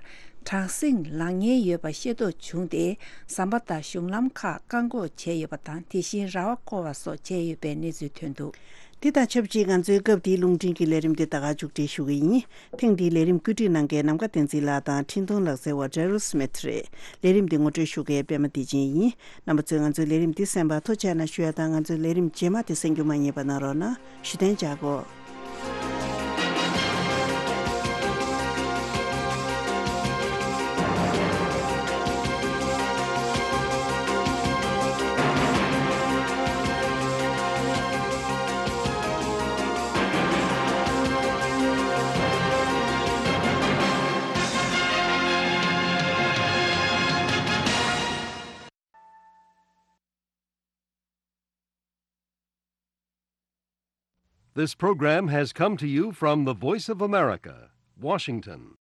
དྲག་ཟིང་ལངས་ཉེན་ཡོད་པ་ཤེས་རྟོགས་བྱུང་སྟེ། ཟམ་པ་དང་གཞུང་ལམ་ཁག་བཀག་འགོག་བྱས་ཡོད་པ་དང་། དེ་བཞིན་ར་བ་བསྐོར་བ་སོགས་བྱས་ཡོད་པའི་གནས་ཚུལ་ཐོན་འདུག། འདི་དང་ཆབས་ཅིག་ང་ཚོའི་སྐབས་འདིའི་རླུང་འཕྲིན་གྱི་ལས་རིམ་འདི་ད་ག་མཇུག་སྒྲིལ་ཞུ་གི་ཡིན། ཐེངས་འདིའི་ལས་རིམ་བཀོད་སྒྲིག་གནང་མཁན་ནམ་མཁའ་བསྟན་འཛིན་ལགས་དང་འཕྲིན་གཏོང་ལག་རྩལ་བ་Daryl Smith་རེད། ལས་རིམ་འདི་ངོ་སྤྲོད་ཞུ་མཁན་པདྨ་བདེ་ཆེན་ཡིན། རྣམ་པ་ཚོས་ང་ཚོའི་ལས་རིམ་འདི་གསན་པར་ཐུགས་རྗེ་གནང་ཞུ་ཡ་དང་། ང་ཚོའི་ལས་རིམ་རྗེས་མ་དེ་གསན་རྒྱུ་མ་བསྙེལ་བ་གནང་རོགས་གནང་། ཞུ་དོན་བྱ་དགོས། This program has come to you from the Voice of America, Washington.